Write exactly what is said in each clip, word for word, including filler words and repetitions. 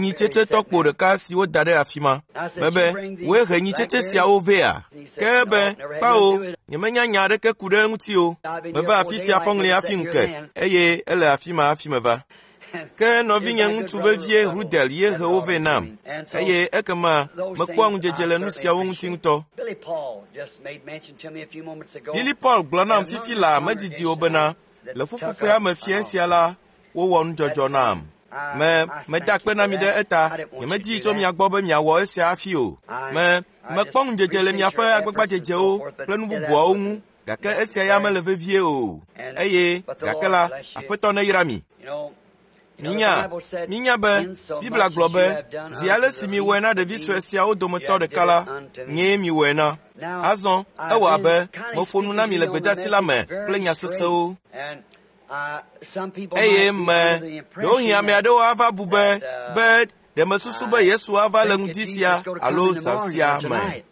nyitsetse tɔkpo ɖeka si woda ɖe afi ma. Mebe, wòe he nyitsetse siawo vɛa? Ke ebe, kpao, nyemenya nya aɖeke ku ɖe eŋuti o. Meva afi sia fɔŋli hafi ŋu ke, eye ele afi ma hafi meva. Ke nɔvinye ŋutsu vevie Rudel ye he wo vɛ nam, eye ekema mekpɔa ŋudzedze le nu siawo ŋuti ŋutɔ. Billy Paul just made mention to me a few moments ago. Billy Paul gblɔ nam fifi laa medidi o bena le ƒuƒoƒea me fiẽ sia la wowɔ nudzɔdzɔ nam. Me meda akpe na mi ɖe eta. Nyemedi tso mia gbɔ be miawɔ esia hafi o. Me mekpɔ ŋudzedze le miaƒe agbagbadzedzewo kple nu bubuawo ŋu. Gake esia ya mele vevie o. Eye gake la, Aƒetɔ neyra mi. Minya, minya be Biblia gblɔ be zi ale si miwɔe na ɖevi sue siawo dometɔ ɖeka la, nyee miwɔe na. Azɔ ewɔ abe meƒo nu na mi le gbedeasi la me kple nya sesẽwo. Eye me ɖewohĩ ame aɖewo ava bu be be ɖe mesusu be Yesu ava le ŋdi sia alo zã sia me.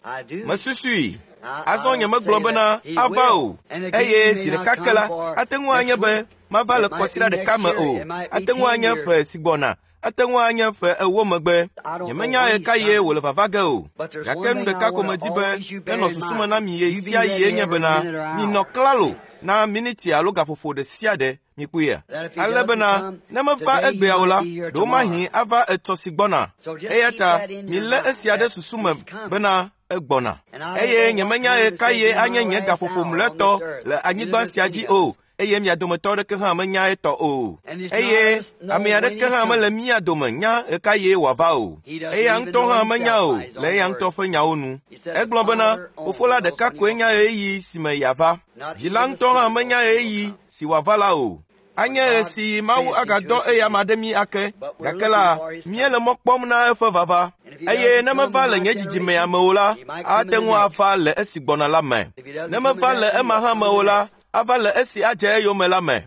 Mesusui. Azɔ nyemegblɔ bena ava o. Eye zi ɖeka ke la, ate ŋu anye be mava le kɔsiɖa ɖeka me o. Ate ŋu anye ƒe si gbɔna. Ate ŋu anye ƒe ewo megbe. Nyemenya ɣekaɣie wòle vava ge o. Gake nu ɖeka ko medi be nenɔ susu me na mi ɣe sia ɣie nye bena minɔ klalo na miniti alo gaƒoƒo ɖe sia ɖe mikpɔea. Ale bena ne meva egbea o la, ɖewomahi ava etsɔ si gbɔna. Eya ta milé esia ɖe susu me bena egbɔna. Eye nyemenya ɣekaɣie anye nye gaƒoƒo mlɔetɔ le anyigba sia dzi o. Eye mia dometɔ aɖeke hã menya etɔ o. Eye ame aɖeke hã mele mía dome nya ɣekaɣie wòava o. Eya ŋutɔ hã menya o le eya ŋutɔ ƒe nyawo nu. Egblɔ bena fofo la ɖeka koe nya ɣeyiɣi si me yeava. Vi la ŋutɔ hã menya ɣeyiɣi si wòava la o. Anye ɣe si Mawu agadɔ eya ma ɖe mí ake. Gake la, míele mɔ kpɔm na eƒe vava. Eye ne meva le nye dzidzimea me o la, ate ŋu ava le esi gbɔna la me. Ne meva le ema hã me o la, ava le esi adze eyome la me.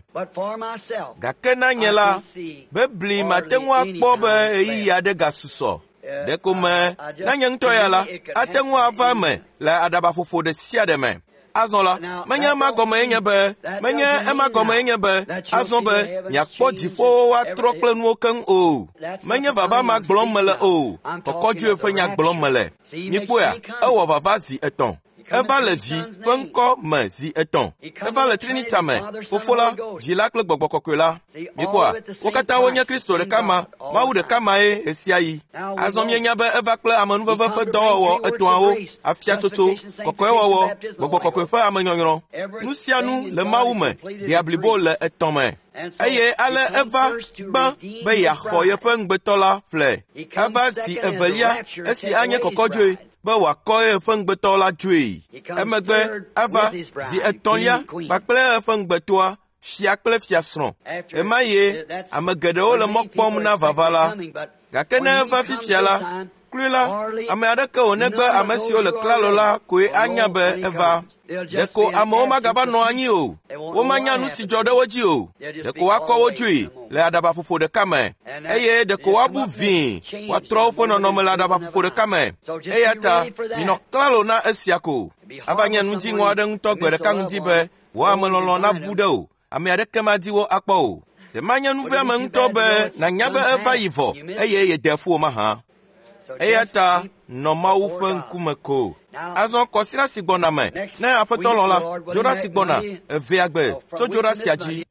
Gake na nye la, bebli mate ŋu akpɔ be ɣeyiɣi aɖe gasusɔ. Ɖeko me na nye ŋutɔ ya la, ate ŋu ava eme le aɖabaƒoƒo ɖe sia ɖe me. Azɔ la, menye ema gɔme nye be, menye ema gɔme nye be, azɔ be miakpɔ dziƒowo woatrɔ kple nuwo keŋ o. Menye vava ma gblɔm mele o, kɔkɔdzoe ƒe nya gblɔm mele. Mikpɔea, ewɔ vava zi etɔ̃. Eva le vi ƒe ŋkɔ me zi etɔ̃. Eva le Trinita me, Fofo la, Vi la kple Gbɔgbɔ Kɔkɔe la. Mikpɔa, wo katã wonye Kristo ɖeka ma, Mawu ɖeka mae ɣesiaɣi. Azɔ míenya be eva kple amenuveve ƒe dɔwɔwɔ etɔ̃awo, afiatsotso, kɔkɔewɔwɔ, Gbɔgbɔ Kɔkɔe ƒe amenyɔnyrɔ. Nu sia nu le Mawu me, ɖea blibo le etɔ̃ me. Eye ale eva gbã be yeaxɔ yeƒe ŋugbetɔ la ƒle. Eva zi evelia esi anye kɔkɔdzoe be wòakɔ eƒe ŋugbetɔ la dzoe. Emegbe eva zi etɔ̃lia kpakple eƒe ŋugbetɔa, fia kple fiasrɔ̃. Ɣemaɣie ame geɖewo le mɔ kpɔm na vava la. Gake ne eva fifia la, klui la, ame aɖeke o negbe ame siwo le klalo la koe anya be eva. Ɖeko amewo magava nɔ anyi o. Womanya nu si dzɔ ɖe wo dzi o. Ɖeko woakɔ wo dzoe le aɖabaƒoƒo ɖeka me. Eye ɖeko woabu vĩi, woatrɔ woƒe nɔnɔme le aɖabaƒoƒo ɖeka me. Eya ta minɔ klalo na esia ko. Ava nye nu dziŋɔ aɖe ŋutɔ gbe ɖeka ŋdi be wò amelɔlɔ̃ nabu ɖe o. Ame aɖeke madi wo akpɔ o. Ɖe manye nuveame ŋutɔ be nànya be eva yi vɔ eye yede ƒu o mahã. Eya ta nɔ Mawu ƒe ŋkume ko. Azɔ kɔsiɖa si gbɔna me, ne Aƒetɔ lɔ̃ la, dzoɖa si gbɔna, evea gbe tso dzoɖa sia dzi.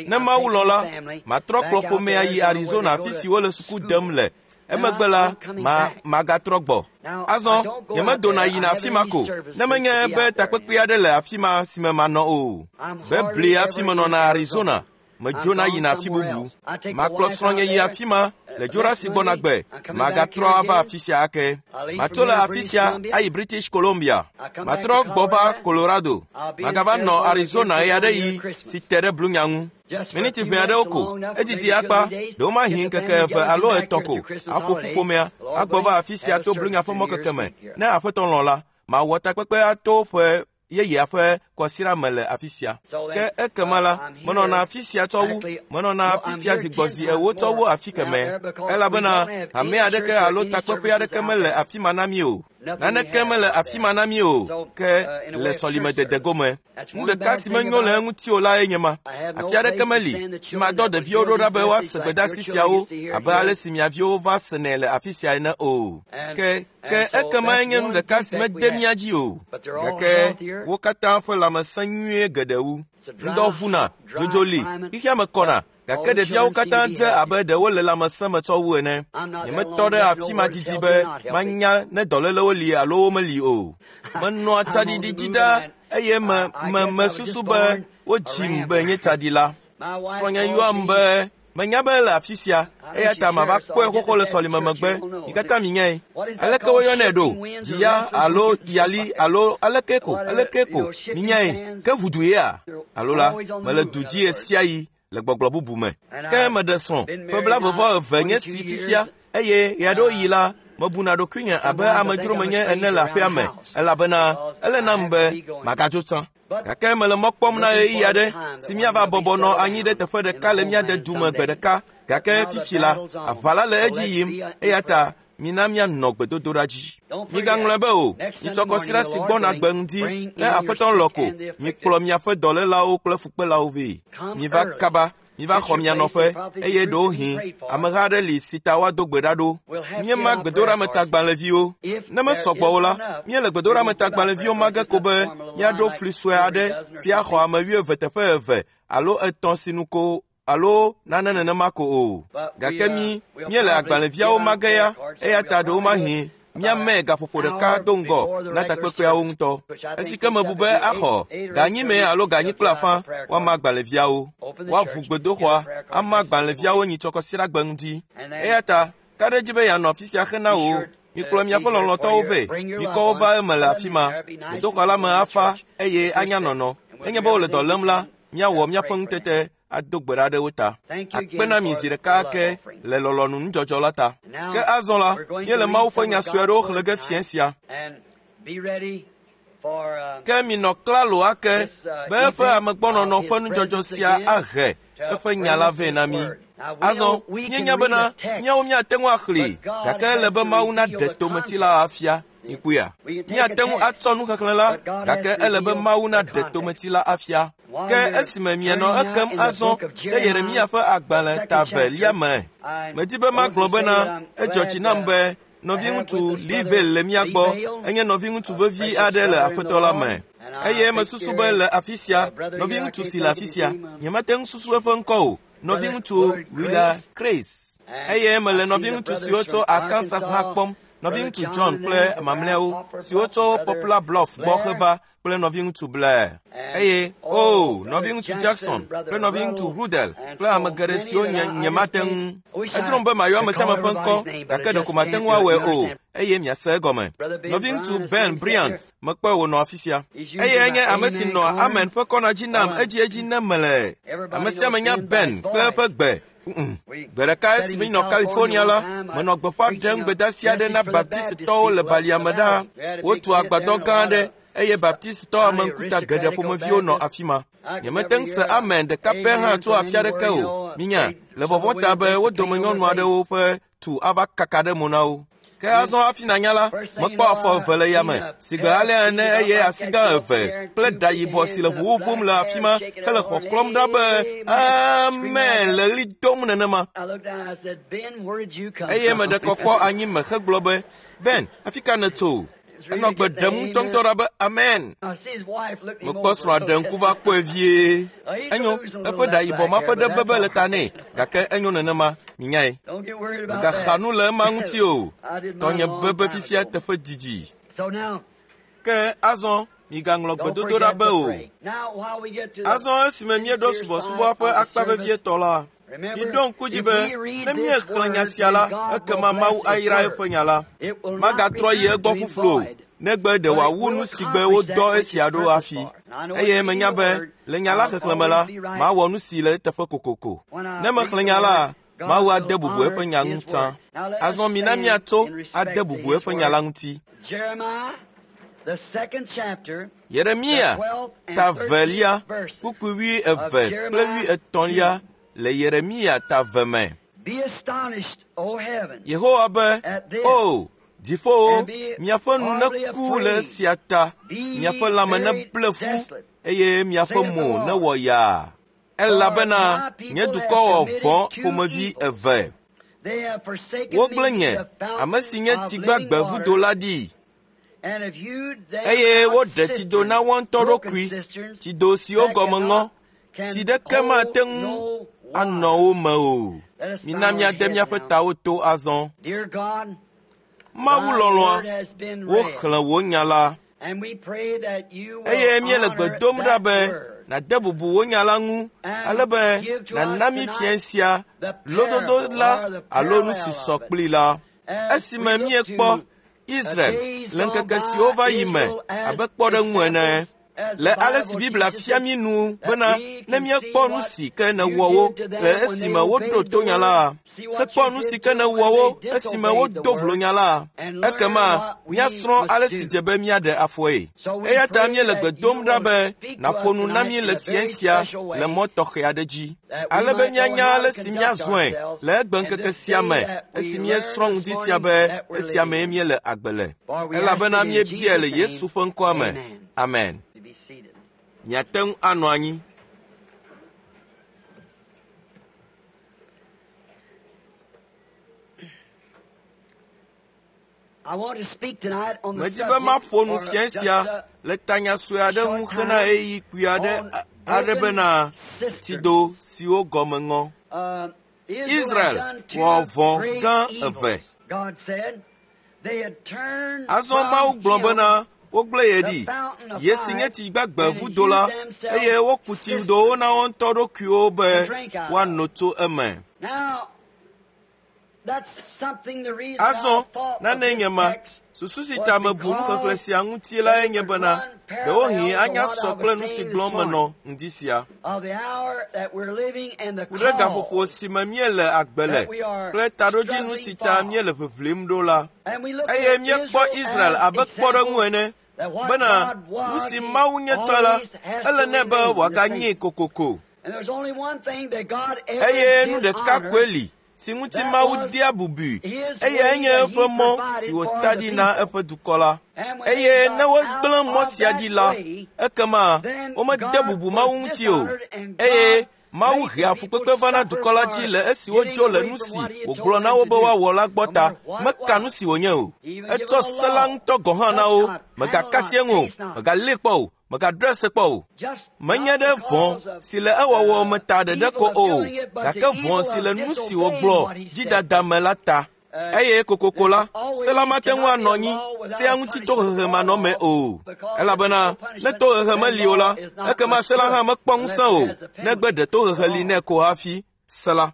Ne Mawu lɔ̃ la, matrɔ kplɔ ƒomea yi Arizona afi si wole suku dem le. Emegbe la, ma magatrɔ gbɔ. Azɔ nyemedona yina afi ma ko, ne menye be takpekpe aɖe le afi ma si me manɔ o. Bebli hafi menɔna Arizona. Medzona yina afi bubu. Makplɔ srɔ̃nye yi afi ma le dzoɖa si gbɔna gbe. Magatrɔ ava afi sia ake. Matso le afi sia ayi British Columbia. Matrɔ gbɔ va Colorado. Magava nɔ Arizona ɣe aɖe ɣi si te ɖe Blunya ŋu. Miniti ʋɛ aɖewo ko, edidi akpa, ɖewomahi ŋkeke eve alo etɔ̃ ko, aƒo ƒu ƒomea, agbɔ va afi sia to Blunya ƒe mɔkeke me. Ne Aƒetɔ lɔ̃ la, mawɔ takpekpe ato ƒe yeyea ƒe kɔsiɖa me le afi sia. Ke ekema la, menɔna afi sia tsɔ wu, menɔna afi sia zi gbɔ zi ewo tsɔ wu afi kemɛ. Elabena hame aɖeke alo takpeƒe aɖeke mele afi ma na mí o. Naneke mele afi ma na mí o, ke le sɔlimedede gome. Nu ɖeka si menyo le eŋuti o lae nye ma. Afi aɖeke meli si madɔ ɖeviwo ɖo ɖa be woase gbedeasi siawo abe ale si mia viwo va senɛ le afi sia ene o. Ke ke ekema nye nu ɖeka si mede mía dzi o. Gake wo katã ƒe lãmesẽ nyuie geɖe wu. Ŋdɔ ʋuna, dzodzo li, xexea me kɔna. Gake ɖeviawo katã dze abe ɖe wole lãmesẽ me tsɔ wu ene. Nyemetɔ ɖe afi ma didi be manya ne dɔlélewo li alo womeli o. Menɔa tsaɖiɖi dzi ɖaa eye me me mesusu be wodzim be nye tsaɖila. Srɔ̃nye yɔam be menya be le afi sia Eya ta mava kpɔe xoxo le sɔlime megbe. Mi katã minyae. Aleke woyɔnɛ ɖo? Dziya alo yali alo aleke ko, aleke ko. Minyae. Ke ʋudu yea? Alo la, mele du dzi ɣe sia ɣi le gbɔgblɔ bubu me. Ke meɖe srɔ̃ ƒe blaeve eve nye si fifia eye ɣeaɖewoɣi la, mebuna ɖokuinye abe amedzro menye ene le aƒea me elabena ele nam be magadzo tsã. Gake mele mɔ kpɔm na ɣeyiɣi aɖe si míava bɔbɔ nɔ anyi ɖe teƒe ɖeka le mía dedu me gbe ɖeka. Gake fifi la, aʋa la le edzi yim eya ta mina míanɔ gbedodoɖa dzi. Migaŋlɔe be o, nyitsɔ kɔsiɖa si gbɔna gbe ŋdi ne Aƒetɔ lɔ̃ ko, mikplɔ miaƒe dɔlélawo kple fukpelawo vɛ. Miva kaba, miva xɔ mia nɔƒe eye ɖewohĩ ameha aɖe li si ta woado gbe ɖa ɖo. Míema gbedoɖametagbalẽviwo. Ne mesɔ gbɔ o la, míele gbedoɖametagbalẽviwo ma ge ko be míaɖo fli sue aɖe si axɔ ame wuieve teƒe eve alo etɔ̃ sinu ko alo nane nenema ko o. Gake mí míele agbalẽviawo ma ge ya eya ta ɖewomahi míamee gaƒoƒo ɖeka do ŋgɔ na takpekpeawo ŋutɔ. Esi ke mebu be axɔ ganyime alo ganyi kple afã woama agbalẽviawo. Woaʋu gbedoxɔa ama agbalẽviawo nyitsɔ kɔsiɖagbe ŋdi. Eya ta ka ɖe edzi be yeanɔ afi sia hena wò. Mikplɔ miaƒe lɔlɔ̃tɔwo vɛ. Mikɔ wo va eme le afi ma. Gbedoxɔ la me afa eye anya nɔnɔ. Nenye be wole dɔ lém la, míawɔ míaƒe ŋutete ado gbe ɖa ɖe wo ta. Akpe na mi zi ɖeka ake le lɔlɔ̃nu nudzɔdzɔ la ta. Ke azɔ la, míele Mawu ƒe nya sue aɖewo xlẽ ge fiẽ sia. Ke minɔ klalo ake be eƒe amegbɔnɔnɔ ƒe nudzɔdzɔ sia ahe eƒe nya la vɛ na mí. Azɔ, míenya bena míawo míate ŋu axlẽe, gake ele be Mawu naɖe tometi la afia. Mikpɔea? Míate ŋu atsɔ nuxexlẽ la, gake ele be Mawu naɖe tometi la afia. Ke esime mienɔ ekem azɔ ɖe Yeremia ƒe agbalẽ ta velia me, medi be magblɔ bena edzɔ dzi nam be nɔviŋutsu Livale le mía gbɔ. Enye nɔviŋutsu vevi aɖe le Aƒetɔ la me. Eye mesusu be le afi sia, nɔviŋutsu si le afi sia, nyemate ŋu susu eƒe ŋkɔ o, nɔviŋutsu Willa Craze. Eye mele nɔviŋutsu siwo tso Arkansas hã kpɔm, nɔviŋutsu John kple mamlɛawo siwo tso Poplar Bluff gbɔ heva kple nɔviŋutsu Blair. Eye o, nɔviŋutsu Jackson kple nɔviŋutsu Rudel kple ame geɖe siwo nye nyemate ŋu. Edzrom be mayɔ ame sia ame ƒe ŋkɔ, gake ɖeko mate ŋu awɔe o, eye miase egɔme. Nɔviŋutsu Ben Bryant mekpɔe wònɔ afi sia. Eye enye ame si nɔa Amen ƒe kɔna dzi nam edziedzi ne mele. Ame sia ame nya Ben kple eƒe gbe. Gbe ɖeka esi minɔ California la, menɔ gbeƒã ɖem gbedeasi aɖe na Baptistɔwo le balia me ɖaa. Wotu agbadɔ gã aɖe eye Baptistɔ ameŋkuta geɖe ƒomeviwo nɔ afi ma. Nyemete ŋu se amen ɖeka pɛ hã tso afi aɖeke o. Minya, le vɔvɔ̃ ta be wo dome nyɔnu aɖewo ƒe tu ava kaka ɖe mo na wo. Ke azɔ hafi nanya la, mekpɔ afɔ eve le yame, si gbe alea ene eye asi gã eve kple ɖa yibɔ si le ʋuʋum le afi ma hele xɔxlɔ̃m ɖa be amen le ɣli dom nenema. Eye meɖe kɔ kpɔ anyi me hegblɔ be, Ben, afi ka nètso? Enɔ gbe ɖem ŋutɔŋutɔ ɖa be amen. Mekpɔ srɔ̃a ɖe ŋku va kpɔe vie. Enyo, eƒe ɖa yibɔ ma ƒe ɖe bebe le ta nɛ, gake enyo nenema, minyae. Megaxa nu le ema ŋuti o. Tɔnye bebe fifia teƒe didi. Ke azɔ migaŋlɔ gbedodoɖa be o. Azɔ esime míeɖo subɔsubɔa ƒe akpa vevietɔ la, miɖo ŋku dzi be ne míexlẽ nya sia la, ekema Mawu ayra eƒe nya la. Magatrɔ yi egbɔ ƒuƒlu o, negbe ɖe wòawu nu si gbe wodɔ esia ɖo hafi. Eye menya be le nya la xexlẽme la, mawɔ nu si le eteƒe kokoko. Ne mexlẽ nya la, Mawu ade bubu eƒe nya ŋu tsã. Azɔ mina míatso ade bubu eƒe nya la ŋuti. Yeremia ta velia, kpukpui wui eve kple wui etɔ̃lia le Yeremia ta ve me. Yehowa be, O, dziƒowo, miaƒe nu neku le esia ta, miaƒe lãme neble fu, eye miaƒe mo newɔ yaa. Elabena nye dukɔ wɔ vɔ̃ ƒomevi eve. Wogblẽ nye, ame si nye tsi gbagbe vudo la ɖi, eye woɖe tsido na woa ŋutɔ ɖokui, tsido siwo gɔme ŋɔ, tsi ɖeke mate ŋu anɔ wo me o. Mina míade míaƒe tawo to azɔ. Mawu lɔlɔ̃a, woxlẽ wò nya la, eye míele gbe dom ɖa be nàde bubu wò nya la ŋu ale be nàna mí fiẽ sia lododo la alo nu si sɔ kplii la. Esime míekpɔ Israel le ŋkeke siwo va yi me abe kpɔɖeŋu ene, le ale si Biblia fia mí nu bena ne míekpɔ nu si ke nèwɔ wo le esime woɖo to nya la, hekpɔ nu si ke nèwɔ wo esime wodo vlo nya la, ekema míasrɔ̃ ale si dze be míaɖe afɔe. Eya ta míele gbe dom ɖa be nàƒo nu na mí le fiẽ sia le mɔ tɔxɛ aɖe dzi, ale be míanya ale si míazɔe le egbeŋkeke sia me esi míesrɔ̃ ŋdi sia be esia mee míele agbe le. Elabena míebiae le Yesu ƒe ŋkɔa me. Amen. Miate ŋu anɔ anyi. Medi be maƒo nu fiẽ sia le tanya sue aɖe ŋu hena ɣeyiɣi kpui aɖe aɖe bena tsido siwo gɔme ŋɔ. Israel wɔ vɔ̃ gã eve. Azɔ Mawu gblɔ bena wogblẽ ye ɖi, ye si nye tsi gbagbe vudo la, eye woku tsidowo na wo ŋutɔ ɖokuiwo be woano tso eme. Azɔ nane nye ma, susu si ta mebu nuxexlẽ sia ŋuti lae nye bena ɖewohĩ anya sɔ kple nu si gblɔm menɔ ŋdi sia. Ku ɖe gaƒoƒo si me míele agbe le kple taɖodzinu si ta míele ʋiʋlim ɖo la, eye míekpɔ Israel abe kpɔɖeŋu ene bena nu si Mawu nye tsã la, ele nɛ be wòaganyee kokoko. Eye nu ɖeka koe li si ŋuti Mawu dea bubui, eyae nye eƒe mɔ si wòta ɖi na eƒe dukɔ la. Eye ne wogblẽ mɔ sia ɖi la, ekema womede bubu Mawu ŋuti o, eye Mawu hea fukpekpe va na dukɔ la dzi le esi wodzo le nu si wògblɔ na wo be woawɔ la gbɔ ta, meka nu si wònye o. Etsɔ se la ŋutɔ gɔ̃ hã na wo, mègaka asi eŋu o, mègalée kpɔ o, mègaɖɔe se kpɔ o. Menye ɖe vɔ̃ si le ewɔwɔ me ta ɖeɖe ko o, gake vɔ̃ si le nu si wògblɔ dzidada me la ta. Eye kokoko la, se la mate ŋu anɔ anyi sea ŋuti tohehe manɔme o, elabena ne tohehe meli o la, ekema se la hã mekpɔ ŋusẽ o, negbe ɖe tohehe li nɛ ko hafi se la.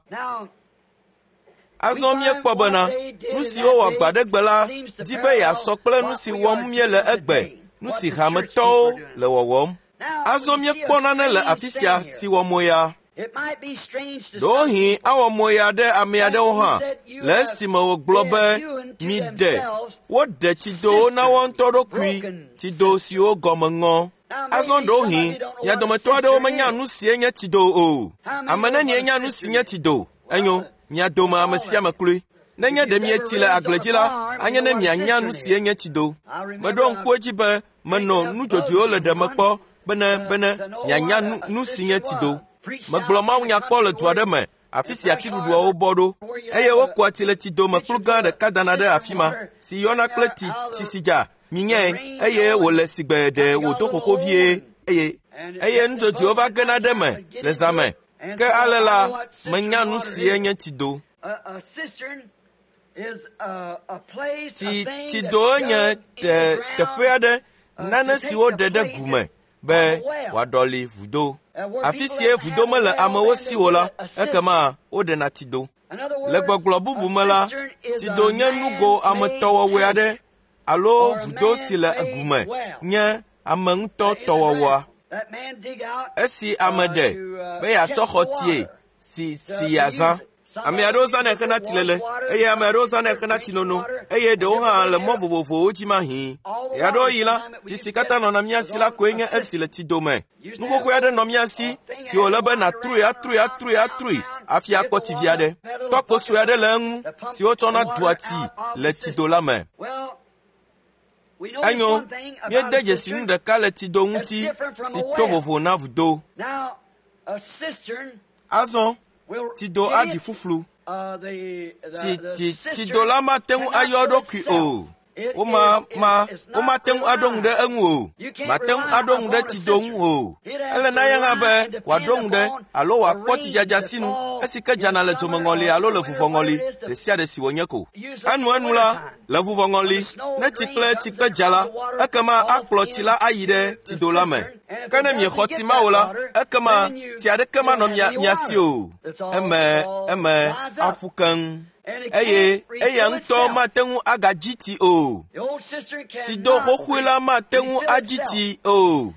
Azɔ míekpɔ bena nu si wowɔ gbaɖegbe la di be yeasɔ kple nu si wɔm míele egbe, nu si hametɔwo le wɔwɔm. Azɔ míekpɔ nane le afi sia si wɔ moya. Ɖewohĩ awɔ moya ɖe ame aɖewo hã le esime wògblɔ be miɖe woɖe tsidowo na woa ŋutɔ ɖokui, tsido siwo gɔme ŋɔ. Azɔ ɖewohĩ mia dometɔ aɖewo menya nu sie nye tsido o. Ame nenie nya nu si nye tsido? Enyo, mia dome ame sia ame kloe. Nenye ɖe mietsi le agble dzi la, anye ne mianya nu sie nye tsido. Meɖo ŋku edzi be menɔ nudzodzoewo le ɖeme kpɔ bene bene mianya nu si nye tsido. Megblɔ mawunya kpɔ le du aɖe me, afi si atiɖuɖuawo bɔ ɖo, eye wokua tsi le tsido me kplu gã ɖeka dana ɖe afi ma, si yɔna kple tsi tsitsidza minyae, eye wòle sigbe ɖe wòdo xoxo vie, eye eye nudzodzoewo va gena ɖe eme le zã me. Ke ale la, menya nu sie nye tsido. Tsi tsido nye te teƒe aɖe, nane si woɖe ɖe gu me be wòaɖɔli vudo. Afi sie vudo mele amewo si o la, ekema woɖena tsido. Le gbɔgblɔ bubu me la, tsido nye nugo ametɔwɔwɔe aɖe alo vudo si le gu me nye ame ŋutɔ tɔwɔwɔa. Esi ame ɖe be yeatsɔ xɔ tsie si si yeazã. Ame aɖewo zãnɛ hena tsilele, eye ame aɖewo zãnɛ hena tsinono, eye ɖewo hã le mɔ vovovowo dzi mahĩ. Ɣeaɖewoɣi la, tsi si katã nɔna mía si la koe nye esi le tsido me. Nu xoxoe aɖe nɔ mía si si wòle be nàtrui atrui atrui atrui hafi akpɔ tsi vi aɖe. Tɔkpo sue aɖe le eŋu si wotsɔna dua tsi le tsido la me. Enyo, míede dzesi nu ɖeka le tsido ŋuti si to vovo na vudo. Azɔ, tsido aɖi ƒuƒlu. Tsi tsi tsido la mate ŋu ayɔ eɖokui o. Woma ma womate ŋu aɖo ŋu ɖe eŋu o. Mate ŋu aɖo ŋu ɖe tsido ŋu o. Ele na ye hã be wòaɖo ŋu ɖe alo wòakpɔ tsidzadza sinu esi ke dzana le dzomeŋɔli alo le vuvɔŋɔli ɖe sia ɖe si wònye ko. Enuenu la, le vuvɔŋɔli, ne tsi kple tsikpe dza la, ekema akplɔ tsi la ayi ɖe tsido la me. Ke ne miexɔ tsi ma o la, ekema tsi aɖeke manɔ mia mia si o. Eme eme aƒu keŋ. Eye eya ŋutɔ mate ŋu agadzi tsi o. Tsido xoxoe la mate ŋu adzi tsi o.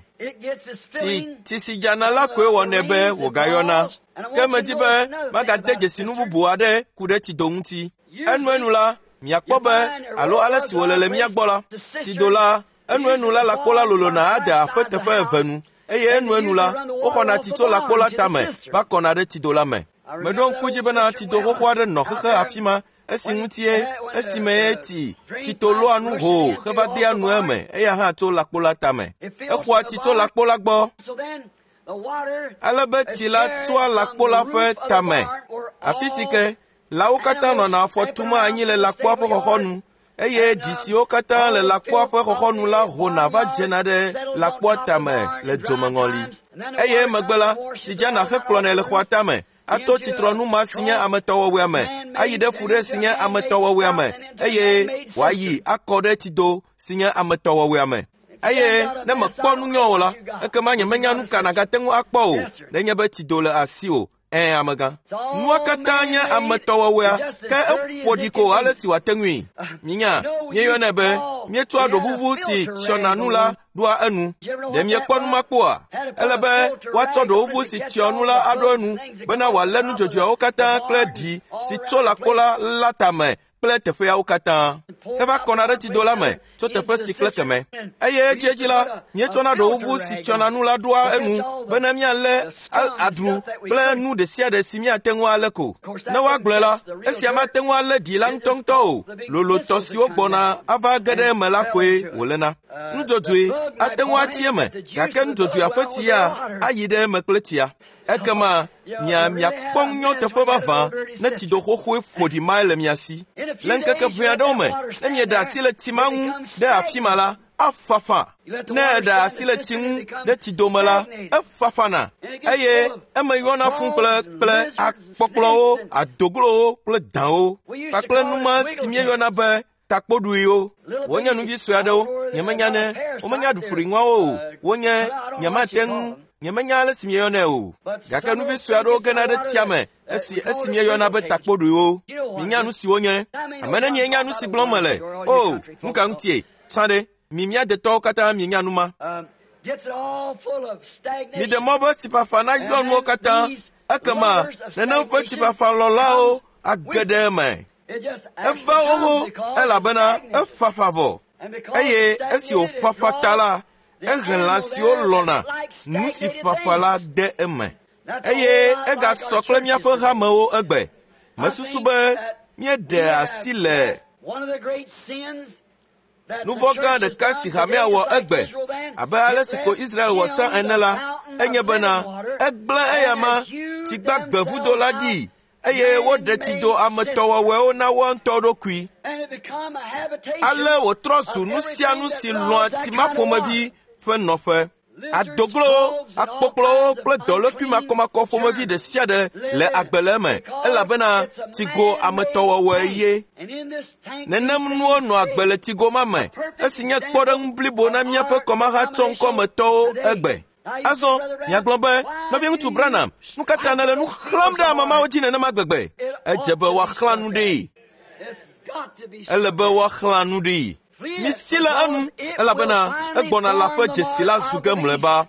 Tsi tsi si dzana la koe wɔnɛ be wògayɔna. Ke medi be magade dzesi nu bubu aɖe ku ɖe tsido ŋuti. Enuenu la, miakpɔ be alo ale si wòle le mía gbɔ la, tsido la, enuenu la lãkpo la lolona ade aƒe teƒe eve nu eye enuenu la, woxɔna tsi tso lãkpo la tame va kɔna ɖe tsido la me. Meɖo ŋku dzi bena tsido xoxo aɖe nɔ xexe afi ma esi ŋutie esime ye tsi tsito lɔa nu hoo heva dea nu eme eya hã tso lãkpo la tame. Exɔa tsi tso lãkpo la gbɔ ale be tsi la tsoa lãkpo la ƒe tame afi si ke lãwo katã nɔna afɔ tum anyi le lãkpoa ƒe xɔxɔnu eye ɖi siwo katã le lãkpoa ƒe xɔxɔnu la hona va dzena ɖe lãkpoa tame le dzomeŋɔli. Eye emegbe la, tsi dzana hekplɔnɛ le xɔa tame ato tsitrɔnu ma si nye ametɔwɔwɔea me ayi ɖe fu ɖe si nye ametɔwɔwɔea me eye wòayi akɔ ɖe tsido si nye ametɔwɔwɔea me. Eye ne mekpɔ nu nyɔ o la, ekema nyemenya nu ka nàgate ŋu akpɔ o nenye be tsido le asiwò. Ẽ, amegã. Nua katã nye ametɔwɔwɔea ke eƒo ɖi ko ale si wòate ŋui. Minya, míeyɔnɛ be míetsɔa ɖovuvu si tsyɔna nu la ɖoa enu. Ɖe miekpɔ nu ma kpɔa? Ele be woatsɔ ɖovuvu si tsyɔ nu la aɖo enu bena wòalé nudzodzoeawo katã kple ɖi si tso lãkpo la la tame kple teƒeawo katã. Heva kɔna ɖe tsido la me tso teƒe si kple keme. Eye edziedzi la, míetsɔna ɖovuvu si tsyɔna nu la ɖoa enu bena míalé adru kple nu ɖe sia ɖe si míate ŋu alé ko. Ne woagblɔe la, esia mate ŋu alé ɖi la ŋutɔŋutɔ o. Lolotɔ siwo gbɔna ava ge ɖe eme la koe wòléna. Nudzodzoe ate ŋu atsi eme gake nudzodzoea ƒe tsi ya ayi ɖe eme kple tsia. Ekema mia miakpɔ ŋunyɔteƒe vavã ne tsido xoxoe ƒo ɖi mae le mia si. Le ŋkeke ʋɛ aɖewo me, ne mieɖe asi le tsi ma ŋu ɖe afi ma la, afafa. Ne eɖe asi le tsi ŋu ɖe tsidome la, efafana eye eme yɔna fũ kple kple akpɔkplɔwo, adoglowo kple dãwo kpakple nu ma si míeyɔna be takpoɖuiwo. Wonye nuvi sue aɖewo, nyemenya ne womenya ɖufuriŋuawo o. Wonye nyemate ŋu nyemenya ale si mieyɔnɛ o. Gake nuvi sue aɖewo gena ɖe tsia me esi esi mieyɔna be takpoɖuiwo. Minya nu si wonye. Ame ne mienya nu si gblɔm mele. O, nu ka ŋutie? Tsã ɖe, mi mía detɔwo katã mienya nu ma. Miɖe mɔ be tsiƒaƒa nayɔ nuwo katã ekema nenem ƒe tsiƒaƒalɔlawo age ɖe eme. Eva xoxo elabena efafa vɔ eye esi wòfafa ta la, ehe lã siwo lɔ̃na nu si fafa la de eme. Eye egasɔ kple míaƒe hamewo egbe. Mesusu be míeɖe asi le nu vɔ̃ gã ɖeka si hamea wɔ egbe abe ale si ko Israel wɔ tsã ene la, enye bena egblẽ eyama tsigbagbvudo la ɖi eye woɖe tsido ametɔwɔwɔewo na woa ŋutɔ ɖokui. Ale wòtrɔ zu nu sia nu si lɔ̃a tsi ma ƒomevi ƒe nɔƒe. Adoglowo, akpɔkplɔwo kple dɔlékui makɔmakɔ ƒomevi ɖe sia ɖe le agbe le eme elabena tsigo ametɔwɔwɔe ye. Nenem nuwo nɔ agbe le tsigo ma me esi nye kpɔɖeŋu blibo na míaƒe kɔmahatsɔŋkɔmetɔwo egbe. Azɔ miagblɔ be, nɔviŋutsu Branham, nu ka ta nèle nu xlãm ɖe ame mawo dzi nenema gbegbe? Edze be woaxlã nu ɖee. Ele be woaxlã nu ɖee. Misi le enu elabena egbɔna la ƒe dzesi la zu ge mlɔeba.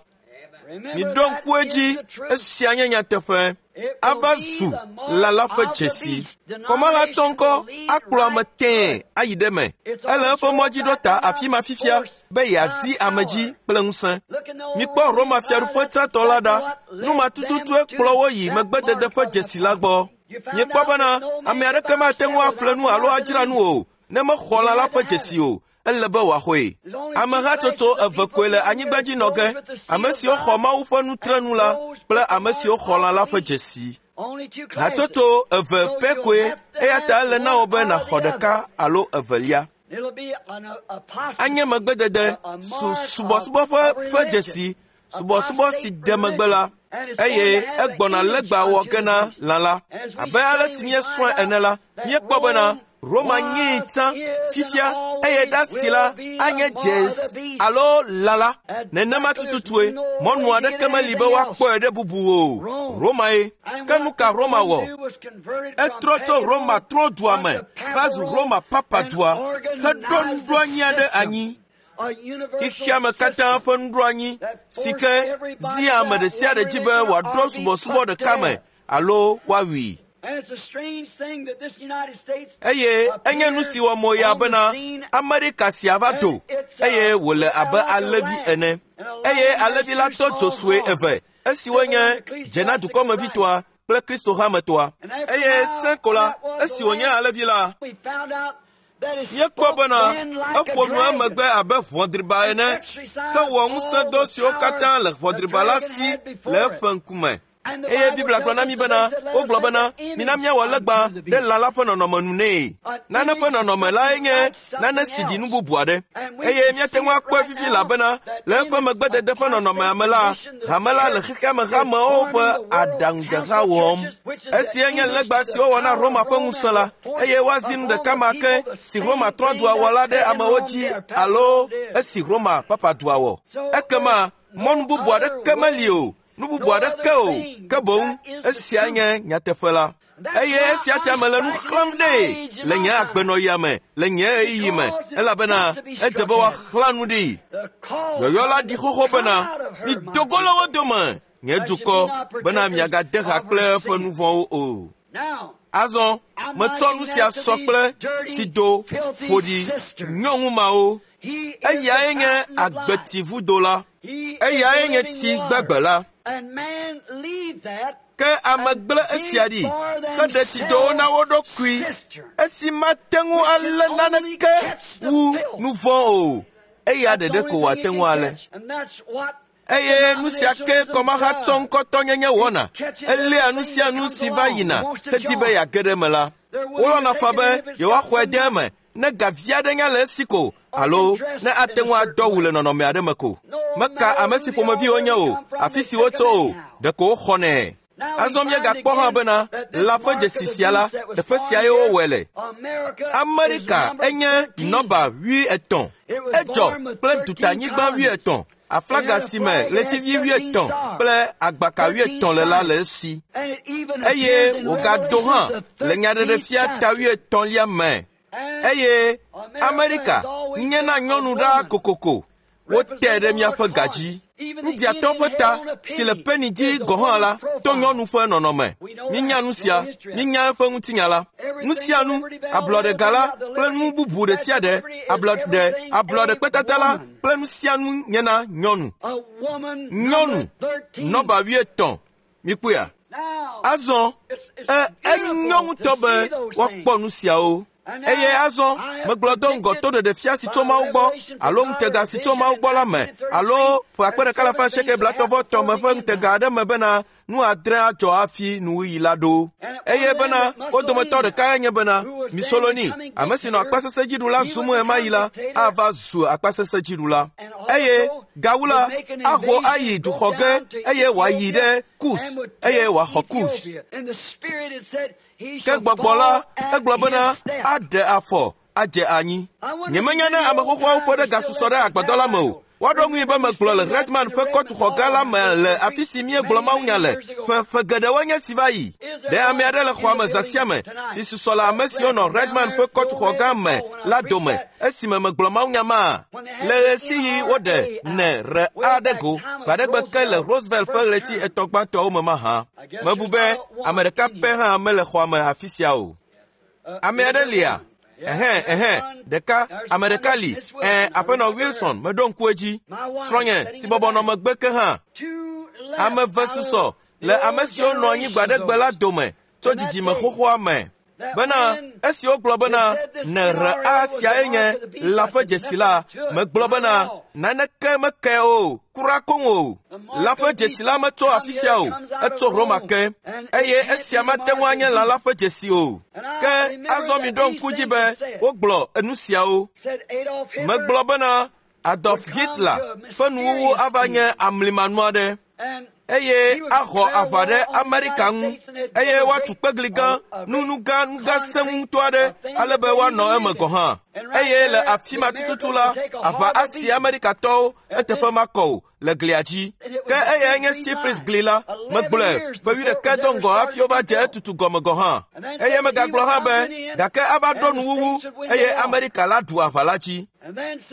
Miɖo ŋku edzi, esia nye nyateƒe. Ava zu lã la ƒe dzesi. Kɔmahatsɔŋkɔ akplɔ ame tẽe ayi ɖe eme. Ele eƒe mɔ dzi ɖo ta afi ma fifia be yeazi ame dzi kple ŋusẽ. Mikpɔ Roma fiaɖuƒe tsãtɔ la ɖa. Nu ma tututue kplɔ wo yi megbedede ƒe dzesi la gbɔ. Miekpɔ bena ame aɖeke mate ŋu aƒle nu alo adzra nu o ne mexɔ lã la ƒe dzesi o. Ele be wòaxɔe. Amehatsotso eve koe le anyigba dzi nɔ ge, ame siwo xɔ Mawu ƒe nutrenu la kple ame siwo xɔ lã la ƒe dzesi. Hatsotso eve pɛ koe eya ta ele na wò be nàxɔ ɖeka alo evelia. Anye megbedede su subɔsubɔ ƒe ƒe dzesi, subɔsubɔ si de megbe la, eye egbɔna legba wɔ ge na lã la. Abe ale si míesrɔ̃e ene la, míekpɔ bena Roma nyii tsã fifia eye ɖasi la anye dzesi alo lã la. Nenema tututue mɔnu aɖeke meli be woakpɔe ɖe bubu o. Roma ye. Ke nu ka Roma wɔ? Etrɔ tso Roma trɔ dua me va zu Roma papa dua heɖo nuɖoanyi aɖe anyi. Xexeame katã ƒe nuɖoanyi si ke zia ame ɖe sia ɖe dzi be wòaɖo subɔsubɔ ɖeka me alo woawui. Eye enye nu si wɔ mo ya bena Amerika sia va do eye wòle abe alẽvi ene. Eye alẽvi la tɔ dzo sue eve esiwo nye dzena dukɔmevitɔa kple Kristo hametɔa. Eye sẽ ko la, esi wònye alẽvi la, míekpɔ bena eƒo nu emegbe abe ʋɔdriba ene hewɔ ŋusẽdɔ siwo katã le ʋɔdriba la si le eƒe ŋkume. Eye Biblia gblɔ na mí bena wogblɔ bena mina míawɔ legba ɖe lã la ƒe nɔnɔme nu nɛ. Nane ƒe nɔnɔme lae nye nane si ɖi nu bubu aɖe. Eye míate ŋu akpɔe fifi elabena le eƒe megbedede ƒe nɔnɔmea me la, hame la le xexeame hamewo ƒe aɖaŋudeha wɔm. Esia nye legba si wowɔ na Roma ƒe ŋusẽ la, eye woazi nu ɖeka ma ke si Roma trɔdua wɔ la ɖe amewo dzi alo esi Roma papa dua wɔ. Ekema mɔnu bubu aɖeke meli o. Nu bubu aɖeke o, ke boŋ esia nye nyateƒe la. Eye esia ta mele nu xlẽm ɖee le nye agbenɔɣia me, le nye ɣeyiɣi me, elabena edze be woaxlã nu ɖi. Yɔyɔ la ɖi xoxo bena, mido go le wo dome, nye dukɔ, bena miagade ha kple eƒe nu vɔ̃wo o. Azɔ metsɔ nu sia sɔ kple tsido ƒoɖi nyɔnu mawo. Eyae nye agbetivudo la. Eyae nye tsi gbagbe la. Ke ame gblẽ esia ɖi heɖe tsidowo na wo ɖokui esi mate ŋu alé naneke wu nu vɔ̃ o. Eya ɖeɖe ko wòate ŋu alé. Eye nu sia ke kɔmahatsɔ ŋkɔtɔnyenye wɔna. Eléa nu sia nu si va yina hedi be yeage ɖe eme la. Wolɔ̃na faa be yewoaxɔe de eme ne gavi aɖe nya le esi ko alo ne ate ŋu adɔ wu le nɔnɔme aɖe me ko. Meka ame si ƒomevi wonye o, afi si wotso o, ɖeko woxɔnɛ. Azɔ míegakpɔ hã bena lã ƒe dzesi sia la, teƒe siae wowɔe le. Amerika enye nɔba wuietɔ̃. Edzɔ kple dutanyigba wuietɔ̃. Aflaga si me ɣletivi wuietɔ̃ kple agbaka wuietɔ̃ le la le esi. Eye wògado hã le nyaɖeɖefia ta wuietɔ̃lia me. Eye Amerika nye na nyɔnu ɖaa kokoko. Wote ɖe míaƒe ga dzi. Ŋdiatɔ ƒe ta si le peni dzi gɔ̃ hã la to nyɔnu ƒe nɔnɔme. Mínya nu sia, mínya eƒe ŋutinya la. Nu sia nu, ablɔɖega la kple nu bubu ɖe sia ɖe, ablɔɖe, ablɔɖekpetata la kple nu sia nu nye na nyɔnu. Nyɔnu nɔba wuietɔ̃. Mikpɔea? Azɔ, e, enyo ŋutɔ be woakpɔ nu siawo. Eye azɔ megblɔ do ŋgɔ to ɖeɖefia si tso Mawu gbɔ alo ŋutega si tso Mawu gbɔ la me alo ƒe akpe ɖeka alafa asieke blaetɔ̃-vɔ-etɔ̃ me ƒe ŋutega aɖe me bena nu adre adzɔ hafi nuwuɣi la ɖo. Eye bena wo dometɔ ɖekae nye bena Mussolini, ame si nɔ akpasesẽdziɖula zum ɣemaɣi la, ava zu akpasesẽdziɖula. Eye gawu la, aho ayi duxɔ ge eye wòayi ɖe Kus eye wòaxɔ Kus. Ke gbɔgbɔ la, egblɔ bena aɖe afɔ adze anyi. Nyemenya ne ame xoxoawo ƒe ɖe gasusɔ ɖe agbadɔ la me o. Woaɖo ŋui be megblɔ le Redman ƒe kɔtuxɔ gã la me le afi si míegblɔ mawunya le ƒe ƒe geɖewoe nye si va yi. Ɖe ame aɖe le xɔa me zã sia me si susɔ le ame siwo nɔ Redman ƒe kɔtuxɔ gã me la dome esime megblɔ mawunya ma. Le ɣesiɣi woɖe ne re aɖe go gbaɖegbe ke le Roosevelt ƒe ɣleti etɔ̃ gbãtɔawo me mahã. Mebu be ame ɖeka pɛ hã mele xɔa me afi sia o. Ame aɖe lia? Ɛhɛn, ɛhɛn, ɖeka, ame ɖeka li. Ɛ̃, aƒenɔ Wilson, meɖo ŋku edzi. Srɔ̃nye si bɔbɔ nɔ megbe ke hã. Ame eve susɔ le ame siwo nɔ anyi gbaɖegbe la dome tso dzidzime xoxoa me. Bena esi wogblɔ bena ne R A siae nye lã ƒe dzesi la, megblɔ bena naneke meke o, kura koŋ o. Lã ƒe dzesi la metso afi sia o, etso Roma ke, eye esia mate ŋu anye lã la ƒe dzesi o. Ke azɔ mi ɖo ŋku dzi be wogblɔ enu siawo. Megblɔ bena Adolf Hitler ƒe nuwuwu ava nye amlimanu aɖe, eye axɔ aʋa ɖe Amerika ŋu, eye woatu kpegli gã, nunu gã, nugã sẽŋu ŋutɔ aɖe, ale be woanɔ eme gɔ̃ hã. Eye le afi ma tututu la, aʋa asi Amerikatɔwo eteƒe makɔ o le glia dzi. Ke eyae nye Siegfried gli la, megblɔe ƒe wuiɖekɛ do ŋgɔ hafi wova dze etutu gɔme gɔ̃ hã. Eye megagblɔ hã be gake ava ɖo nuwuwu eye Amerika la ɖu aʋa la dzi.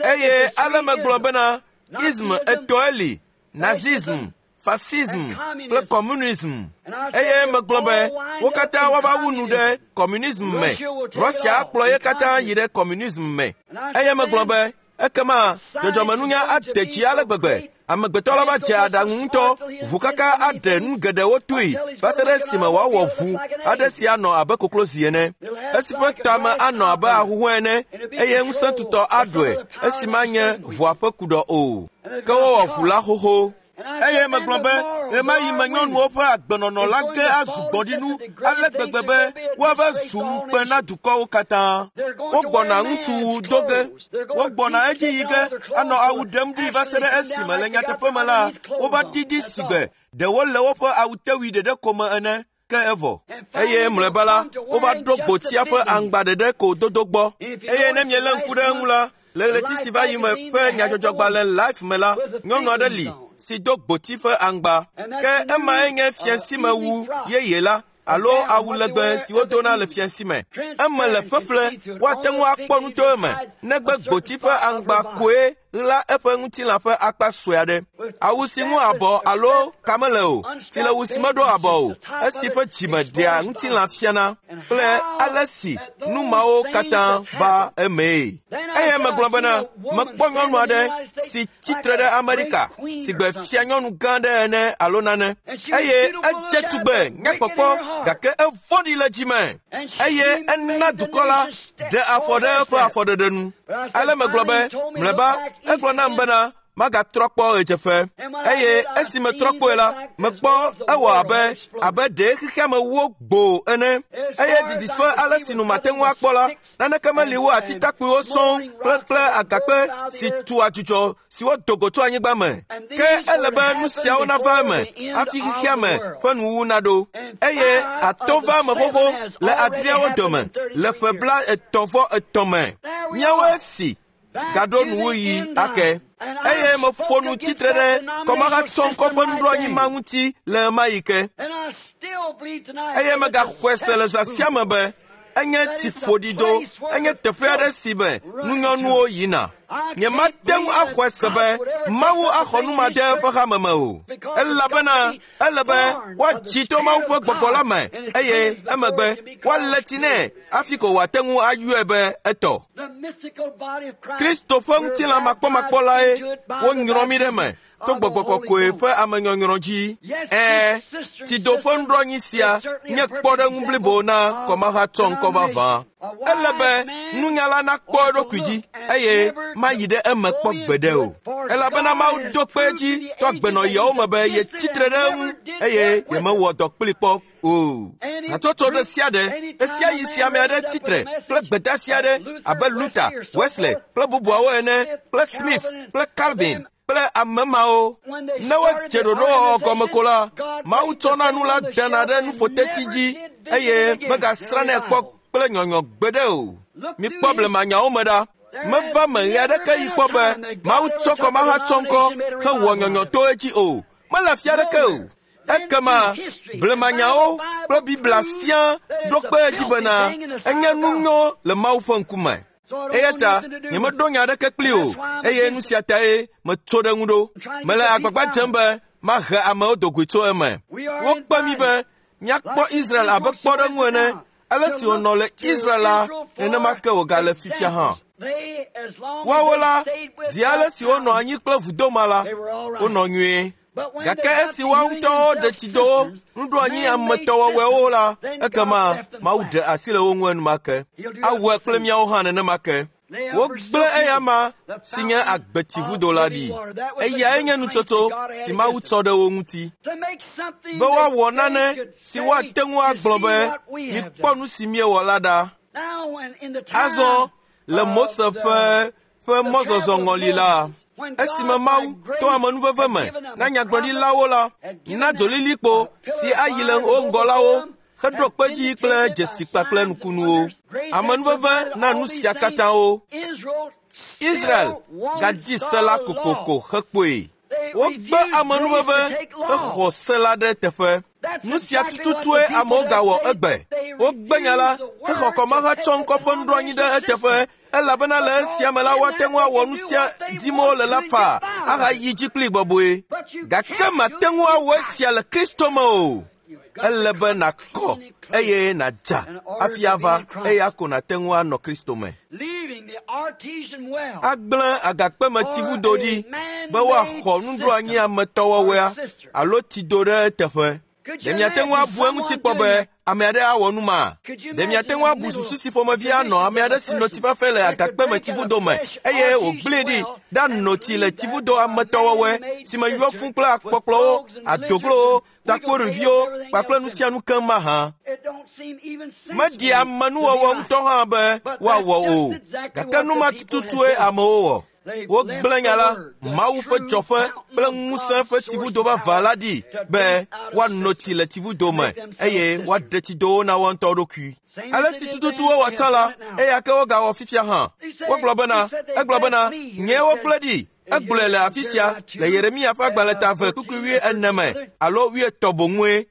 Eye ale megblɔ bena ism etɔ̃e li, Nazism, fascism kple communism. Eye megblɔ be wo katã woava wu nu ɖe communism me. Russia akplɔ ye katã yi ɖe communism me. Eye megblɔ be ekema dzɔdzɔmenunya ade tsi ale gbegbe. Amegbetɔ la va dze aɖaŋu ŋutɔ, ʋu kaka aɖe nu geɖewo toe va se ɖe esime wòawɔ ʋu aɖe si anɔ abe koklozi ene, esi ƒe tame anɔ abe ahuhɔ̃e ene, eye ŋusẽ tutɔ aɖɔe esi manye ʋua ƒe kuɖɔ o. Ke wowɔ ʋu la xoxo. Eye megblɔ be ɣemaɣi me nyɔnuwo ƒe agbenɔnɔ la ge azu gbɔ̃ɖinu ale gbegbe be woava zu ŋukpe na dukɔwo katã. Wogbɔna ŋutsuwu do ge, wogbɔna edzi yi ge anɔ awu ɖem ɖi va se ɖe esime le nyateƒe me la wova ɖiɖi sigbe ɖe wole woƒe awutewui ɖeɖe ko me ene. Ke evɔ. Eye mlɔeba la wova ɖo gbotia ƒe aŋgba ɖeɖe ko dodo gbɔ. Eye ne mielé ŋku ɖe eŋu la, le ɣleti si va yi me ƒe nyadzɔdzɔgbalẽ Life me la, nyɔnu aɖe li si do gboti ƒe aŋgba. Ke emae nye fiasimewu yeye la alo awu legbe si wodona le fiasime. Eme le ƒeƒle, woate ŋu akpɔ nu to eme, negbe gboti ƒe aŋgba koe ɣla eƒe ŋutilã ƒe akpa sue aɖe. Awu si ŋu abɔ alo ka mele o, si le wu si meɖo abɔ o, esi ƒe dzime ɖea ŋutilã fiana, kple ale si nu mawo katã va emee. Eye megblɔ bena mekpɔ nyɔnu aɖe si tsitre ɖe Amerika si gbe fia nyɔnu gã aɖe ene alo nane, eye edze tugbe nyakpɔkpɔ gake evɔ̃ɖi le dzime, eye ena dukɔ la ɖe afɔ ɖe eƒe afɔɖeɖe nu. Ale megblɔ be mlɔeba egblɔ nam bena magatrɔ kpɔ ɣedzeƒe. Eye esi metrɔ kpɔe la, mekpɔ ewɔ abe abe ɖe xexea me wo gboo ene. Eye didiƒe ale si nu mate ŋu akpɔ la, naneke meli wo atitakpuiwo sɔŋ kple kple agakpe si tu adzudzɔ si wodo go tso anyigba me. Ke ele be nu siawo nava eme hafi xexea me ƒe nuwuwu naɖo. Eye atɔ va eme xoxo le adreawo dome le ƒe bla etɔ̃ vɔ etɔ̃ me. Míawoe si gaɖo nuwuɣi ake. Eye meƒo nu tsitre ɖe kɔmahatsɔŋkɔ ƒe nuɖoanyi ma ŋuti le ɣemaɣi ke. Eye megaxɔe se le zã sia me be enye tsiƒoɖido, enye teƒe aɖe si me nunyɔnuwo yina. Nyemate ŋu axɔe se be Mawu axɔ nu ma ɖe eƒe hame me o, elabena ele be woatsi to Mawu ƒe gbɔgbɔ la me, eye emegbe woalé tsi nɛ hafi ko wòate ŋu ayɔe be etɔ. Kristo ƒe ŋutilã makpɔmakpɔ lae wonyrɔ mí ɖe eme to gbɔgbɔ kɔkɔe ƒe amenyɔnyrɔ dzi. Ɛ̃, tsido ƒe nuɖoanyi sia nye kpɔɖeŋu blibo na kɔmahatsɔŋkɔ vavã. Ele be nunyala nakpɔ eɖokui dzi eye mayi ɖe eme kpɔ gbeɖe o, elabena Mawu do kpe edzi to agbenɔɣiawo me be yetsitre ɖe eŋu eye yemewɔ dɔ kpli kpɔ o. Hatsotso ɖe sia ɖe, ɣesiaɣi si ame aɖe tsitre kple gbedeasi aɖe abe Luther, Wesley kple bubuawo ene, kple Smith kple Calvin kple ame mawo, ne wodze ɖoɖowɔwɔ gɔme ko la, Mawu tsɔna nu la dana ɖe nuƒoteti dzi eye megasrãnɛ kpɔ kple nyɔnyɔ gbeɖe o. Mikpɔ blemanyawo me ɖa. Meva me ɣe aɖeke yi kpɔ be Mawu tsɔ kɔmahatsɔŋkɔ hewɔ nyɔnyɔ to edzi o. Mele afi aɖeke o. Ekema blemanyawo kple Biblia sia ɖo kpe edzi bena enye nunyo le Mawu ƒe ŋkume. Eya ta nyemeɖo nya aɖeke kpli o, eye nu sia tae metso ɖe ŋu ɖo. Mele agbagba dzem be mahe amewo do goe tso eme. Wokpe mí be míakpɔ Israel abe kpɔɖeŋu ene. Ale si wònɔ le Israel la, nenema ke wògale fifia hã. Woawo la, zi ale si wonɔ anyi kple vudoma la, wonɔ nyuie. Gake esi woawo ŋutɔwo ɖe tsidowo, nuɖoanyi ametɔwɔwɔewo la, ekema Mawu ɖe asi le wo ŋu enumake. Awɔe kple míawo hã nenema ke. Wogblẽ eyama si nye agbetsivudo la ɖi. Eyae nye nutsotso si Mawu tsɔ ɖe wo ŋuti. Be woawɔ nane si woate ŋu agblɔ be, mikpɔ nu si míewɔ la ɖa. Azɔ le Mose ƒe ƒe mɔzɔzɔ ŋɔli la, esime Mawu to amenuveve me na nyagblɔɖilawo la, na dzolilikpo si ayi le wo ŋgɔ la wo, heɖo kpe dzi kple dzesi kpakple nukunuwo. Amenuveve na nu sia katã wo. Israel gadi se la kokoko hekpɔe. Wogbe amenuveve hexɔ se la ɖe teƒe. Nu sia tututue amewo gawɔ egbe. Wogbe nya la hexɔ kɔmahatsɔ ŋkɔ ƒe nuɖoanyi ɖe eteƒe, elabena le esia me la woate ŋu awɔ nu sia dim wole la faa ahayi dzi kpli bɔbɔe. Gake mate ŋu awɔ esia le Kristo me o. Ele be nàkɔ eye nàdza hafi ava, eya ko nàte ŋu anɔ Kristo me. Agblẽ agakpemetsivudo ɖi be woaxɔ nuɖoanyi ametɔwɔwɔea alo tsido ɖe eteƒe. Ɖe miate ŋu abu eŋuti kpɔ be ame aɖe awɔ nu ma? Ɖe miate ŋu abu susu si ƒomevi anɔ ame aɖe si nɔ tsi fafɛ le agakpemetsivudo me eye wògblẽe ɖi ɖano tsi le tsivudo ametɔwɔwɔe si me yɔ fũ kple akpɔkplɔwo, adoglowo, takpoɖiviwo kpakple nu sia nu keŋ mahã? Meɖi amenuwɔwɔ ŋutɔ hã be woawɔ o, gake nu ma tututue amewo wɔ. Wogblẽ nya la, Mawu ƒe dzɔƒe kple ŋusẽ ƒe tsivudo vavã la ɖi be woano tsi le tsivudo me eye woaɖe tsidowo na woa ŋutɔ ɖokui. Ale si tututu wowɔ tsã la, eya ke wogawɔ fifia hã. Wogblɔ bena, egblɔ bena, nyee wogblẽ ɖi. Egblɔe le afi sia le Yeremia ƒe agbalẽ ta eve kpukpui wuiene me alo wuietɔ̃ boŋue.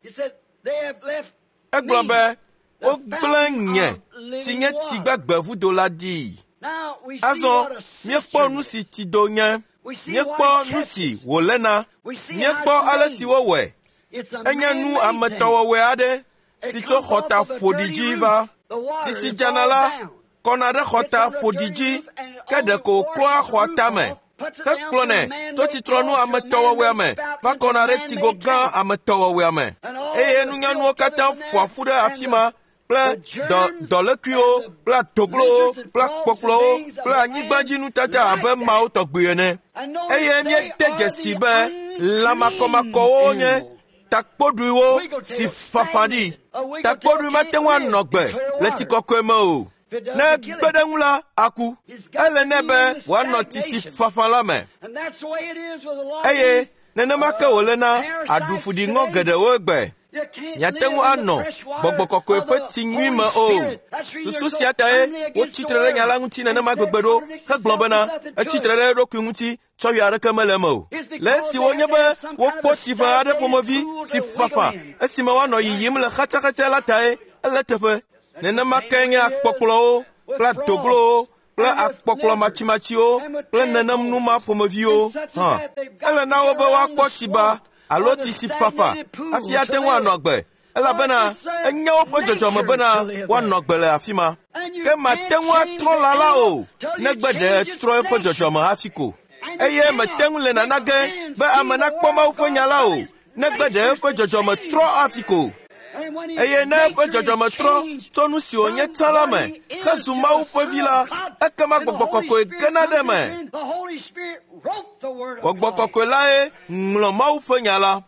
Egblɔ be, wogblẽ nye si nye tsi gbagbe vudo la ɖi. Azɔ míekpɔ nu si tsido nye, míekpɔ nu si wòléna, míekpɔ ale si wowɔe. Enye nu ametɔwɔwɔe aɖe si tso xɔta ƒoɖi dzi va. Tsi si dzana la kɔna ɖe xɔta ƒoɖi dzi, ke ɖeko wòklɔa xɔa tame hekplɔnɛ to tsitrɔnu ametɔwɔwɔea me va kɔna ɖe tsigo gã ametɔwɔwɔea me. Eye nunyanuwo katã ƒoa ƒu ɖe afi ma kple dɔ dɔlékuiwo kple adoglowo kple akpɔkplɔwo kple anyigbadzinutata abe mawo tɔgbi ene. Eye míede dzesi be lãmakɔmakɔwo nye takpoɖuiwo si fafa ɖi. Takpoɖui mate ŋu anɔ gbe le tsi kɔkɔe me o. Ne egbe ɖe ŋu la, aku. Ele nɛ be wòanɔ tsi si fafa la me. Eye nenema ke wòle na aɖufuɖiŋɔ geɖewo egbe. Miate ŋu anɔ gbɔgbɔ kɔkɔe ƒe tsi nyui me o. Susu sia tae wotsi tre ɖe nya la ŋuti nenema gbegbe ɖo hegblɔ bena etsi tre ɖe eɖokui ŋuti tsɔwui aɖeke mele eme o. Le esi wonye be wokpɔ tsi ƒe aɖe ƒomevi si fafa esime woanɔ yiyim le xatsaxatsa la tae ele teƒe. Nenema ke nye akpɔkplɔwo kple adoglowo kple akpɔkplɔ matsimatsiwo kple nenem nu ma ƒomeviwo hã. Ele na wo be woakpɔ tsiba alo tsi si fafa hafi ate ŋu anɔ agbe, elabena enye woƒe dzɔdzɔme bena woanɔ agbe le afi ma. Ke mate ŋu atrɔ lã la o, negbe ɖe etrɔ eƒe dzɔdzɔme hafi ko. Eye mete ŋu le nana ge be ame nakpɔ Mawu ƒe nya la o, negbe ɖe eƒe dzɔdzɔme trɔ hafi ko. Eye ne eƒe dzɔdzɔme trɔ tso nu si wònye tsã la me hezu Mawu ƒe vi la, ekema gbɔgbɔ kɔkɔe gena ɖe eme. Gbɔgbɔ kɔkɔe lae ŋlɔ Mawu ƒe nya la.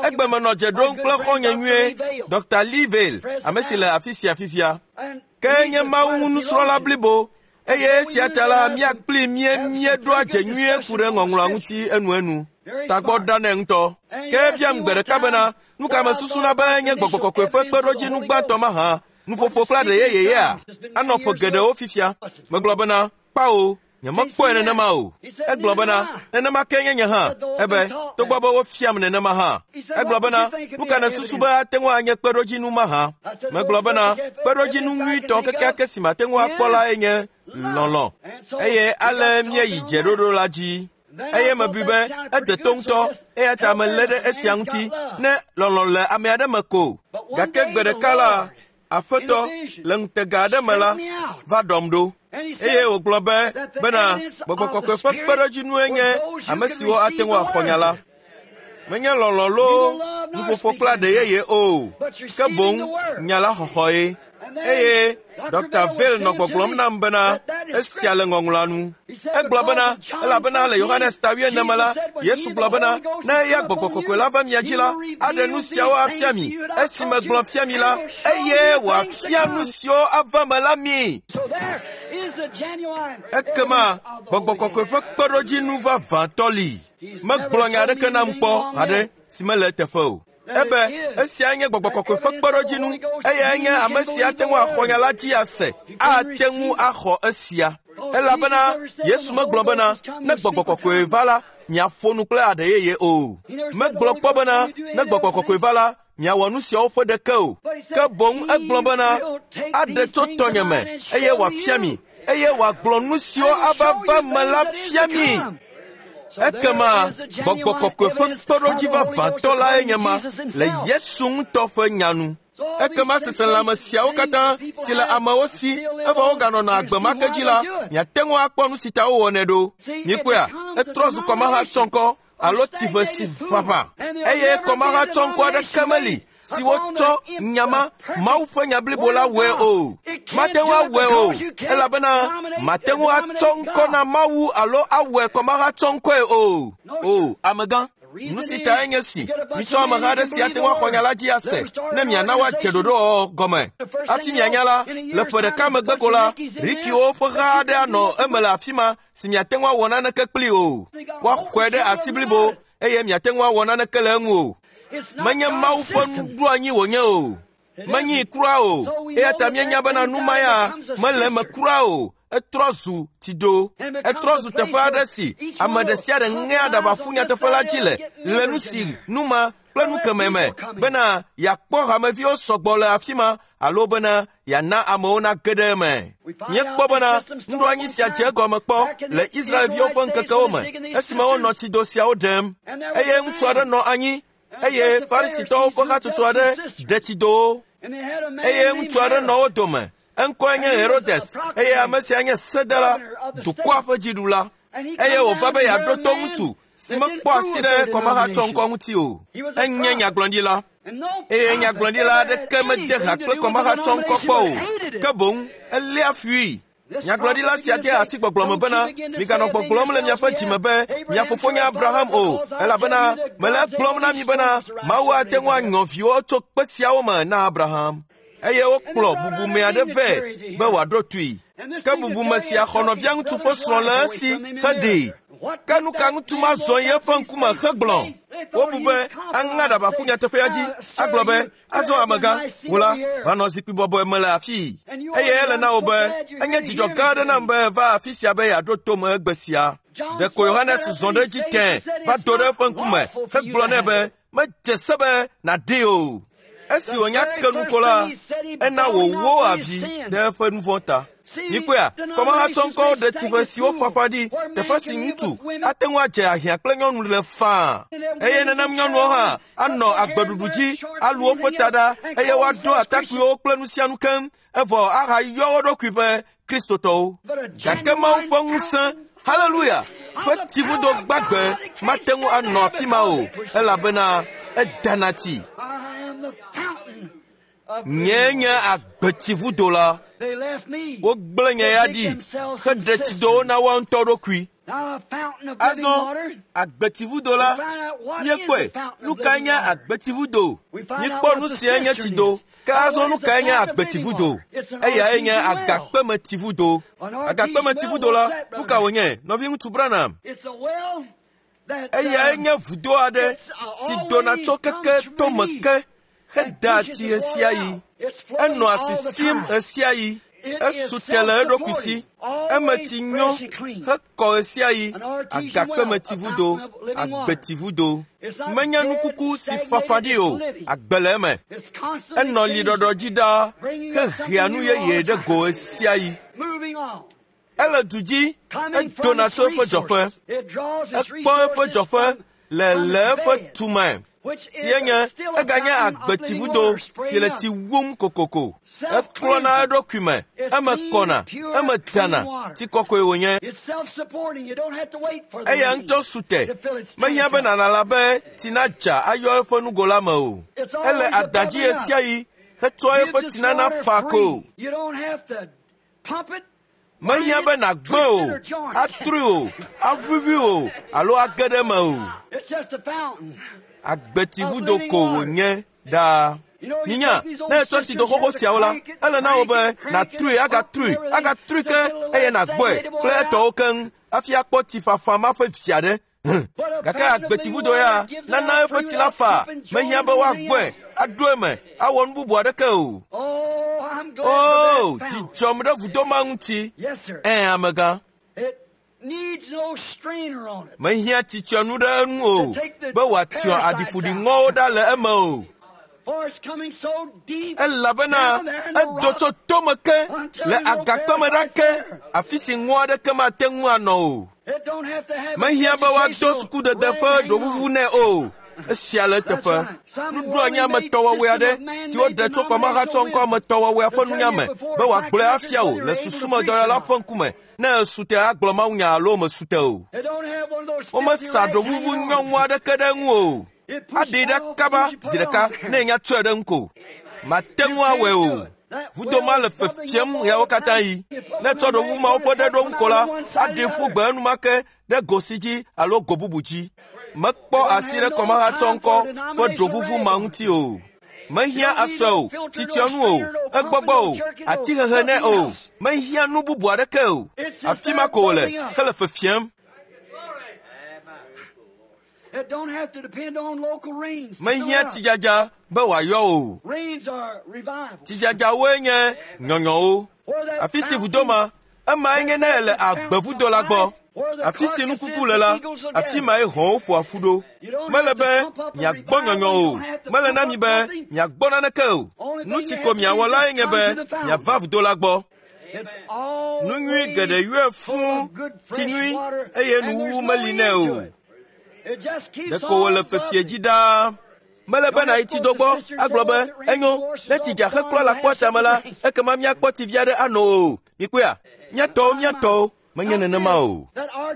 Egbe menɔ dze ɖom kple xɔ̃nye nyuie, Dɔkta Lee Vayle, ame si le afi sia fifia. Ke nye Mawu nusrɔ̃la blibo, eye esia ta la mía kpli mía míeɖoa dze nyuie ku ɖe ŋɔŋlɔa ŋuti enuenu. Tagbɔ ɖa nɛ ŋutɔ. Ke ebiam gbe ɖeka bena, nu ka mesusuna be nye gbɔgbɔ kɔkɔe ƒe kpeɖodzinu gbãtɔ mahã, nuƒoƒo kple aɖe yeyeyea? Anɔ ƒe geɖewo fifia. Megblɔ bena, kpao, nyemekpɔe nenema o. Egblɔ bena, nenema ke nye nye hã. Ebe, togbɔ be wofiam nenema hã. Egblɔ bena, nu ka nèsusu be ate ŋu anye kpeɖodzinu mahã? Megblɔ bena, kpeɖodzinu nyuitɔ kekeake si mate ŋu akpɔ lae nye lɔlɔ̃. Eye ale míeyi dzeɖoɖo la dzi. Eye mebui be edze to ŋutɔ, eya ta melé ɖe esia ŋuti ne lɔlɔ̃ le ame aɖe me ko. Gake gbe ɖeka la, Aƒetɔ le ŋutega aɖe me la va ɖɔm ɖo. Eye wògblɔ be bena gbɔgbɔ kɔkɔe ƒe kpeɖodzinue nye ame siwo ate ŋu axɔ nya la. Menye lɔlɔ̃ loo nuƒoƒo kple aɖe yeye o, ke boŋ nya la xɔxɔe. Eye Dɔkta Vail nɔ gbɔgblɔm nam bena esia le ŋɔŋlɔa nu. Egblɔ bena elabena le Yohanes ta wuiene me la, Yesu gblɔ bena ne eya Gbɔgbɔ Kɔkɔe la va mia dzi la, aɖe nu siawo afia mi. Esi megblɔ fia mi la, eye wòafia nu siwo ava me la mi. Ekema Gbɔgbɔ Kɔkɔe ƒe kpeɖodzinu vavãtɔ li. Megblɔ nya aɖeke nam kpɔ haɖe si mele eteƒe o. Ebe esia nye Gbɔgbɔ Kɔkɔe ƒe kpeɖodzinu, eyae nye ame si ate ŋu axɔ nya la dzi ase, ate ŋu axɔ esia. Elabena Yesu megblɔ bena ne Gbɔgbɔ Kɔkɔe va la, miaƒo nu kple aɖe yeye o. Megblɔ kpɔ bena ne Gbɔgbɔ Kɔkɔe va la, miawɔ nu siawo ƒe ɖeke o. Ke boŋ egblɔ bena aɖe tso tɔnye me eye wòafia mi, eye wòagblɔ nu siwo ava va me la fia mi. Ekema Gbɔgbɔ Kɔkɔe ƒe kpeɖodzi vavãtɔ lae nye ma le Yesu ŋutɔ ƒe nya nu. Ekema seselãme siawo katã si le amewo si evɔ woganɔna agbe ma ke dzi la, miate ŋu akpɔ nu si ta wowɔnɛ ɖo. Mikpɔea, etrɔ zu kɔmahatsɔŋkɔ alo tsiʋe si ʋaʋã, eye kɔmahatsɔŋkɔ aɖeke meli si wotsɔ nya ma Mawu ƒe nya blibo la wɔe o. Mate ŋu awɔe o, elabena mate ŋu atsɔ ŋkɔ na Mawu alo awɔe kɔmahatsɔŋkɔe o. O, amegã, nu si tae nye si mitsɔ ameha aɖe si ate ŋu axɔ nya la dzi ase ne miana woadze ɖoɖowɔwɔ gɔme. Hafi mianya la, le ƒe ɖeka megbe ko la, Rikiwo ƒe ha aɖe anɔ eme le afi ma si miate ŋu awɔ naneke kpli o. Woaxɔe ɖe asi blibo eye miate ŋu awɔ naneke le eŋu o. Menye Mawu ƒe nuɖoanyi wònye o. Menyi kura o. Eya ta míenya bena nu ma ya mele eme kura o. Etrɔ zu tsido. Etrɔ zu teƒe aɖe si ame ɖe sia ɖe ŋea aɖaba ƒu nyateƒe la dzi le le nu si nu ma kple nu kemɛ me bena yeakpɔ hameviwo sɔgbɔ le afi ma alo bena yeana amewo nage ɖe eme. Míekpɔ bena nuɖoanyi sia dze egɔme kpɔ le Israelviwo ƒe ŋkekewo me esime wonɔ tsido siawo ɖem, eye ŋutsu aɖe nɔ anyi eye Farisitɔwo ƒe hatsotso aɖe ɖe tsidowo, eye ŋutsu aɖe nɔ wo dome. Eŋkɔe nye Herodes, eye ame sia nye sedela, dukɔa ƒe dziɖula. Eye wòva be yeaɖo to ŋutsu si mekpɔ asi ɖe kɔmahatsɔŋkɔ ŋuti o. Enye nyagblɔɖila, eye nyagblɔɖila aɖeke mede ha kple kɔmahatsɔŋkɔ kpɔ o, ke boŋ eléa fui. Nyagblɔɖila sia de asi gbɔgblɔ me bena, miganɔ gbɔgblɔm le miaƒe dzime be mia fofo nye Abraham o, elabena mele egblɔm na mi bena Mawu ate ŋu anyɔ viwo tso kpe siawo me na Abraham. Eye wokplɔ bubume aɖe vɛ be wòaɖo toe. Ke bubume sia xɔ nɔvia ŋutsu ƒe srɔ̃ le esi heɖee. Ke nu ka ŋutsu ma zɔ yi eƒe ŋkume hegblɔ? Wobu be aŋa aɖaba ƒu nyateƒea dzi agblɔ be azɔ amegã, wò la, va nɔ zikpui bɔbɔe me le afii. Eye ele na wò be enye dzidzɔ gã aɖe nam be va afi sia be yeaɖo to me egbe sia. Ɖeko Yohanes zɔ ɖe edzi tẽe va do ɖe eƒe ŋkume hegblɔ nɛ be medze se be nàɖee o. Esi wònya ke nu ko la, ena wòwó avi ɖe eƒe nu vɔ̃ ta. Mikpɔea, kɔmahatsɔŋkɔwo ɖe tsiƒe siwo ƒaƒã ɖi, teƒe si ŋutsu ate ŋu adze ahiã kple nyɔnu le faa. Eye nenem nyɔnuwo hã anɔ agbeɖuɖu dzi, alu woƒe ta ɖa, eye woaɖo atakpuiwo kple nu sia nu keŋ, evɔ ahayɔ wo ɖokui be Kristotɔwo. Gake Mawu ƒe ŋusẽ, haleluya, ƒe tsivudo gbagbe mate ŋu anɔ afi ma o, elabena edana tsi. Nye nye agbetsivudo la. Wogblẽ nye ya ɖi heɖe tsidowo na woa ŋutɔ ɖokui. Azɔ agbetsivudo la, míekpɔe. Nu kae nye agbetsivudo? Míekpɔ nu siae nye tsido. Ke azɔ nu kae nye agbetsivudo? Eyae nye agakpemetsivudo. Agakpemetsivudo la, nu ka wònye, nɔviŋutsu Branham? Eyae nye vudo aɖe si dona tso keke tome ke hedea tsi ɣesiaɣi. Enɔa sisim ɣesiaɣi. Esu te le eɖokui si. Eme tsi nyo hekɔ ɣesiaɣi. Agakpemetsivudo, agbetsivudo. Menye nukuku si fafa ɖi o, agbe le eme. Enɔ liɖɔɖɔ dzi ɖaa hehea nu yeye ɖe go ɣesiaɣi. Ele du dzi, edona tso eƒe dzɔƒe. Ekpɔ eƒe dzɔƒe le le eƒe tume. Si enye eganye agbetsivudo si le tsi wum kokoko. Eklɔna eɖokui me, eme kɔna, eme dzana, tsi kɔkɔe wònye. Eya ŋutɔ su te. Mehiã be nàlala be tsi nadza ayɔ eƒe nugo la me o. Ele adadzi ɣe sia ɣi hetsɔ eƒe tsinana fa ko. Mehiã be nàgbẽ o, atrui o, aʋuʋui o alo age ɖe eme o. Agbetsivudo ko wònye ɖaa. Minya, ne ètsɔ tsido xoxo siawo la, ele na wò be nàtrui, agatrui, agatrui ke eye nàgbɔe kple etɔwo keŋ hafi akpɔ tsi fafa ma ƒe vi aɖe. Gake agbetsivudo ya nana eƒe tsi la fa, mehiã be woagbɔe, aɖo eme, awɔ nu bubu aɖeke o. O, dzidzɔm ɖe vudo ma ŋuti. Ẽ, amegã. Mehiã tsitsyɔnu ɖe eŋu o, be wòatsyɔ aɖifuɖiŋɔwo ɖa le eme o. Elabena edo tso tome ke le agakpeme ɖa ke, afi si ŋɔ aɖeke mate ŋu anɔ o. Mehiã be woado sukudede ƒe ɖovuvu nɛ o. Esia le eteƒe. Nuɖoanyi ametɔwɔwɔe aɖe si woɖe tso kɔmahatsɔ ŋkɔ ametɔwɔwɔea ƒe nunya me be wòagblɔe afia wò le susumedɔyɔla ƒe ŋkume ne èsu te agblɔ mawunya alo mesu te o. Womesa ɖovuvu nyɔŋu aɖeke ɖe eŋu o. Aɖee ɖa kaba zi ɖeka ne enya tsɔe ɖe ŋu ko. Mate ŋu awɔe o. Vudo ma le fefiem ɣeawo katã yi. Ne ètsɔ ɖovuvu mawo ƒe ɖe ɖo ŋu ko la, aɖee ƒu gbe enumake ɖe go si dzi alo go bubu dzi. Mekpɔ asi ɖe kɔmahatsɔ ŋkɔ ƒe ɖovuvu ma ŋuti o. Mehiã asɔe o, tsitsyɔnu o, egbɔgbɔ o, atihehe nɛ o. Mehiã nu bubu aɖeke o. Afi ma ko wòle hele fefiem. Mehiã tsidzadza be wòayɔ o. Tsidzadzawoe nye nyɔnyɔwo. Afi si vudo ma, emae nye ne ele agbevudo la gbɔ. Afi si nukuku le la, afi mae hɔ̃wo ƒoa ƒu ɖo. Mele be miagbɔ nyɔnyɔ o. Mele na mi be miagbɔ naneke o. Nu si ko miawɔ lae nye be miava vudo la gbɔ. Nu nyui geɖe yɔe fũu, tsi nyui eye nuwuwu meli nɛ o. Ɖeko wòle fefie dzi ɖaa. Mele be nàyi tsido gbɔ agblɔ be enyo ne tsi dza heklɔ le akpɔ tame la, ekema míakpɔ tsi vi aɖe ano o. Mikpɔea? Mía tɔwo, mía tɔwo. Menye nenema o.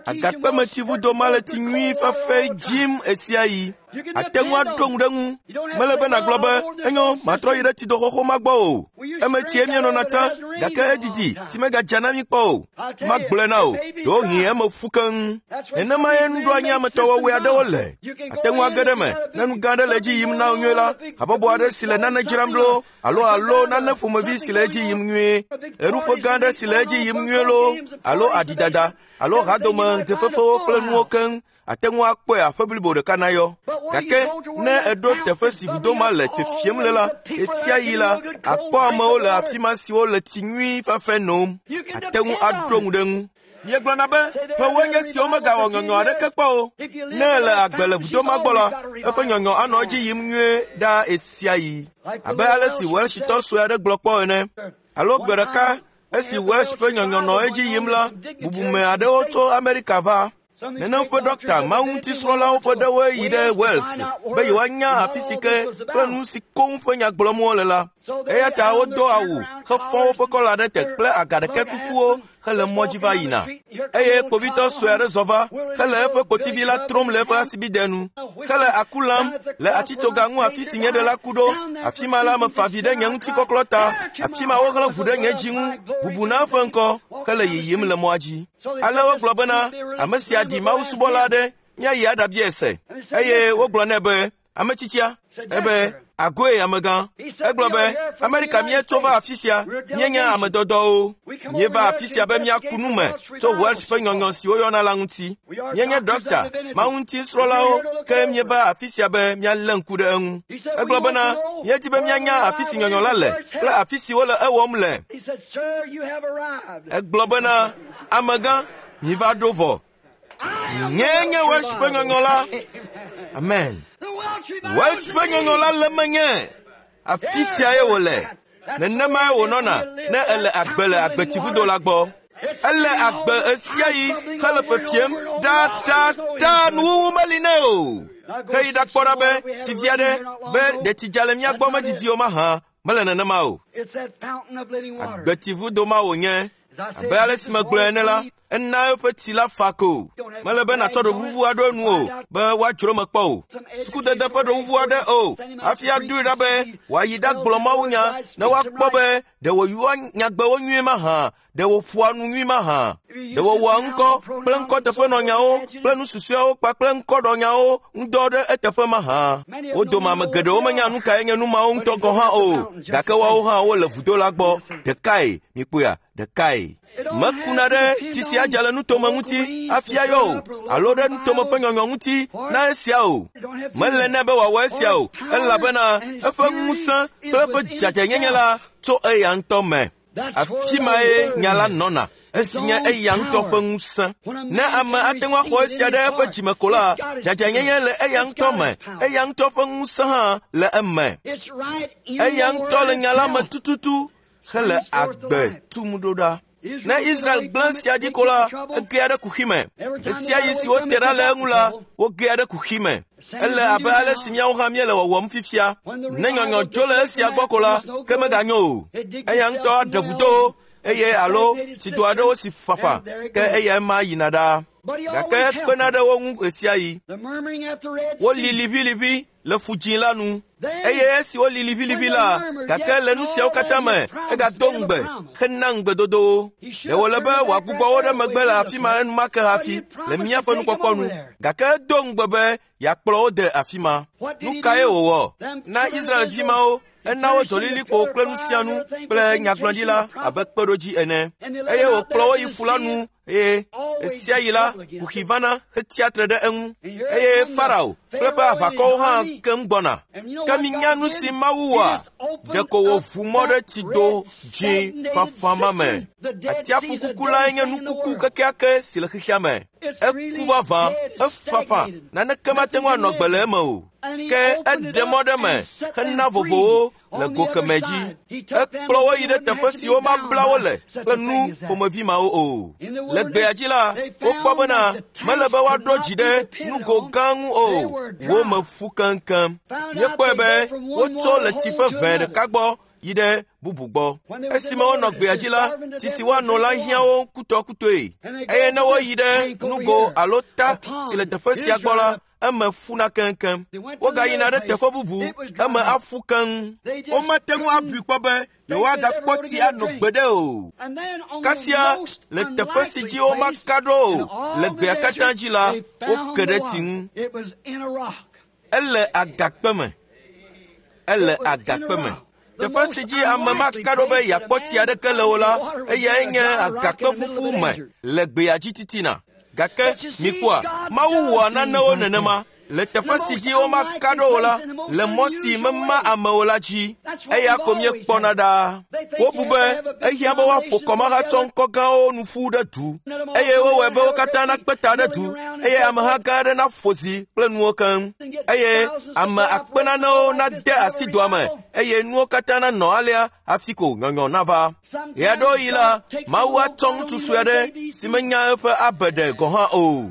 Agakpemetsivudo ma le tsi nyui fafɛ dzim ɣe sia ɣi. Ate ŋu aɖo ŋu ɖe ŋu. Mele be nàgblɔ be enyo matrɔ yi ɖe tsido xoxo ma gbɔ o. Eme tsie míenɔna tsã gake edidi tsi megadza na mí kpɔ o. Magblɔe na wò, ɖewohĩ eme ƒu keŋ. Nenemae nuɖoanyi ametɔwɔwɔe aɖewo le. Ate ŋu age ɖe eme ne nu gã aɖe le edzi yim na wò nyuie la, habɔbɔ aɖe si le nane dzram loo alo alo nane ƒomevi si le edzi yim nyuie, ɣeɖuƒe gã aɖe si le edzi yim nyuie loo alo aɖidada alo hadome dzefefewo kple nuwo keŋ. Ate ŋu akpɔe aƒe blibo ɖeka nayɔ. Gake ne èɖo teƒe si vudo ma le fefiem le la, ɣe sia ɣi la, àkpɔ amewo le afi ma siwo le tsi nyui fafɛ nom. Ate ŋu aɖo ŋu ɖe ŋu. Míegblɔna be ƒewoe nye siwo megawɔ nyɔnyɔ aɖeke kpɔ o. Ne èle agbe le vudo ma gbɔ la, eƒe nyɔnyɔ anɔ edzi yim nyuie ɖaa ɣe sia ɣi. Abe ale si Welshitɔ sue aɖe gblɔ kpɔ ene. Alo gbe ɖeka esi Welsh ƒe nyɔnyɔ nɔ edzi yim la, bubume aɖewo tso Amerika va. Nenem ƒe ɖɔkta mawuŋutisrɔ̃lawo ƒe ɖewoe yi ɖe Wales be yewoanya afi si ke kple nu si koŋ ƒe nya gblɔm wole la. Eya ta wodo awu hefɔ woƒe kɔla ɖe te kple agaɖeke kukuwo hele mɔ dzi va yina. Eye kpovitɔ sue aɖe zɔ va hele eƒe kpotivi la trom le eƒe asibide nu hele aku lam le atitsoga ŋu afi si nye ɖela ku ɖo. Afi ma la mefa vi ɖe nye ŋutikɔklɔ ta. Afi ma woxlẽ ʋu ɖe nye dzi ŋu, bubu na eƒe ŋkɔ hele yiyim le mɔa dzi. Ale wogblɔ bena ame sia ɖi mawusubɔla aɖe míayi aɖabiae se. Eye wogblɔ nɛ be ame tsitsia ebe agoe amegã. Egblɔ be Amerika míetso va afi sia, míenye ame dɔdɔwo. Míeva afi sia be míaku nu me tso Welsh ƒe nyɔnyɔ si woyɔna la ŋuti. Míenye ɖɔkta, mawuŋutisrɔ̃lawo ke míeva afi sia be míalé ŋku ɖe eŋu. Egblɔ bena míedi be míanya afi si nyɔnyɔ la le kple afi si wole ewɔm le. Egblɔ bena amegã, míva ɖo vɔ. Nyee nye Welsh ƒe nyɔnyɔ la. Amen. Welsh ƒe nyɔnyɔ la le menye. Afi siae wòle. Nenemae wònɔna ne ele agbe le agbetsivudo la gbɔ. Ele agbe ɣe sia ɣi hele fefiem ɖaɖaɖa nuwuwu meli nɛ o. Heyi ɖakpɔ ɖa be tsi vi aɖe be ɖe tsi dza le mía gbɔ medidi o mahã mele nenema o. Agbetsivudo ma wònye. Abe ale si megblɔe ene la, ena eƒe tsi la fa ko. Mele be nàtsɔ ɖovuvu aɖo enu o be woadzro me kpɔ o. Sukudede ƒe ɖovuvu aɖe o hafi aɖoe ɖa be wòayi ɖagblɔ mawunya ne woakpɔ be ɖe wòyɔa nyagbewo nyuie mahã, ɖe wòƒoa nu nyui mahã, ɖe wòwɔa ŋkɔ kple ŋkɔteƒenɔnyawo kple nu susɔeawo kpakple ŋkɔɖɔnyawo ŋudɔ ɖe eteƒe mahã. Wo dome ame geɖewo menya nu kae nye nu mawo ŋutɔ gɔ̃ hã o, gake woawo hã wole vudo la gbɔ. Ɖekae, mikpɔea, ɖekae. Mekuna ɖe tsi sia dza le nutome ŋuti hafi ayɔ o, alo ɖe nutome ƒe nyɔnyɔ ŋuti na esia o. Mele nɛ be wòawɔ esia o, elabena eƒe ŋusẽ kple eƒe dzadzɛnyenye la tso eya ŋutɔ me. Afi mae nya la nɔna, esi nye eya ŋutɔ ƒe ŋusẽ. Ne ame ate ŋu axɔ esia ɖe eƒe dzime ko la, dzadzɛnyenye le eya ŋutɔ me, eya ŋutɔ ƒe ŋusẽ hã le eme. Eya ŋutɔ le nya la me tututu hele agbe tum ɖo ɖa. Ne Israel gblẽ sia ɖi ko la, egea ɖe kuxi me. Esia yi si wote ɖa le eŋu la, wogea ɖe kuxi me. Ele abe ale si míawo hã míele wɔwɔm fifia. Ne nyɔnyɔ dzo le esia gbɔ ko la, ke meganyo o. Eya ŋutɔ aɖe vudowo eye alo tsido aɖewo si fafa, ke eya ema yina ɖaa. Gake ekpena ɖe wo ŋu ɣesiaɣi. Woli liʋiliʋi le ƒu dzĩ la nu. Eye esi woli liʋiliʋi la, gake le nu siawo katã me, egado ŋugbe hena ŋugbedodowo. Ɖe wòle be wòagbugbɔ wo ɖe megbe le afi ma enumake hafi le míaƒe nukpɔkpɔ nu. Gake edo ŋugbe be yeakplɔ wo de afi ma. Nu kae wòwɔ? Na Israelvi mawo, ena wo dzɔlilikpo kple nu sia nu kple nyagblɔɖila abe kpeɖodzi ene. Eye wòkplɔ wo yi ƒu la nu eye esia yi la, kuxi vana hetsia tre ɖe eŋu. Eye Farao kple eƒe aʋakɔwo hã keŋ gbɔna. Ke minya nu si Mawu wɔa, ɖeko wòʋu mɔ ɖe tsido dzĩ fafa ma me. Atsiaƒu kuku lae nye nukuku kekeake si le xexea me. Eku vavã, efafa, naneke mate ŋu anɔ gbe le eme o. Ke eɖe mɔ ɖe me hena vovowo le go kemɛ dzi. Ekplɔ wo yi ɖe teƒe siwo mabla wo le kple nu ƒomevi mawo o. Le gbea dzi la, wokpɔ bena mele be woaɖo dzi ɖe nugo gã ŋu o, wo me ƒu keŋkeŋ. Míekpɔe be wotso le tsi ƒe ʋɛ ɖeka gbɔ yi ɖe bubu gbɔ. Esime wonɔ gbea dzi la, tsi si woano la hiã wo kutɔkutɔe. Eye ne woyi ɖe nugo alo ta si le teƒe sia gbɔ la, eme ƒuna keŋkeŋ. Wogayina ɖe teƒe bubu, eme aƒu keŋ. Womate ŋu abui kpɔ be yewoagakpɔ tsi ano gbeɖe o. Kasia le teƒe si dzi womaka ɖo o le gbea katã dzi la, woke ɖe tsi ŋu. Ele agakpe me. Ele agakpe me. Teƒe si dzi ame maka ɖo be yeakpɔ tsi aɖeke le o la, eyae nye agakpe ƒuƒu me le gbea dzi titina. Gake mikpɔa, Mawu wɔa nanewo nenema le teƒe si dzi womaka ɖo o la, le mɔ si mema amewo la dzi. Eya ko míekpɔna ɖaa. Wobu be ehiã be woaƒo kɔmahatsɔ ŋkɔ gãwo nu ƒu ɖe du, eye wowɔe be wo katã nakpe ta ɖe du, eye ameha gã aɖe naƒo zi kple nuwo keŋ, eye ame akpe nanewo nade asi doa me, eye nuwo katã nanɔ alea hafi ko nyɔnyɔ nava. Ɣeaɖewoɣi la, Mawu atsɔ ŋutsu sue aɖe si menya eƒe abeɖe gɔ̃ hã o.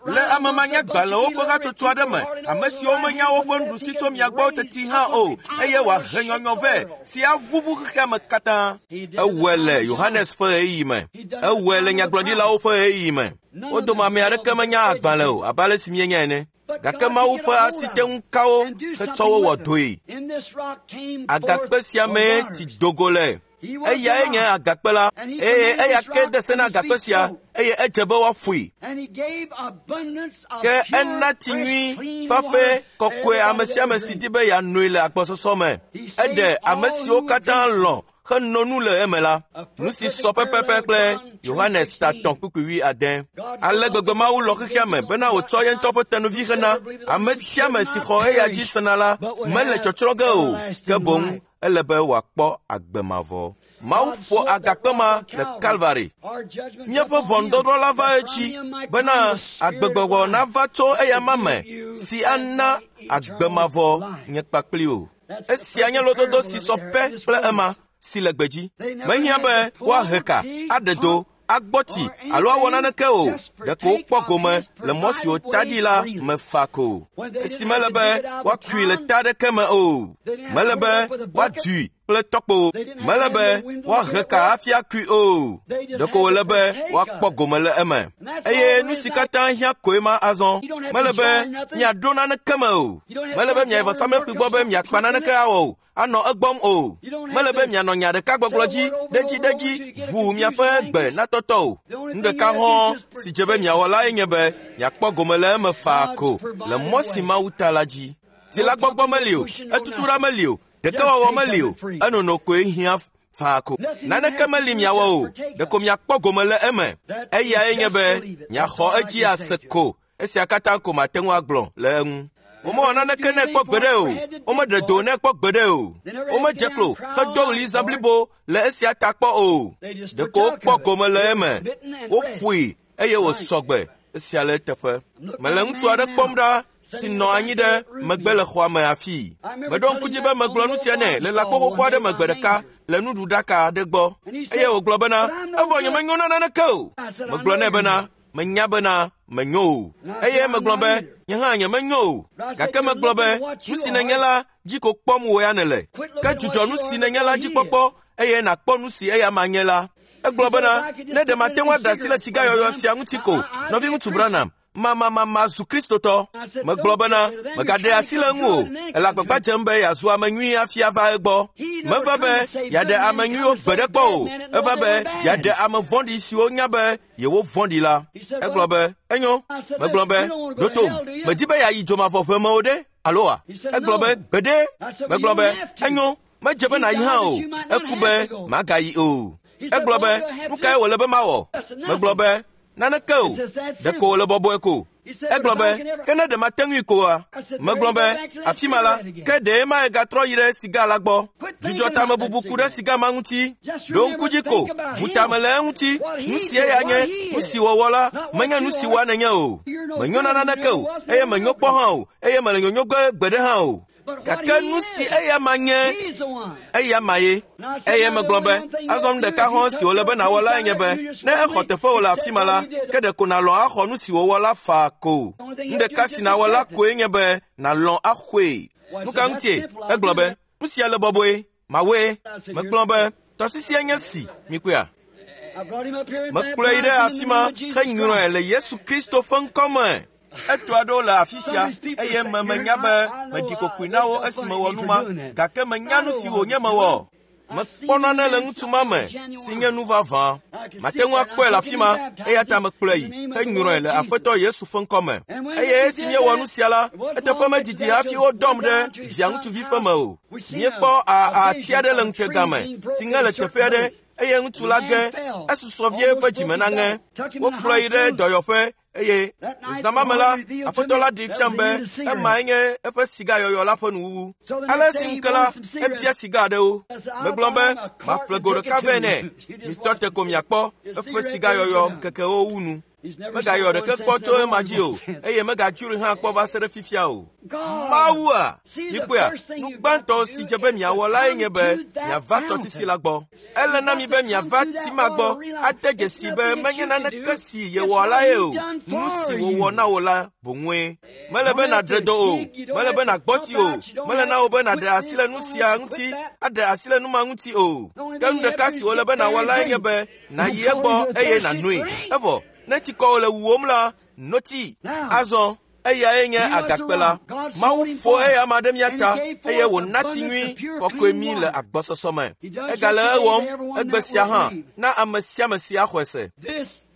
Le ame manyagbalẽwo ƒe hatsotso aɖe me, ame siwo menya woƒe nuɖusi tso mia gbɔ teti hã o, eye wòahe nyɔnyɔ vɛ si aʋuʋu xexea me katã. Ewɔe le Yohanes ƒe ɣeyiɣi me. Ewɔe le nyagblɔɖilawo ƒe ɣeyiɣi me. Wo dome ame aɖeke menya agbalẽ o abe ale si míenya ene. Gake Mawu ƒe asi te ŋu ka wo hetsɔ wo wɔ dɔe. Agakpe sia mee tsi do go le. Eyae nye agakpe la, eye eya ke de se na agakpe sia, eye edze be woaƒoe. Ke ena tsi nyui, fafɛ, kɔkɔe ame sia ame si di be yeanoe le agbɔsɔsɔ me. Eɖe ame siwo katã lɔ̃ heno nu le eme la. Nu si sɔ pɛpɛpɛ kple Yohanes ta tɔ̃ kpukpui wui ade. Ale gbegbe Mawu lɔ xexea me bena wòtsɔ ye ŋutɔ ƒe tenuvi hena ame sia ame si xɔ eya dzi sena la mele tsɔtsrɔ̃ ge o, ke boŋ ele be wòakpɔ agbe mavɔ. Mawu ƒo agakpe ma le Kalvari. Míaƒe ʋɔnudɔdrɔ̃ la va edzi bena agbegbɔgbɔ nava tso eya ma me si ana agbe mavɔ nye kpakpli o. Esia nye lododo si sɔ pɛ kple ema si le gbedzi. Mehiã be woahe ka, aɖe do agbɔ tsi alo awɔ naneke o. Ɖeko wokpɔ gome le mɔ si wòta ɖi la me fa ko. Esi mele be woakui le ta aɖeke me o. Mele be woadui kple tɔkpo. Mele be woahe ka hafi akui o. Ɖeko wòle be woakpɔ gome le eme. Eye nu si katã hiã koe ma azɔ. Mele be miaɖo naneke me o. Mele be miayi vɔsamlekpui gbɔ be miakpa naneke awɔ o. Anɔ egbɔm o. Mele be mianɔ nya ɖeka gbɔgblɔ dzi ɖedzi ɖedzi ʋuu miaƒe gbe natɔtɔ o. Nu ɖeka hɔ̃ si dze be miawɔ lae nye be miakpɔ gome le eme faa ko le mɔ si Mawu ta la dzi. Dzilagbɔgbɔ meli o, etutuɖa meli o, ɖekewɔwɔ meli o, enono koe hiã faa ko. Naneke meli miawɔ o, ɖeko miakpɔ gome le eme. Eyae nye be miaxɔ edzi ase ko. Esia katã ko mate ŋu agblɔ le eŋu. Womewɔ naneke nɛ kpɔ gbeɖe o. Womeɖe do nɛ kpɔ gbeɖe o. Womedze klo hedo ɣli zã blibo le esia ta kpɔ o. Ɖeko wokpɔ gome le eme. Woƒoe eye wòsɔ gbe. Esia le eteƒe. Mele ŋutsu aɖe kpɔm ɖa si nɔ anyi ɖe megbe le xɔa me afii. Meɖo ŋku dzi be megblɔ nu sia nɛ le lãkpo xoxo aɖe me gbe ɖeka le nuɖuɖaka aɖe gbɔ. Eye wògblɔ bena, evɔ nyemenyo na naneke o. Megblɔ nɛ bena, menya bena menyo o. Eye megblɔ be, nye hã nyemenyo o. Gake megblɔ be, nu si nènye la dzi ko kpɔm wò ya nèle. Ke dzudzɔ nu si nènye la dzi kpɔkpɔ eye nàkpɔ nu si eya ma nye la. Egblɔ bena, ne ɖe mate ŋu aɖe asi le sigayɔyɔ sia ŋuti ko, nɔviŋutsu Branham, mamamama zu Kristotɔ. Megblɔ bena, megaɖe asi le eŋu o. Ele agbagba dzem be yeazu ame nyui hafi ava egbɔ. Meva be yeaɖe ame nyuiwo gbe ɖe kpɔ o. Eva be yeaɖe ame vɔ̃ɖi siwo nya be yewo vɔ̃ɖi la. Egblɔ be, enyo. Megblɔ be, ɖo tom, medi be yeayi dzomavɔʋe me o ɖe, aloa? Egblɔ be, gbeɖe. Megblɔ be, enyo, medze be nàyi hã o. Eku be magayi o. Egblɔ be, nu kae wòle be mawɔ? Megblɔ be, naneke o. Ɖeko wòle bɔbɔe ko. Egblɔ be, ke ne ɖe mate ŋui koa? Megblɔ be, afi ma la, ke ɖe ma egatrɔ yi ɖe siga la gbɔ. Dzudzɔ tamebubu ku ɖe siga ma ŋuti. Ɖo ŋku dzi ko, bu tame le eŋuti. Nu si eya nye, nu si wòwɔ la, menye nu si wɔa nènye o. Menyo na naneke o, eye menyo kpɔ hã o, eye mele nyonyo ge gbeɖe hã o. Gake nu si eya ma nye, eya ma ye. Eye megblɔ be, azɔ nu ɖeka hã si wòle be nàwɔ lae nye be, ne exɔ teƒe wò le afi ma la, ke ɖeko nàlɔ̃ axɔ nu si wòwɔ la faa ko. Nu ɖeka si nàwɔ la koe nye be nàlɔ̃ axɔe. Nu ka ŋutie? Egblɔ be, nu sia le bɔbɔe, mawɔe. Megblɔ be, tɔsisia nye si, mikpɔea? Mekplɔe yi ɖe afi ma henyrɔe le Yesu Kristo ƒe ŋkɔ me. Eto aɖewo le afi sia eye me menya be meɖi kokoe na wo esi mewɔ nu ma, gake menya nu si wònye mewɔ. Mekpɔ nane le ŋutsu ma me si nye nu vavã. Mate ŋu akpɔe le afi ma, eya ta mekplɔe yi henyrɔe le Aƒetɔ Yesu ƒe ŋkɔ me. Eye esi míewɔ nu sia la, eteƒe medidi hafi wodɔm ɖe via ŋutsuvi ƒe me o. Míekpɔ ati aɖe le ŋutega me si ŋe le teƒe aɖe eye ŋutsu la ge esusɔ vie eƒe dzime naŋe. Wokplɔe yi ɖe dɔyɔƒe eye zã ma me la, Aƒetɔ la ɖee fiam be emae nye eƒe sigayɔyɔ la ƒe nuwuwu. Ale esi ŋu ke la, ebia siga aɖewo. Megblɔ be, maƒle go ɖeka vɛ nɛ. Mitɔ te ko miakpɔ eƒe sigayɔyɔ ŋkekewo wu nu. Megayɔ ɖeke kpɔ tso ema dzi o, eye megadzroe hã kpɔ va se ɖe fifia o. Mawua, mikpɔea, nu gbãtɔ si dze be miawɔ lae nye be miava tɔsisi la gbɔ. Ele na mi be miava ti ma gbɔ ade dzesi be menye naneke si yewɔ lae o, nu si wòwɔ na wò la boŋue. Mele be nàɖe dɔ o, mele be nàgbɔ tsi o, mele na wò be nàɖe asi le nu sia ŋuti, aɖe asi le nu ma ŋuti o. Ke nu ɖeka si wòle be nàwɔ lae nye be nàyi egbɔ eye nànoe. Evɔ, ne tsikɔ le wuwòm la, no tsi. Azɔ, eyae nye agakpe la. Mawu ƒo eya ma ɖe mía ta eye wòna tsi nyui kɔkɔe mí le agbɔsɔsɔ me. Egale ewɔm egbe sia hã na ame sia ame si axɔe se.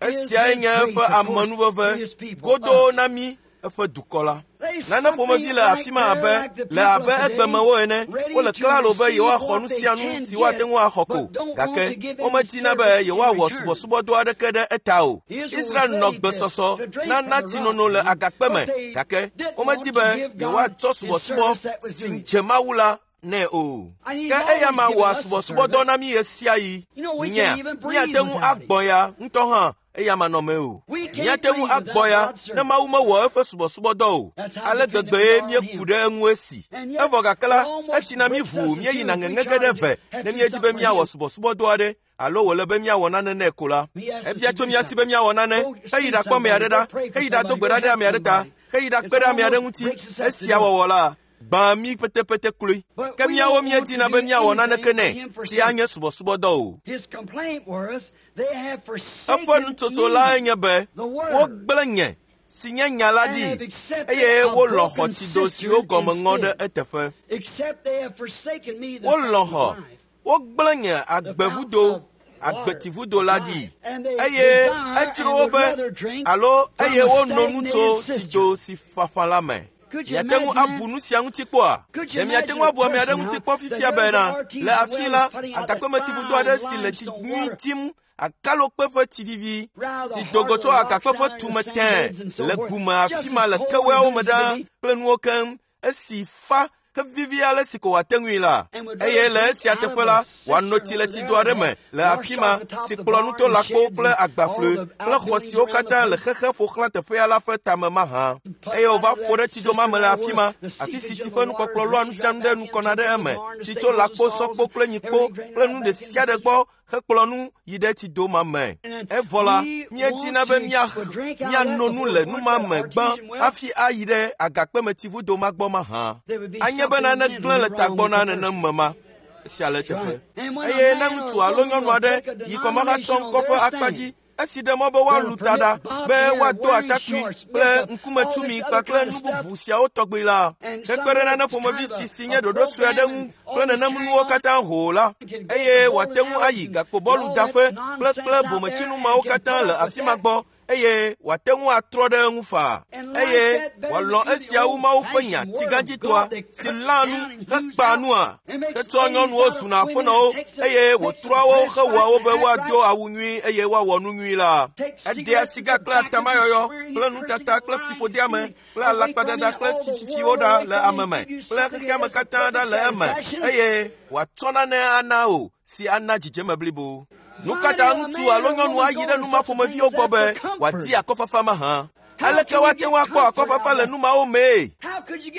Esiae nye eƒe amenuveve godoo na mí eƒe dukɔ la. Nane ƒomevi le afi ma abe le abe egbemewo ene. Wole klalo be yewoaxɔ nu sia nu si woate ŋu axɔ ko, gake womedina be yewoawɔ subɔsubɔdɔ aɖeke ɖe eta o. Israel nɔ gbesɔsɔ na natinono le agakpe me, gake womedi be yewoatsɔ subɔsubɔ si dze Mawu la nɛ o. Ke eya ma wɔa subɔsubɔdɔ na mí ɣe sia ɣi. Nyea, míate ŋu agbɔ ya ŋutɔ hã eya manɔme o. Míate ŋu agbɔ ya ne Mawu mewɔ eƒe subɔsubɔdɔ o. Ale gbegbee míeku ɖe eŋu esi. Evɔ gake la, etsina mí ʋuu míeyina ŋeŋe ge ɖe ve ne míedzi be míawɔ subɔsubɔdɔ aɖe alo wòle be míawɔ nane nɛ ko la. Ebia tso mía si be míawɔ nane, heyi ɖakpɔ ame aɖe ɖa, heyi ɖado gbe ɖa ɖe ame aɖe ta, heyi ɖakpe ɖe ame aɖe ŋuti. Esia wɔwɔ la, gbã mí petepete kloe. Ke míawo míedina be míawɔ naneke nɛ si anye subɔsubɔdɔ o. Eƒe nutsotso lae nye be wogblẽ nye si nye nya la ɖi eye wolɔ̃ xɔ tsido siwo gɔme ŋɔ ɖe eteƒe. Wolɔ̃ xɔ, wogblẽ nye agbevudo, agbetivudo la ɖi eye edzro wo be alo eye wono nu tso tsido si fafa la me. Miate ŋu abu nu sia ŋuti kpɔa? Ɖe miate ŋu abu ame aɖe ŋuti kpɔ fifia bena le afi la agakpemetsivudo aɖe si le tsi nyui dim akalokpe ƒe tsi vivi si do go tso agakpe ƒe tume tẽ le gume afi ma le keweawo me ɖaa kple nuwo keŋ esi fa ke vivi ale si ko wòate ŋui la. Eye le esia teƒe la, wòano tsi le tsido aɖe me le afi ma si kplɔ nu to lãkpowo kple agbaflɔe kple xɔ siwo katã le xexe ƒo xlã teƒea la ƒe tame mahã. Eye wòva ƒo ɖe tsido ma me le afi ma, afi si tsi ƒe nukpɔkplɔ lɔa nu sia nu ɖe nu kɔna ɖe eme, si tso lãkpo, sɔkpo kple nyikpo kple nu ɖe sia ɖe gbɔ hekplɔ nu yi ɖe tsido ma me. Evɔ la, míedina be míano nu le nu ma me gbã hafi ayi ɖe agakpemetsivudo ma gbɔ mahã. Anye be nane gblẽ le tagbɔ na nenem me ma. Esia le eteƒe. Eye ne ŋutsu alo nyɔnu aɖe yi kɔmahatsɔ ŋkɔ ƒe akpa dzi esi ɖe mɔ be woalu ta ɖa be woado atakpui kple ŋkumetumi kpakple nu bubu siawo tɔgbi la, hekpe ɖe nane ƒomevi si si nye ɖoɖo sue aɖe ŋu kple nenem nuwo katã hoo la, eye wòate ŋu ayi gakpobɔludaƒe kple kple bometsinu mawo katã le afi ma gbɔ eye wòate ŋu atrɔ ɖe eŋu faa eye wòalɔ̃ esia wu Mawu ƒe nya tsigãdzitɔa si lãa nu hekpaa nua hetsɔa nyɔnuwo zuna aƒenɔwo eye wòtrɔa wo hewɔa wo be woado awu nyui eye woawɔ nu nyui la. Eɖea siga kple atamayɔyɔ kple nutata kple fiƒodeame kple alakpadada kple tsitsitsiwo ɖa le ame me kple xexeame katã ɖa le eme eye wòatsɔ nane ana o si ana dzidzeme blibo. Nu katã ŋutsu alo nyɔnu ayi ɖe nu ma ƒomeviwo gbɔ be wòadi akɔfafa mahã. Aleke woate ŋu akpɔ akɔfafa le nu mawo mee?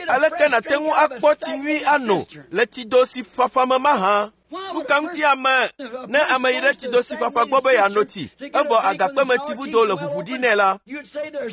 Aleke nàte ŋu akpɔ tsi nyui ano le tsido si fafa me mahã? Nu ka ŋuti ame ne ame yi ɖe tsido si fafa gbɔ be yeano tsi evɔ agakpemetsivudo le ʋuʋu ɖi nɛ la,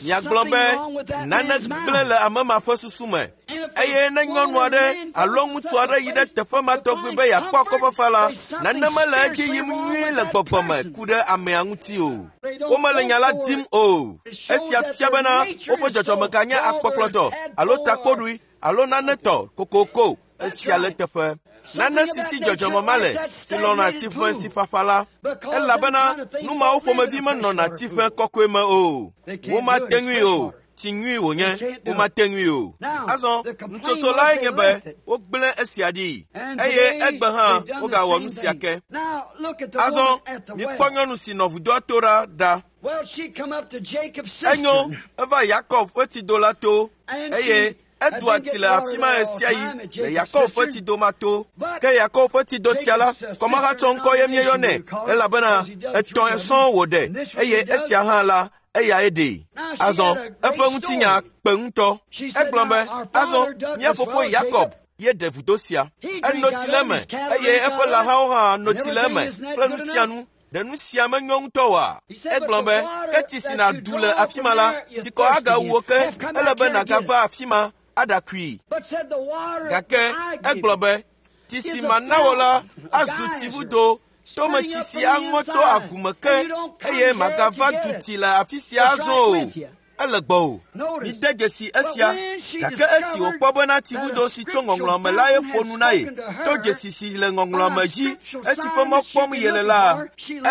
miagblɔ be nane gblẽ le ame ma ƒe susu me. Eye ne nyɔnu aɖe alo ŋutsu aɖe yi ɖe teƒe ma tɔgbi be yeakpɔ akɔfafa la, nane mele edzi yim nyuie le gbɔgbɔ me ku ɖe amea ŋuti o. Womele nya la dim o. Esia fia bena woƒe dzɔdzɔme ganye akpɔkplɔtɔ alo takpoɖui alo nane tɔ kokoko. Esia le teƒe. Nane si si dzɔdzɔme ma le si lɔ̃na tsiƒe si fafa la, elabena nu mawo ƒomevi menɔna tsiƒe kɔkɔe me o. Womate ŋui o. Tsi nyui wònye, womate ŋui o. Azɔ, nutsotso lae nye be wogblẽ esia ɖi eye egbe hã wogawɔ nu sia ke. Azɔ, mikpɔ nyɔnu si nɔ vudoa to ɖa ɖa. Enyo, eva Yakob ƒe tsido la to eye edoa tsi le afi ma ɣe sia ɣi le Yakob ƒe tsido ma to. Ke Yakob ƒe tsido sia la, kɔmahatsɔ ŋkɔ ye míeyɔnɛ elabena etɔ̃ sɔŋ wòɖe eye esia hã la eyae ɖee. Azɔ eƒe ŋutinya kpe ŋutɔ. Egblɔ be, azɔ mía fofo Yakob ye ɖe vudo sia. Eno tsi le eme eye eƒe lãhawo hã no tsi le eme kple nu sia nu. Ɖe nu sia menyo ŋutɔ oa? Egblɔ be, ke tsi si nàɖu le afi ma la, tsikɔ agawu wo ke ele be nàgava afi ma aɖakui. Gake egblɔ be, tsi si mana wò la azu tsivudo tometsi si aŋɔ tso agume ke eye màgava du tsi le afi sia azɔ o. Ele gbɔ o. Mide dzesi esia. Gake esi wòkpɔ bena tsivudo si tso ŋɔŋlɔ me la ye ƒo nu na ye to dzesi si le ŋɔŋlɔ me dzi esi ƒe mɔ kpɔm yele la,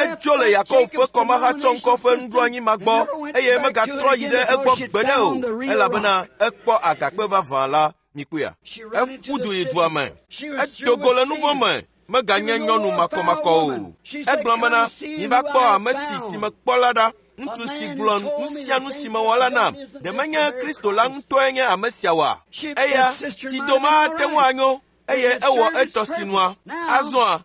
edzo le Yakob ƒe kɔmahatsɔŋkɔ ƒe nuɖoanyi ma gbɔ eye megatrɔ yi ɖe egbɔ gbeɖe o elabena ekpɔ agakpe vavã la. Mikpɔea? Eƒu du yi dua me. Edo go le nu vɔ̃ me. Meganye nyɔnu makɔmakɔ o. Egblɔ bena, miva kpɔ ame si si mekpɔ la ɖa. Ŋutsu si gblɔ nu sia nu si mewɔ la nam. Ɖe menye Kristo la ŋutɔe nye ame sia oa? Eya tsido ma ate ŋu anyo. eye ewɔ etɔ sinua. Azɔa,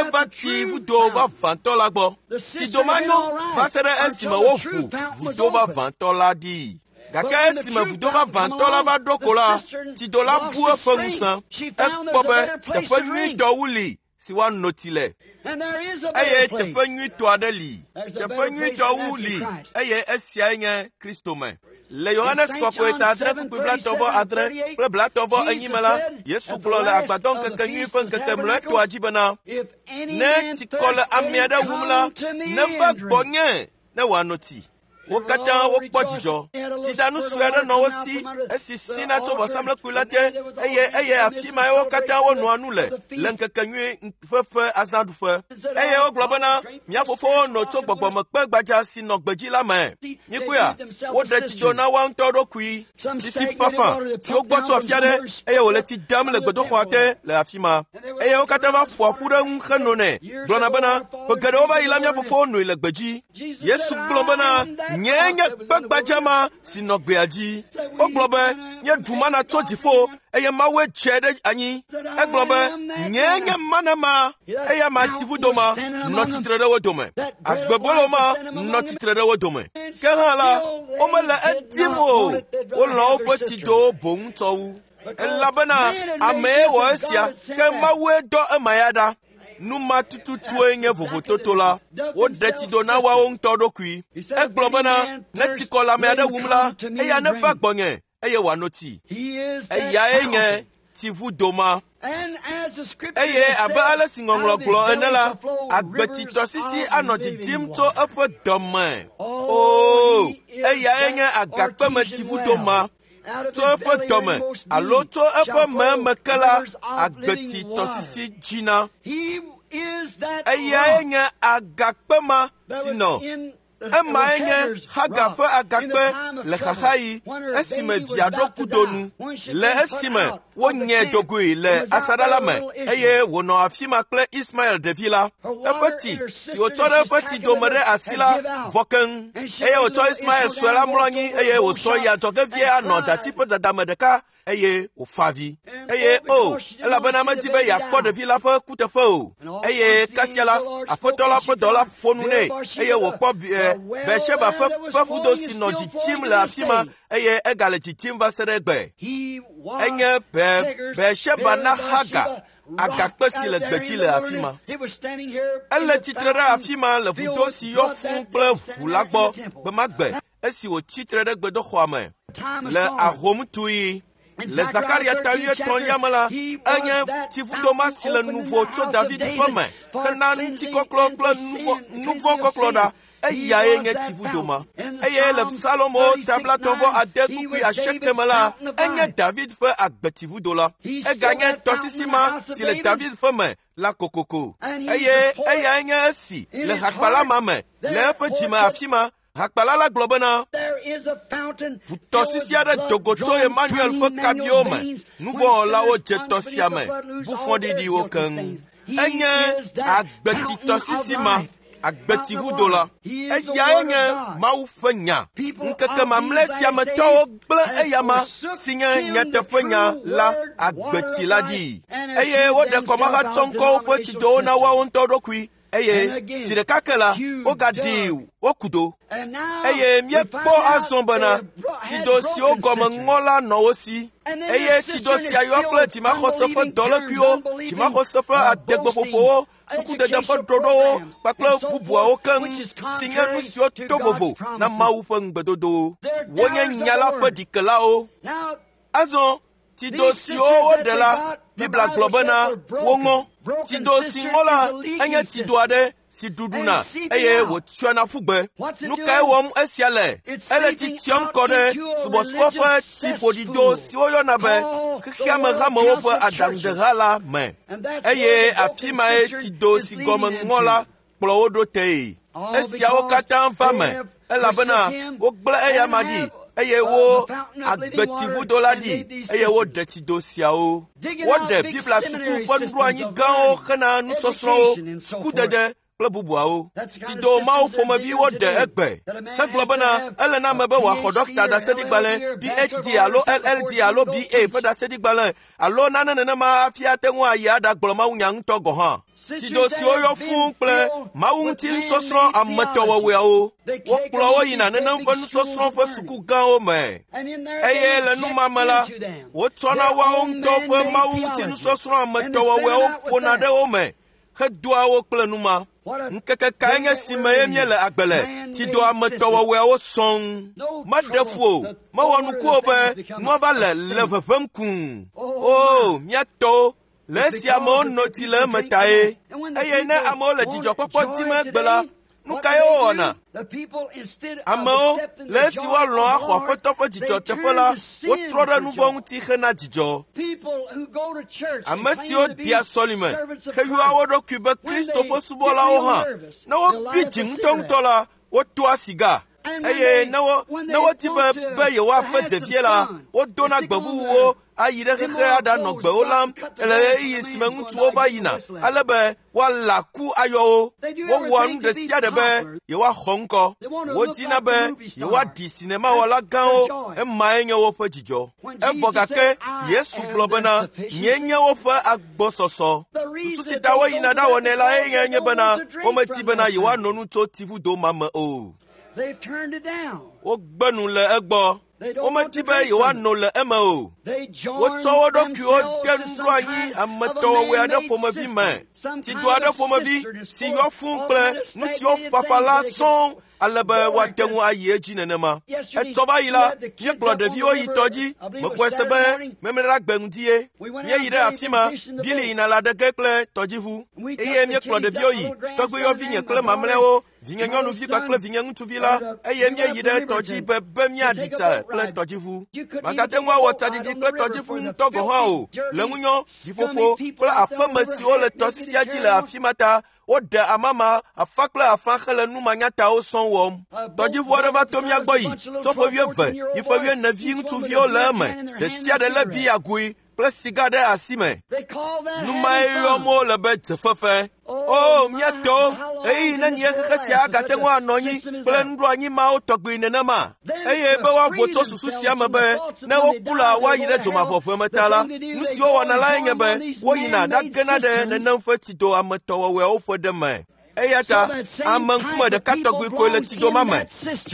eva tsi vudo vavãtɔ la gbɔ. Tsido ma nyo va se ɖe esime woʋu vudo vavãtɔ la ɖi. Gake esime vudo vavãtɔ la va ɖo ko la, tsido la bu eƒe ŋusẽ. Ekpɔ be teƒe nyuitɔ wu li si woano tsi le. Eye teƒe nyuitɔ aɖe li. Teƒe nyuitɔ wu li eye esiae nye Kristo me. Le Yohanes kɔkɔe ta adre kpukpui blatɔ̃ vɔ adre kple blatɔ̃ vɔ enyi me la, Yesu gblɔ le agbadɔŋkekenyui ƒe ŋkeke mlɔetɔa dzi bena, ne tsikɔ le ame aɖe wum la, neva gbɔnye ne wòano tsi. Wo katã wokpɔ dzidzɔ. Tsidanu sue aɖe nɔ wo si esi sina tso vɔsamlekpui la te eye eye afi mae wo katã wonɔa nu le le ŋkekenyui ƒe ƒe azãɖuƒe. Eye wogblɔ bena, mía fofowo no tso gbɔgbɔmekpe gbadza si nɔ gbedzi la me. Míkpɔea, woɖe tsido na woa ŋutɔ ɖokui. Tsi si fafa si wogbɔ tso afi aɖe eye wòle tsi dam le gbedoxɔa te le afi ma. Eye wo katã va ƒoa ƒu ɖe eŋu henonɛ gblɔna bena, ƒe geɖewo va yi la mía fofowo noe le gbedzi. Yesu gblɔ bena, nye nye kpe gbadza ma si nɔ gbea dzi. Wogblɔ be, míeɖu mana tso dziƒo eye Mawue dze ɖe anyi. Egblɔ be, nye nye mana ma eya ma tsi vudo ma nɔ tsitre ɖe wo dome. Agbebolo ma nɔ tsitre ɖe wo dome. Ke hã la, womele edim o. Wolɔ̃ woƒe tsidowo boŋ tsɔ wu. Elabena amee wɔ esia, ke Mawue dɔ ema ya ɖa. Nu ma tututue nye vovototo la. Woɖe tsido na woawo ŋutɔ ɖokui. Egblɔ bena, ne tsikɔ le ame aɖe wum la, eya neva gbɔnye eye wòano tsi. Eyae nye tsivudo ma. Eye abe ale si ŋɔŋlɔ gblɔ ene la, agbetsitɔsisi anɔ dzidzim tso eƒe dɔme. Oo, eyae nye agakpeme tsivudo ma. Tso eƒe dɔme alo tso eƒe meme ke la, agbetsitɔsisi dzina. Eyae nye agakpe ma si nɔ. Emae nye Hagar ƒe agakpe le xaxaɣi esime via ɖo kudo nu, le esime wonyae dogoe le asaɖa la me eye wònɔ afi ma kple Ismael ɖevi la. Eƒe tsi si wòtsɔ ɖe eƒe tsidome ɖe asi la vɔ keŋ eye wòtsɔ Ismael sue la mlɔ anyi eye wòsɔ yi adzɔge vie anɔ dati ƒe dadame ɖeka eye wòfa avi. Eye o, elabena medi be yeakpɔ ɖevi la ƒe kuteƒe o. Eye kasia la, aƒetɔ la ƒe dɔla ƒo nu nɛ eye wòkpɔ Beersheba ƒe ƒe vudo si nɔ dzidzim le afi ma eye egale dzidzim va se ɖe egbe. Enye Beersheba na Hagar, agakpe si le gbedzi le afi ma. Ele tsitre ɖe afi ma le vudo si yɔ fũu kple ʋu la gbɔ gbe ma gbe esi wòtsi tre ɖe gbedoxɔa me le ahomtuɣi. Le Zakaria ta wuietɔ̃lia me la, enye tsivudo ma si le nuvo tso David ƒe me hena ŋutikɔklɔ kple nuvɔ̃kɔklɔ ɖa. Eyae nye tsivudo ma. Eye le Salomo ta blatɔ̃ vɔ ade kpukpui asieke me la, enye David ƒe agbetsivudo la. Eganye tɔsisi ma si le David ƒe me la kokoko. Eye eyae nye esi le hakpala ma me le eƒe dzime afi ma. Hakpala la gblɔ bena, ʋutɔsisi aɖe do go tso Emmanuel ƒe kabiwo me. Nuvɔ̃wɔlawo dze tɔ sia me, bu fɔɖiɖiwo keŋ. Enye agbetsitɔsisi ma, agbetsivudo la. Eyae nye Mawu ƒe nya. Ŋkeke mamlɛ sia me tɔwo gblẽ eyama si nye nyateƒenya la agbetsi la ɖi. Eye woɖe kɔmahatsɔŋkɔwo ƒe tsidowo na woawo ŋutɔ ɖokui. Eye si ɖeka ke la, wogaɖi wo kudo. Eye míekpɔ azɔ bena tsido siwo gɔme ŋɔ la nɔ wo si. Eye tsido sia yɔ kple dzimaxɔse ƒe dɔlékuiwo, dzimaxɔse ƒe adegbeƒoƒowo, sukudede ƒe ɖoɖowo kpakple bubuawo keŋ si nye nu siwo to vovo na Mawu ƒe ŋugbedodowo. Wonye nya la ƒe ɖikelawo. Azɔ tsido siwo woɖe la, Biblia gblɔ bena woŋɔ. Tsido si ŋɔ la enye tsido aɖe si ɖuɖuna eye wòtsyɔna ƒu gbe. Nu kae wɔm esia le? Ele tsi tsyɔm kɔ ɖe subɔsubɔ ƒe tsiƒoɖido si woyɔna be xexeame hamewo ƒe aɖaŋuɖeha la me. Eye afi mae tsido si gɔme ŋɔ la kplɔ wo ɖo tee. Esiawo katã va me elabena wogblẽ eyama ɖi eye wo agbetsivudo la ɖi eye woɖe tsido siawo. Woɖe Biblia suku ƒe nuɖoanyi gãwo hena nusɔsrɔ̃wo, sukudede kple bubuawo. Tsido mawo ƒomeviwo ɖe egbe hegblɔ bena ele na ame be wòaxɔ ɖɔkita ɖaseɖigbalẽ P H D alo L L D alo B A ƒe ɖaseɖigbalẽ alo nane nenema hafi ate ŋu ayi aɖagblɔ mawunya ŋutɔ gɔ̃ hã. Tsido siwo yɔ fũu kple mawu ŋuti nusɔsrɔ̃ ametɔwɔwɔeawo. Wokplɔ wo yina nenem ƒe nusɔsrɔ̃ ƒe suku gãwo me. Eye le nu ma me la, wotsɔna woawo ŋutɔ ƒe mawu ŋuti nusɔsrɔ̃ ametɔwɔwɔeawo ƒona ɖe wo me hedoa wo kple nu ma. Ŋkeke kae nye si me ye míele agbe le? Tsido ametɔwɔwɔeawo sɔŋ. Meɖe fu o, mewɔ nuku o be nua va le le ʋeʋẽm kũu. O, mía tɔwo, le esi amewo nɔ tsi le eme tae. Eye ne amewo le dzidzɔkpɔkpɔ dim egbe la, nu kae wowɔna? Amewo, le esi woalɔ̃ axɔ Aƒetɔ ƒe dzidzɔ teƒe la, wotrɔ ɖe nu vɔ̃ ŋuti hena dzidzɔ. Ame siwo dea sɔlime heyɔa wo ɖokui be Kristo ƒe subɔlawo hã, ne wobi dzi ŋutɔŋutɔ la, wotoa siga. Eye ne wo ne wodi be be yewoafe dzevie la, wodona gbevuwuwo ayi ɖe xexe aɖanɔ gbewo lam le ɣeyiɣi si me ŋutsuwo va yina ale be woala ku ayɔ wo. Wowɔa nu ɖe sia ɖe be yewoaxɔ ŋkɔ. Wodina be yewoaɖi sinemawɔla gãwo, emae nye woƒe dzidzɔ. Evɔ gake Yesu gblɔ bena, nyee nye woƒe agbɔsɔsɔ. Susu si ta woyina ɖawɔnɛ la eye nye bena womedi bena yewoano nu tso tsivudo ma me o. Wogbe nu le egbɔ. Womedi be yewoano le eme o. Wotsɔ wo ɖokuiwo de nuɖoanyi ametɔwɔwɔe aɖe ƒomevi me. Tsido aɖe ƒomevi si yɔ fũu kple nu siwo ƒaƒã la sɔŋ ale be woate ŋu ayi edzi nenema. Etsɔ va yi la, míekplɔ ɖeviwo yi tɔ dzi. Mexɔe se be memleɖa gbe ŋdie. Míeyi ɖe afi ma, Bili yina la ɖe ge kple tɔdziʋu. Eye míekplɔ ɖeviwo yi, tɔgbuiyɔvinye kple mamlɛawo, vinye nyɔnuvi kpakple vinye ŋutsuvi la, eye míeyi ɖe tɔdzi be be míaɖi tsa kple tɔdziʋu. Magate ŋu awɔ tsaɖiɖi kple tɔdziʋu ŋutɔ gɔ̃ hã o. Le ŋunyɔ, ɖiƒoƒo kple afeme siwo le tɔsisia dzi le afi ma ta, woɖe amama afa kple afa hele numanyatawo sɔŋ wɔm. Tɔdziʋu aɖe va to mía gbɔ yi, tso ƒe wuieve yi ƒe wuiene vi ŋutsuviwo le eme, ɖe sia ɖe lé biagoe kple siga ɖe asi me. Nu mae yɔm wole be dzefefe. O, mía tɔwo, ɣeyiɣi nenie xexe sia agate ŋu anɔ anyi kple nuɖoanyi mawo tɔgbi nenema? Eye be woavo tso susu sia me be ne woku la woayi ɖe dzomavɔʋe me ta la, nu si wowɔna lae nye be woyina ɖagena ɖe nenem ƒe tsido ametɔwɔwɔeawo ƒe ɖe me. Eya ta ame ŋkume ɖeka tɔgbi koe le tsido ma me.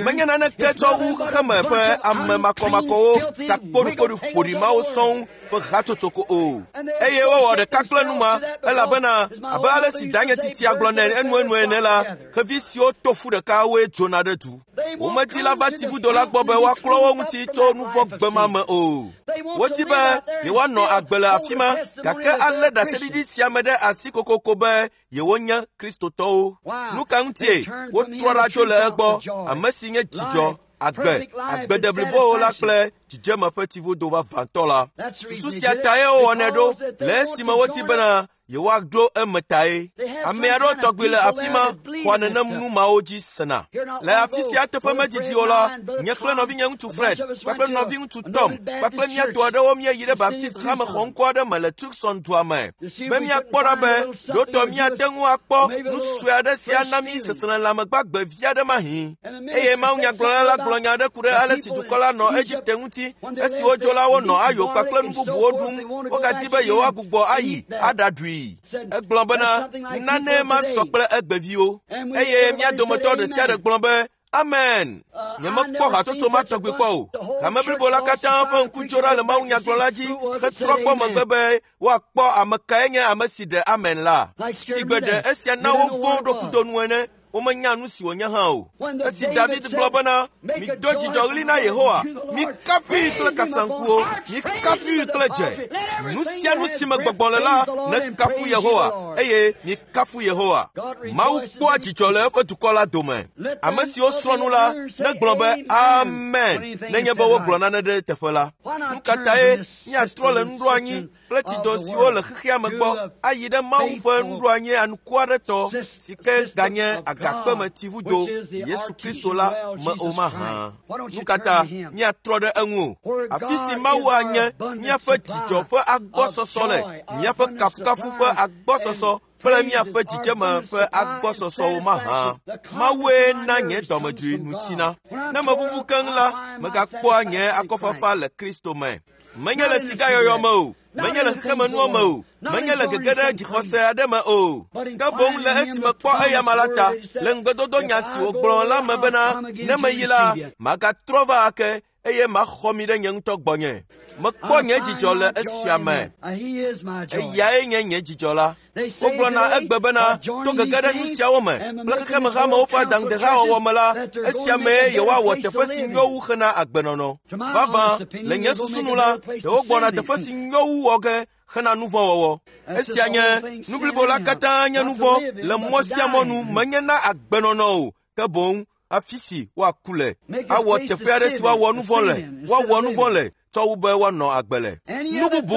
Menye naneke tsɔ wu xexeme ƒe ame makɔmakɔwo takpoɖukpoɖu ƒoɖi mawo sɔŋ ƒe hatsotso ko o. Eye wowɔ ɖeka kple nu ma elabena abe ale si danye titia gblɔ nɛ enuenu ene la, xevi siwo to fu ɖeka woe dzona ɖe du. Womedi la va tsivudo la gbɔ be woaklɔ wo ŋuti tso nu vɔ̃ gbe ma me o. Wodi be yewoanɔ agbe le afi ma gake alé ɖaseɖiɖi sia me ɖe asi kokoko be yewonye Kristotɔwo. Nu ka ŋutie wotrɔ ɖa tso le egbɔ, ame si nye dzidzɔ, agbe, agbe deblibowo la kple dzidzeme ƒe tsivudo vavãtɔ la. Susu sia tae wowɔnɛ ɖo le esime wodi bena yewoaɖo eme tae. Ame aɖewo tɔgbi le afi ma xɔa nenem nu mawo dzi sena. Le afi sia teƒe medidi o la, nye kple nɔvinye ŋutsu Fred kpakple nɔviŋutsu Tom kpakple mía tɔ aɖewo míeyi ɖe Baptist hame xɔŋkɔ aɖe me le Tucson dua me be míakpɔ ɖa be ɖotɔ míate ŋu akpɔ nu sue aɖe si ana mí seselelãme gbagbe vi aɖe mahĩ. Eye mawunyagblɔla la gblɔ nya aɖe ku ɖe ale si dukɔ la nɔ Egipte ŋuti esi wodzo la wonɔ ayo kpakple nu bubuwo ɖum. Wogadi be yewoagbugbɔ ayi aɖaɖui. Egblɔ bena nane ma sɔ kple egbeviwo. Eye mía dometɔ ɖe sia ɖe gblɔ be Amen. Nyemekpɔ hatsotso ma tɔgbi kpɔ o. Hame blibo la katã ƒe ŋku dzo ɖa le mawunyagblɔla dzi hetrɔ kpɔ megbe be woakpɔ ame kae nye ame si ɖe amen la. Sigbe ɖe esia na wovɔ̃ ɖokuidonu ene. Womenya nu si wònye hã o. Esi David gblɔ bena, mido dzidzɔɣli na Yehowa, mikafui kple kasaŋkuwo, mikafui kple dze. Nu sia nu si me gbɔgbɔ le la, nekafu Yehowa, eye mikafu Yehowa. Mawu kpɔa dzidzɔ le eƒe dukɔ la dome. Ame siwo srɔ̃ nu la, negblɔ be amen nenye be wogblɔ nane ɖe teƒe la. Nu ka tae míatrɔ le nuɖoanyi kple tsido siwo le xexea me gbɔ ayi ɖe Mawu ƒe nuɖoanyi anukuaɖetɔ si ke ganye agakpeme tsivudo Yesu Kristo la me o mahã? Nu ka ta míatrɔ ɖe eŋu o? Afi si Mawu anye míaƒe dzidzɔ ƒe agbɔsɔsɔ le, míaƒe kafukafu ƒe agbɔsɔsɔ agbɔsɔsɔ kple míaƒe dzidzeme ƒe agbɔsɔsɔwo mahã. Mawue na nye dɔmedzoe nu tsina. Ne mevuvu keŋ la, megakpɔa nye akɔfafa le Kristo me. Menye le sigayɔyɔ me o, menye le xexemenuwo me o, menye le gege ɖe dzixɔse aɖe me o. Ke boŋ le esi mekpɔ eyama la ta, le ŋugbedodo nya si wògblɔ la me bena, ne meyi la, magatrɔ va ake eye maxɔ mi ɖe nye ŋutɔ gbɔnye. Mekpɔ nye dzidzɔ le esia me. Eyae nye nye dzidzɔ la. Wogblɔna egbe bena to gege ɖe nu siawo me kple xexemehamewo ƒe adaŋudehawɔwɔ me la, esia mee yewoawɔ teƒe si nyo wu hena agbenɔnɔ. Vavã, le nye susu nu la, ɖe wogbɔna teƒe si nyo wu wɔ ge hena nu vɔ̃ wɔwɔ. Esia nye nu blibo la katã nye nu vɔ̃ le mɔ sia mɔ nu menye na agbenɔnɔ o, ke boŋ afi si woaku le. Awɔ teƒe aɖe si woawɔ nu vɔ̃ le, woawɔ nu vɔ̃ le tsɔ wu be woanɔ agbe le. Nu bubu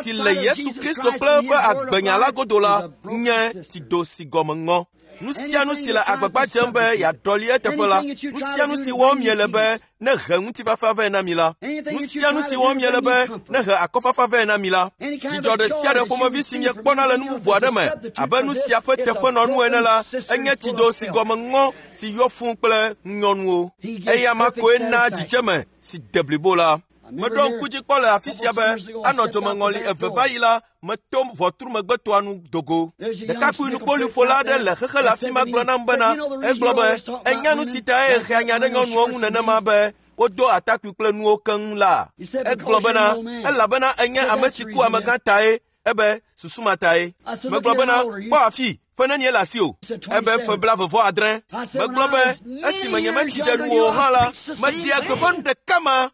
si le Yesu Kristo kple eƒe agbenya la godo la nye tsido si gɔme ŋɔ. Nu sia nu si le agbagba dzem be yeaɖɔli eteƒe la, nu sia nu si wɔm miele be ne he ŋutifafa vɛ na mi la, nu sia nu si wɔm miele be ne he akɔfafa vɛ na mi la, dzidzɔ ɖe sia ɖe ƒomevi si miekpɔna le nu bubu aɖe me abe nu sia ƒe teƒenɔnu ene la, enye tsido si gɔme ŋɔ si yɔ fũu kple ŋunyɔnuwo. Eya ma koe na dzidzeme si de blibo la. Meɖo ŋku dzi kpɔ le afi sia be anɔ dzomeŋɔli eve va yi la, meto ʋɔtru megbetoa nu dogo. Ɖekakpui nukpoliƒola aɖe le xexe le afi ma gblɔ nam bena, egblɔ be, enya nu si tae hea nya ɖe nyɔnuwo ŋu nenema be wodo atakpui kple nuwo keŋ la. Egblɔ bena, elabena enye ame si ku amegã tae, ebe susu ma tae. Megblɔ bena, kpɔ afi, ƒe nenie le asiwò? Ebe ƒe blaeve vɔ adre. Megblɔ be, esime nyemetsi ɖe nuwò hã la, meɖea gbeƒã nu ɖeka ma.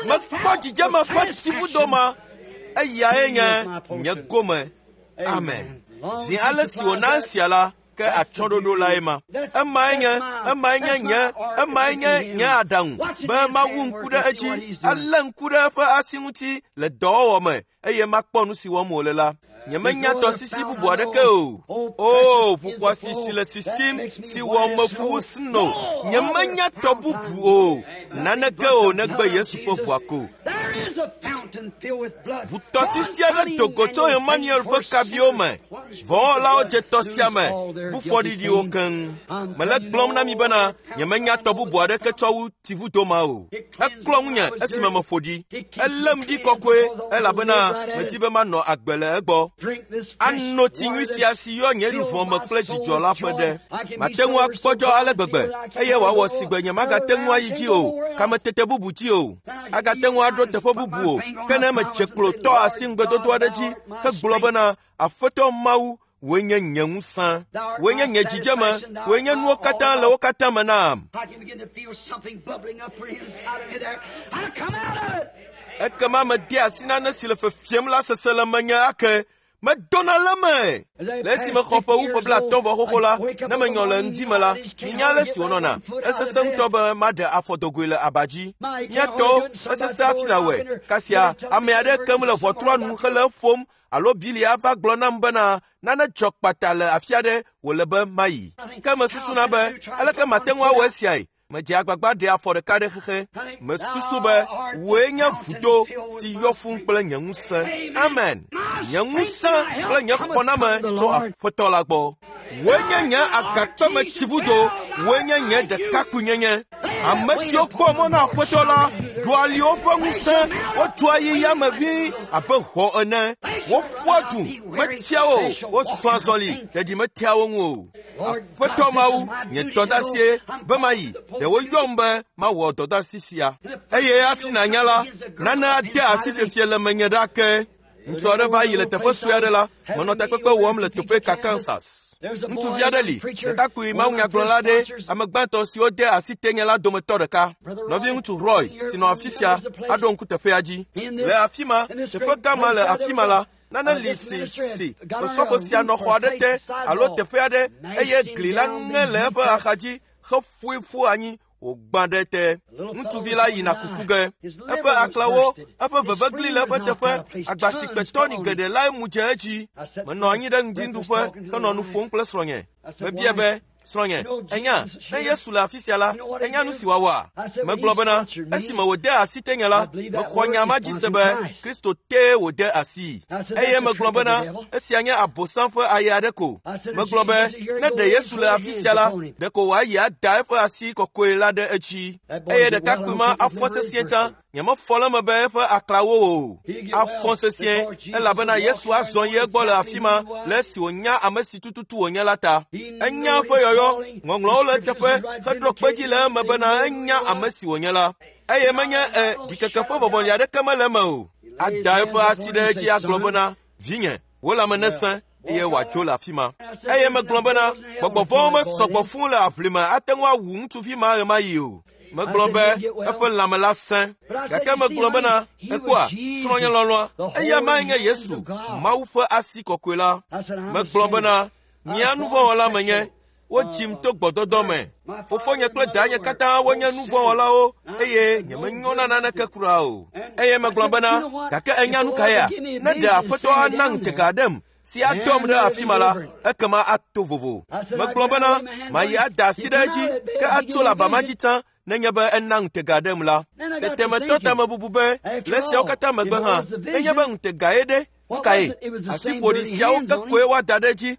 Mekpɔ dzidzeme ƒe tsivudo ma, eyae nye nye gome. Amen. Zi ale si wòna esia la, ke atsyɔ̃ɖoɖo lae ma. Emae nye, emae nye nye, emae nye nye aɖaŋu be mawu ŋku ɖe edzi, alé ŋku ɖe eƒe asi ŋuti le dɔwɔwɔ me eye makpɔ nu si wɔm wòle la. Nyemenya tɔsisi bubu aɖeke o. O, ʋuxɔasi si le sisim si wɔ mefu wu sno. Nyemenya tɔ bubu o. Naneke o negbe Yesu ƒe ʋua ko. Ʋutɔsisi aɖe do go tso Emmanuel ƒe kaviwo me. Vɔ̃wɔlawo dze tɔ sia me, bu fɔɖiɖiwo keŋ. Mele gblɔm na mi bena nyemenya tɔ bubu aɖeke tsɔ wu tsivudo ma o. Eklɔ ŋunye esime meƒo ɖi. Elém ɖi kɔkɔe elabena medi be manɔ agbe le egbɔ. Ano tsi nyui sia si yɔ nye luʋɔ me kple dzidzɔ la ƒe ɖe. Mate ŋu akpɔdzɔ ale gbegbe eye wòawɔ si gbe nyemagate ŋu ayi dzi o, kametete bubu dzi o, agate ŋu aɖo teƒe bubu o, ke ne medze klo tɔ asi ŋugbedodo aɖe dzi hegblɔ bena, Aƒetɔ Mawu, wòe nye nye ŋusẽ, wòe nye nye dzidzeme, wòe nye nuwo katã le wo katã me nam. Ekema mede asi nane si le fefiem la sese le menye ake. Medona le me. Le esime xɔ ƒe wu ƒe blaatɔ̃ vɔ xoxo la, ne menyɔ le ŋdi me la, minya ale si wònɔna. Esesẽ ŋutɔ be maɖe afɔ dogoe le aba dzi. Mía tɔwo, esesẽ hafi nàwɔe. Kasia, ame aɖe kem le ʋɔtrua nu hele eƒom alo Bili ava gblɔ nam bena nane dzɔ kpata le afi aɖe wòle be mayi. Ke mesusuna be, aleke mate ŋu awɔ esiae? Medze agbagba ɖe afɔ ɖeka ɖe xexe. Mesusu be wòe nye vudo si yɔ fũu kple nye ŋusẽ. Amen. Nye ŋusẽ kple nye xɔname tso Aƒetɔ la gbɔ. Wòe nye nye agakpeme tsivudo, wòe nye nye ɖekakpuinyenye. Ame siwo kpɔ mɔ na Aƒetɔ la ɖua ali woƒe ŋusẽ, wotua yi yame ʋĩi abe hɔ̃ ene. Woƒua du, metsia wo o, wozɔa azɔli, ɖeɖi metea wo ŋu o. Aƒetɔ Mawu, nye dɔdeasie be mayi. Ɖe woyɔm be mawɔ dɔdeasi sia. Eye hafi nànya la, nane ade asi fiefie le menye ɖa ke. Ŋutsu aɖe va yi le teƒe sue aɖe la, menɔ takpekpe wɔm le Topeka, Kansas. Ŋutsuvi aɖe li, ɖekakpui mawunyagblɔla aɖe, ame gbãtɔ siwo de asi tenye la dometɔ ɖeka. Nɔviŋutsu Roy si nɔ afi sia aɖo ŋku teƒea dzi. Le afi ma, teƒe gã ma le afi ma la, nane li si si osɔfo sia nɔ xɔ aɖe te alo teƒe aɖe eye gli la ŋe le eƒe axadzi heƒoe ƒu anyi wògbã ɖe te. Ŋutsuvi la yina kuku ge. Eƒe aklawo, eƒe vevegli le eƒe teƒe, agba si kpe tɔni geɖe lae mu dze edzi. Menɔ anyi ɖe ŋdinuɖuƒe henɔ nu ƒom kple srɔ̃nye. Mebia be, Srɔ̃nye, enya, ne Yesu le afi sia la, enya nu si wòawɔa? Megblɔ bena, esime wòde asi tenye la, mexɔ nya ma dzi se be Kristo tee wòde asi. Eye megblɔ bena, esia nye Abosam ƒe aye aɖe ko. Megblɔ be, ne ɖe Yesu le afi sia la, ɖeko wòayi ada eƒe asi kɔkɔe la ɖe edzi. Eye ɖekakpui ma afɔ sesĩe tsã, nyemefɔ le eme be eƒe aklawo o. Afɔ sesĩe, elabena Yesu azɔ yi egbɔ le afi ma le esi wònya ame si tututu wònye la ta. Enya eƒe yɔyɔ, ŋɔŋlɔwo le eteƒe heɖo kpe dzi le eme bena enya ame si wònye la. Eye menye e ɖikeke ƒe vɔvɔli aɖeke mele eme o. Ada eƒe asi ɖe edzi agblɔ bena, vinye, wò lãme nesẽ, eye wòatso le afi ma. Eye megblɔ bena, gbɔgbɔ vɔ̃wo mesɔgbɔ fũu le aʋlime ate ŋu awu ŋutsuvi ma ɣemaɣi o. Megblɔ be eƒe lãme la sẽ. Gake megblɔ bena, ekpɔa, srɔ̃nye lɔlɔ̃a, eya mae nye Yesu, Mawu ƒe asi kɔkɔe la. Megblɔ bena, mia nuvɔ̃wɔla menye, wodzim to gbɔdɔdɔ me. Fofonye kple danye katã wonye nuvɔ̃wɔlawo eye nyemenyo na naneke kura o. Eye megblɔ bena, gake enya nu kaea? Ne ɖe Aƒetɔ ana ŋutega aɖem si adɔm ɖe afi ma la, ekema ato vovo. Megblɔ bena, mayi ada asi ɖe edzi, ke atso le aba ma dzi tsã nenye be ena ŋutega ɖem la. Tete metɔ tamebubu be, le esiawo katã megbe hã, nenye be ŋutegae ɖe, nu kae? Asiƒoɖi siawo ke koe woada ɖe edzi.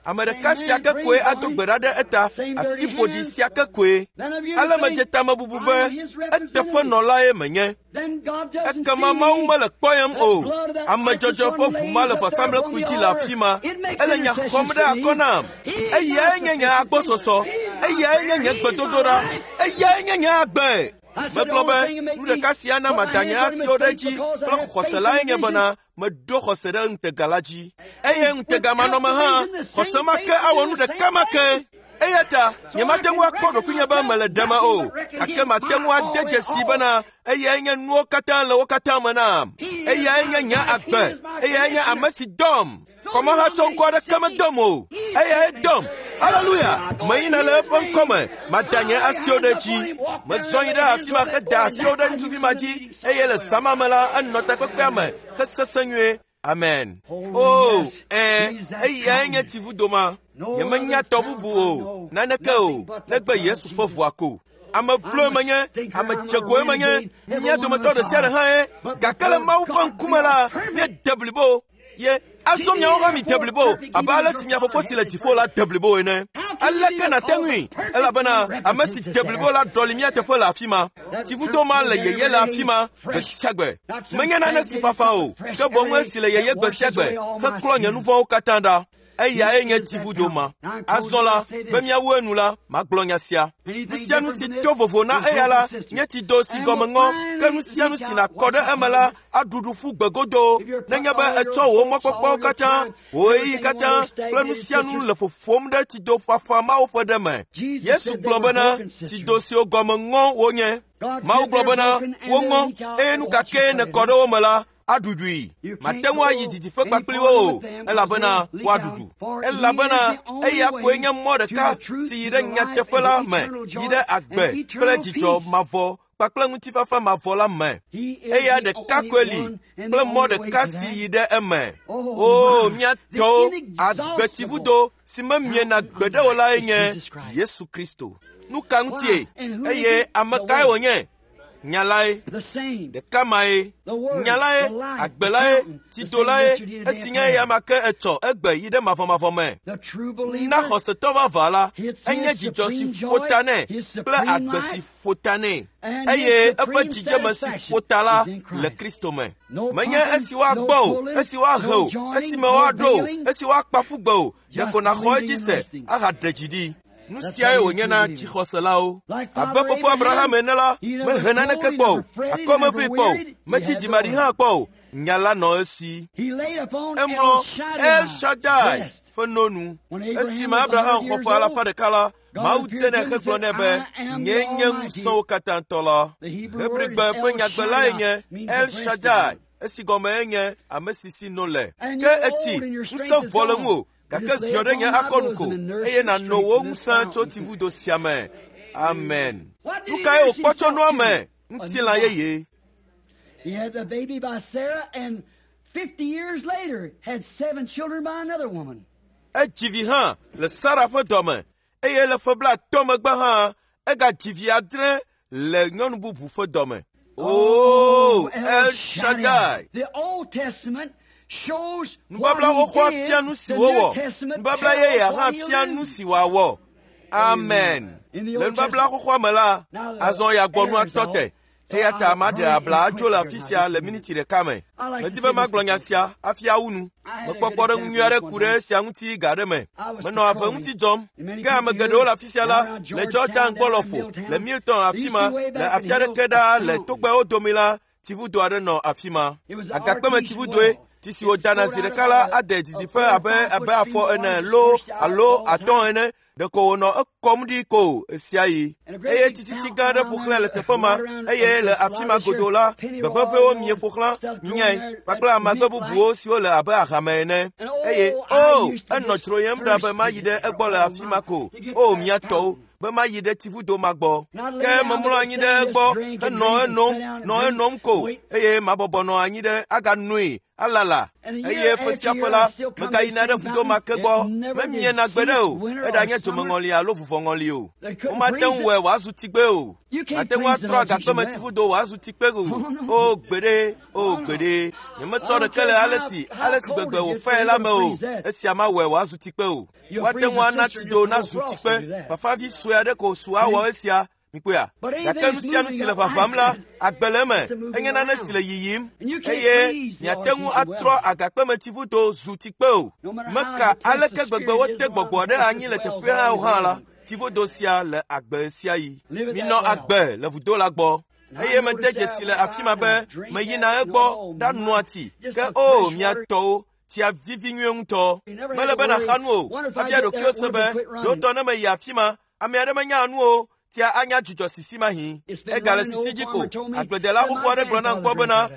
Ame ɖeka sia ke koe ado gbe ɖa ɖe eta, asiƒoɖi sia ke koe. Ale medze tamebubu be, eteƒenɔlae menye. Ekema Mawu mele kpɔyem o. Ame dzɔdzɔ ƒe ʋu ma le vɔsamlekpui dzi le afi ma. Ele nya xɔm ɖe akɔ nam. Eyae nye nye agbɔsɔsɔ. Eyae nye nye gbedodoɖa. Eyae nye nye agbe. Megblɔ be, nu ɖeka sia na mada nye asiwo ɖe edzi kple xɔse lae nye bena, meɖo xɔse ɖe ŋutega la dzi. Eye ŋutega manɔme hã, xɔse ma ke awɔ nu ɖeka ma ke. Eya ta nyemate ŋu akpɔ ɖokuinye be mele ɖeme o, gake mate ŋu ade dzesi bena eyae nye nuwo katã le wo katã me nam. Eyae nye nye agbe. Eyae nye ame si dɔm. Kɔmahatsɔ ŋkɔ aɖeke medɔm o. Eyae dɔm. Haleluya! Meyina le eƒe ŋkɔme, mada nye asiwo ɖe edzi. Mezɔ yi ɖe afi ma heda asiwo ɖe ŋutsuvi ma dzi, eye le zã ma me la, enɔ takpekpea me hesesẽ nyuie. Amen. O, ɛ̃, eyae nye tsivudo ma. Nyemenya tɔ bubu o, naneke o, negbe Yesu ƒe ʋua ko. Ame vloe menye, ame dzegoe menye, mía dometɔ ɖe sia ɖe hã ye. Gake le Mawu ƒe ŋkume la, míede blibo. Ye azɔ miawo hã mi de blibo abe ale si mia fofo si le dziƒo la de blibo ene. Aleke nàte ŋui? Elabena ame si de blibo la ɖɔli mía teƒe le afi ma. Tsivudo ma le yeye le afi ma gbe sia gbe. Menye nane si fafa o, ke boŋ esi le yeye gbe sia gbe heklɔ nye nu vɔ̃wo katã ɖa. Eyae nye tsivudo ma. Azɔ la, be míawu enu la, magblɔ nya sia. Nu sia nu si to vovo na eya la nye tsido si gɔme ŋɔ, ke nu sia nu si nàkɔ ɖe eme la aɖuɖu ƒu gbe godoo. Nenye be etsɔ wò mɔkpɔkpɔwo katã, wò ɣeyiɣi katã kple nu sia nu le ƒoƒom ɖe tsido ƒaƒã mawo ƒe ɖe me. Yesu gblɔ bena, tsido siwo gɔme ŋɔ wonye. Mawu gblɔ bena, woŋɔ, eye nu ka kee nèkɔ ɖe wo me la, aɖuɖui. Mate ŋu ayi didiƒe kpakpli wo o, elabena woaɖuɖu. Elabena eya koe nye mɔ ɖeka si yi ɖe nyateƒe la me, yi ɖe agbe kple dzidzɔ mavɔ kpakple ŋutifafa mavɔ la me. Eya ɖeka koe li kple mɔ ɖeka si yi ɖe eme. O, mía tɔwo, agbetsivudo si memiena gbeɖe o lae nye Yesu Kristo. Nu ka ŋutie? Eye ame kae wònye? Nya lae, ɖeka mae, nya lae, agbe lae, tsido lae, esi nye eya ma ke etsɔ egbe yi ɖe mavɔmavɔ me. Na xɔsetɔ vavã la, enye dzidzɔ si ƒo ta nɛ kple agbe si ƒo ta nɛ, eye eƒe dzidzeme si ƒo ta la le Kristo me. Menye esi woagbɔ o, esi woahe o, esime woaɖo o, esi woakpa ƒu gbe o, ɖeko nàxɔ edzi se ahaɖe dzi ɖi. Nu siae wònye na dzixɔselawo. Abe fofo Abraham ene la, mehe naneke kpɔ o, akɔmevee kpɔ o, metsi dzimaɖi hã kpɔ o. Nya la nɔ esi. Emlɔ El Shaddai ƒe no nu. Esime Abraham xɔ ƒe alafa ɖeka la, Mawu te nɛ hegblɔ nɛ be, nyee nye ŋusẽwo katã tɔ la. Hebrigbe ƒe nyagbe lae nye El Shaddai, esi gɔmee nye ame si si no le. Ke etsi, ŋusẽ vɔ le ŋuwò, gake ziɔ ɖe nye akɔnu ko, eye nàno wò ŋusẽ tso tsivudo sia me. Amen. Nu kae wòkpɔ tso noa me? Ŋutilã yeye. He had the baby by Sarah, and fifty years later had seven children by another woman. Edzi vi hã le Sara ƒe dɔme, Eye le ƒe blaatɔ̃ megbe hã egadzi vi adre le nyɔnu bubu ƒe dɔme. Oh, El Shaddai. The Old Testament shows what Nubabla he xoxoa did. fia nu si The wòwɔ. New Testament Nubabla tells yeyea hã what he'll fia do. nu si wòawɔ. Amen. Le nubabla xoxoa me la, azɔ yagbɔnua tɔ te. Eya ta maɖe abla adzo le afi sia le miniti ɖeka me. Medi be magblɔ nya sia hafi awu nu. Mekpɔ kpɔɖeŋu nyui aɖe ku ɖe esia ŋuti ga aɖe me. Menɔ ave ŋuti dzɔm. Ke ame geɖewo le afi sia la, le Jordan gbɔ lɔƒo, le Milton afi ma, le afi aɖeke ɖaa le togbɛwo dome la, tsivudo aɖe nɔ afi ma. Agakpeme tsivudoe, tsi si wodana zi ɖeka la ade didiƒe abe abe afɔ ene loo alo atɔ̃ ene. Ɖeko wònɔ ekɔm ɖi ko ɣesiaɣi. Eye tsisisi gã aɖe ƒo xlãe le teƒe ma eye le afi ma godoo la, gbeƒeƒewo mie ƒo xlã minyae kpakple amagbe bubuwo siwo le abe ahame ene. Eye o, enɔ dzroyem ɖa be mayi ɖe egbɔ le afi ma ko. O, mía tɔwo, be mayi ɖe tsivudo ma gbɔ. Ke memlɔ anyi ɖe egbɔ henɔ enom, nɔ enom ko eye mabɔbɔ nɔ anyi ɖe aganoe alala. Eye ƒe sia ƒe la, megayina ɖe vudo ma ke gbɔ. Memiena gbeɖe o, eɖanye dzomeŋɔli alo vuvɔŋɔli o. Womate ŋu wɔe wòazu tsigbe o. Mate ŋu atrɔ agakpeme tsivudo wòazu tsikpe o. O gbeɖe, o gbeɖe. Nyemetsɔ ɖeke le ale si ale si gbegbe wòfae la me o. Esia mawɔe wòazu tsikpe o. Woate ŋu ana tsido nazu tsikpe. Fafavi sue aɖe ko su awɔ esia. Mikpɔea? Gake nu sia nu si le ʋaʋãm la, agbe le eme. Enye nane si le yiyim eye miate ŋu atrɔ agakpemetsivudo zu tsikpe o. Meka aleke gbegbe wote gbɔgbɔ ɖe anyi le teƒea hã o hã la, tsivudo sia le agbe sia yi. Minɔ agbe le vudo la gbɔ. Eye mede dzesi le afi ma be meyina egbɔ ɖanoa tsi. Ke o, mia tɔwo, tsia vivi nyuie ŋutɔ. Mele be nàxa nu o. Abia ɖokuiwò se be, ɖewo ne meyi afi ma, ame aɖe menya nu o. Tsia anya dzudzɔ sisi mahi. Egale sisi dzi ko. Agbledela xoxo aɖe gblɔ nam kpɔ bena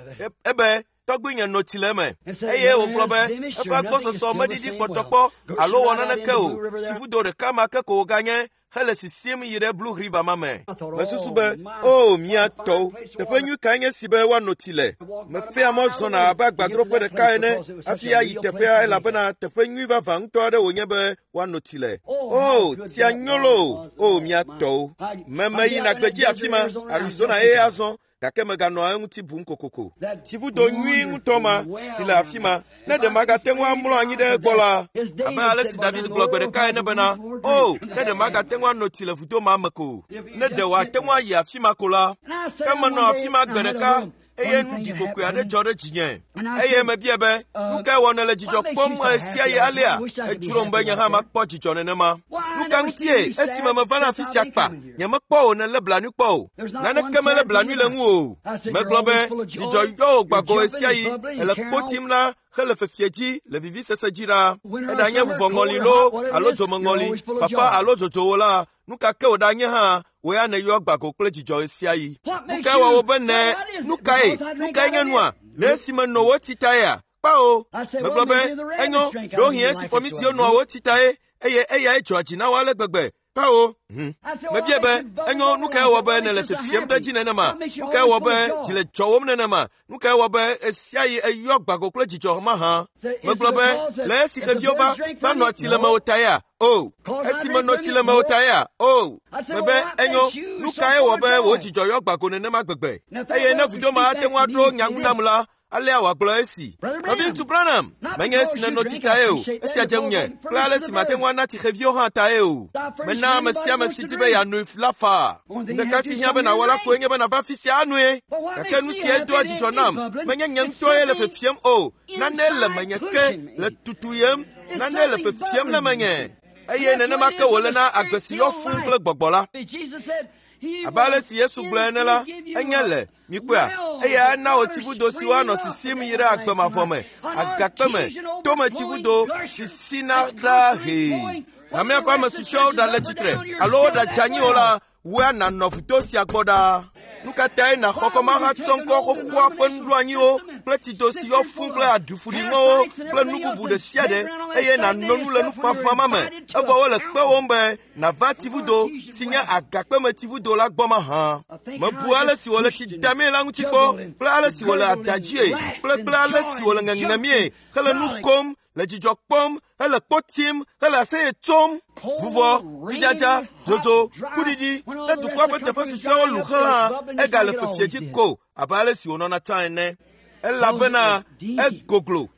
ebe tɔgbuinye no tsi le eme. Eye wògblɔ be eƒe agbɔsɔsɔ meɖiɖi kpɔtɔkpɔ alo wɔ naneke o. Tsivudo ɖeka ma ke ko wòganye hele sisim yi ɖe Blue River ma me. Mesusu be, o mía tɔwo, teƒe nyui kae nye si be woano tsi le. Mefea mɔ zɔna abe agbadroƒe ɖeka ene hafi ayi teƒea elabena teƒe nyui vavã ŋutɔ aɖe wònye be woano tsi le. O, tsia nyo loo, o mía tɔwo. Meme yina gbedzi afi ma, Arizona eye azɔ, gake meganɔ eŋuti bum kokoko. Tsivudo nyui ŋutɔ ma si le afi ma, ne ɖe magate ŋu amlɔ anyi ɖe egbɔ la, abe ale si David gblɔ gbe ɖeka ene bena, o, ne ɖe magate ŋu ano tsi le vudo ma me ko, ne ɖe wòate ŋu ayi afi ma ko la. Ke menɔ afi ma gbe ɖeka eye nu ɖikokoe aɖe dzɔ ɖe dzinye. Eye mebia be, nu kae wɔ nèle dzidzɔ kpɔm ɣesiaɣi alea? Edzrom be nye hã makpɔ dzidzɔ nenema. Nu ka ŋutie esime meva na afi sia kpa, nyemekpɔ wò nèlé blanui kpɔ o. Naneke melé blanui le ŋu o. Megblɔ be, dzidzɔ yɔ wò gbago ɣesiaɣi, èle kpo tim la hele fefie dzi le vivisese dzi ɖaa. Eɖanye vuvɔŋɔli loo alo dzomeŋɔli, fafa alo dzodzowo la, nu ka ke wòɖanye hã, wò ya nèyɔ gbago kple dzidzɔ ɣesiaɣi. Nu kae wɔ wò be ne nu kae nu kae nye nua? Le esime nɔ wò tsi taea? Kpao. Megblɔ be, enyo, ɖewohĩ esi fɔmisiwo nɔa wò tsi tae eye eyae dzɔa dzi na wo ale gbegbe. Kpao. Hm. Mebia be, enyo, nu kae wɔ be nèle fefiem ɖe dzi nenema? Nu kae wɔ be dzi le dzɔwòm nenema? Nu kae wɔ be ɣesiaɣi eyɔ gbago kple dzidzɔ mahã? Megblɔ be, le esi xeviwo va va nɔ tsi le mewò taea? O, esi menɔ tsi le mewò taea? O, mebe, enyo, nu kae wɔ be wò dzidzɔ yɔ gbago nenema gbegbe? Eye ne vudo ma ate ŋu aɖo nya ŋu nam la, alea wòagblɔ esi. Nɔviŋutsu Branham, menye esi nènɔ tsi tae o, esia dze ŋunye, kple ale si mate ŋu ana tsi xeviwo hã tae o. Mena ame sia ame si di be yeanoe la faa. Nu ɖeka si hiã be nàwɔ la koe nye be nàva afi sia anoe. Gake nu sia doa dzidzɔ nam. Menye nye ŋutɔe le fefiem o. Nane le menye ke le tutuyem. Nane le fefiem le menye. Eye nenema ke wòle na agbe si yɔ fũu kple gbɔgbɔ la. Abe ale si Yesu gblɔe ene la, enye le mikpɔea, eya ana wò tsivudo siwo anɔ sisim yi ɖe agbe mavɔ me, agakpe me, tome tsivudo si sina ɖaa hee. Hamea ƒe ame susɔeawo ɖale tsitre alo woɖadze anyi o la, wòe nànɔ vudo sia gbɔ ɖaa. Nu ka tae nàxɔ kɔmahatsɔ ŋkɔ xoxoa ƒe nuɖoanyiwo kple tsido si yɔ fũu kple aɖufuɖiŋɔwo kple nu bubu ɖe sia ɖe eye nàno nu le nuƒaƒã ma me, evɔ wole kpewòm be nàva tsivudo si nye agakpeme tsivudo la gbɔ mahã. Mebu ale si wòle tsi damee la ŋuti kpɔ kple ale si wòle ada dzie kple kple ale si wòle ŋeŋemie hele nu kom le dzidzɔ kpɔm, hele kpo tim, hele aseye tsom. Vuvɔ, tsidzadza, dzodzo, kuɖiɖi, ne dukɔa ƒe teƒe susɔewo lu hã, egale fefie dzi ko abe ale si wònɔna tsã ene. Elabena egoglo,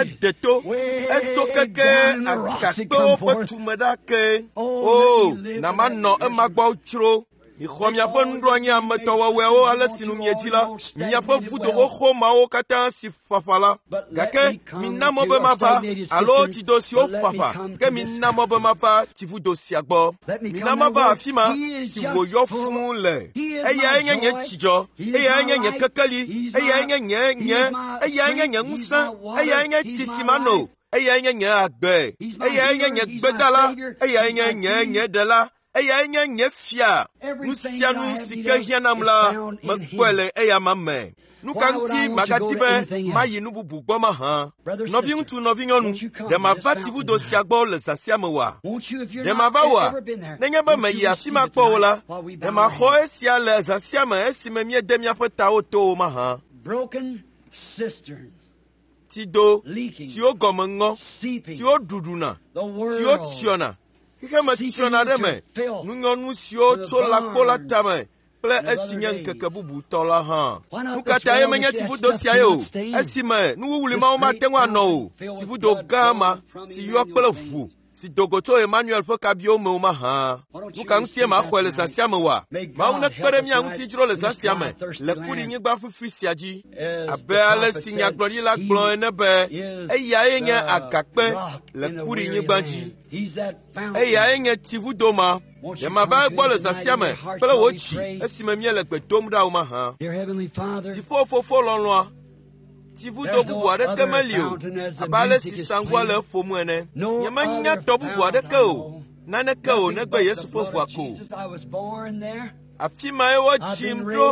ede to, etso keke agakpewo ƒe tume ɖa ke. O, na manɔ ema gbɔ tsro. Mixɔ miaƒe nuɖoanyi ametɔwɔwɔewo ale si nu miedzi la, miaƒe vudo xoxo mawo katã si fafa la. Gake mina mɔ be mava alo tsido siwo fafa, ke mina mɔ be mava tsivudo sia gbɔ. Mina mava afi ma si wòyɔ fũu le. Eyae nye nye dzidzɔ, eyae nye nye kekeli, eyae nye nye nye, eyae nye nye ŋusẽ, eyae nye tsi si mano, eyae nye nye agbe, eyae nye nye gbedala, eyae nye nye nye ɖela. Eyae nye nye fia. Nu sia nu si ke hiã nam la, mekpɔe le eyama me. Nu ka ŋuti magadi be mayi nu bubu gbɔ mahã? Nɔviŋutsu, nɔvinyɔnu, ɖe mava tsivudo sia gbɔ le zã sia me oa? Ɖe mava oa? Nenye be meyi afi ma kpɔ o la, ɖe maxɔ esia le zã sia me esime míede míaƒe tawo to o mahã? Tsido siwo gɔme ŋɔ, siwo ɖuɖuna, siwo tsyɔna, xexeme tsyɔna ɖe me, nunyɔnu siwo tso lãkpo la tame kple esi nye ŋkeke bubutɔ la hã. Nu ka tae menye tsivudo siae o? Esime nuwuwli mawo mate ŋu anɔ o, tsivudo gã ma si yɔ kple ʋu si do go tso Emmanuel ƒe kabiwo me o mahã. Nu ka ŋutie maxɔe le zã sia me oa? Mawu nekpe ɖe mía ŋuti dzro le zã sia me le kuɖinyigba ƒuƒui sia dzi. Abe ale si nyagblɔɖila gblɔ ene be eyae nye agakpe le kuɖinyigba dzi. Eyae nye tsivudo ma. Ɖe mava egbɔ le zã sia me kple wò dzi esime míele gbe dom ɖa o mahã. Dziƒofofo lɔlɔ̃a, tsivudo bubu aɖeke meli o, abe ale si saŋua le eƒom ene. Nyemenya tɔ bubu aɖeke o, naneke o negbe Yesu ƒe ʋua ko. Afi mae wodzim ɖo,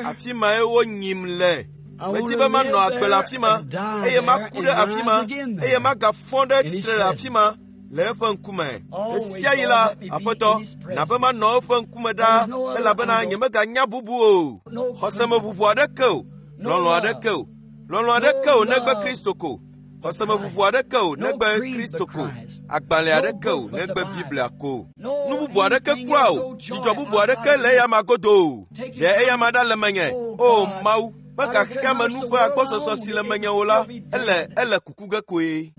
afi mae wonyim le. Medi be manɔ agbe le afi ma, eye maku ɖe afi ma, eye magafɔ ɖe tsitre le afi ma le eƒe ŋkume. Ɣe sia ɣi la, Aƒetɔ, na be manɔ eƒe ŋkume ɖaa, elabena nyemeganya bubu o. Xɔsemeʋuʋu aɖeke o, lɔlɔ̃ aɖeke o, lɔlɔ̃ aɖeke o negbe Kristo ko. Xɔsemeʋuʋu aɖeke o negbe Kristo ko. Agbalẽ aɖeke o negbe Biblia ko. Nu bubu aɖeke kura o, dzidzɔ bubu aɖeke le eyama godo o. Ɖe eyama ɖa le menye, o Mawu, mega xexeame nu ƒe agbɔsɔsɔ si le menye o la, ele ele kuku ge koe.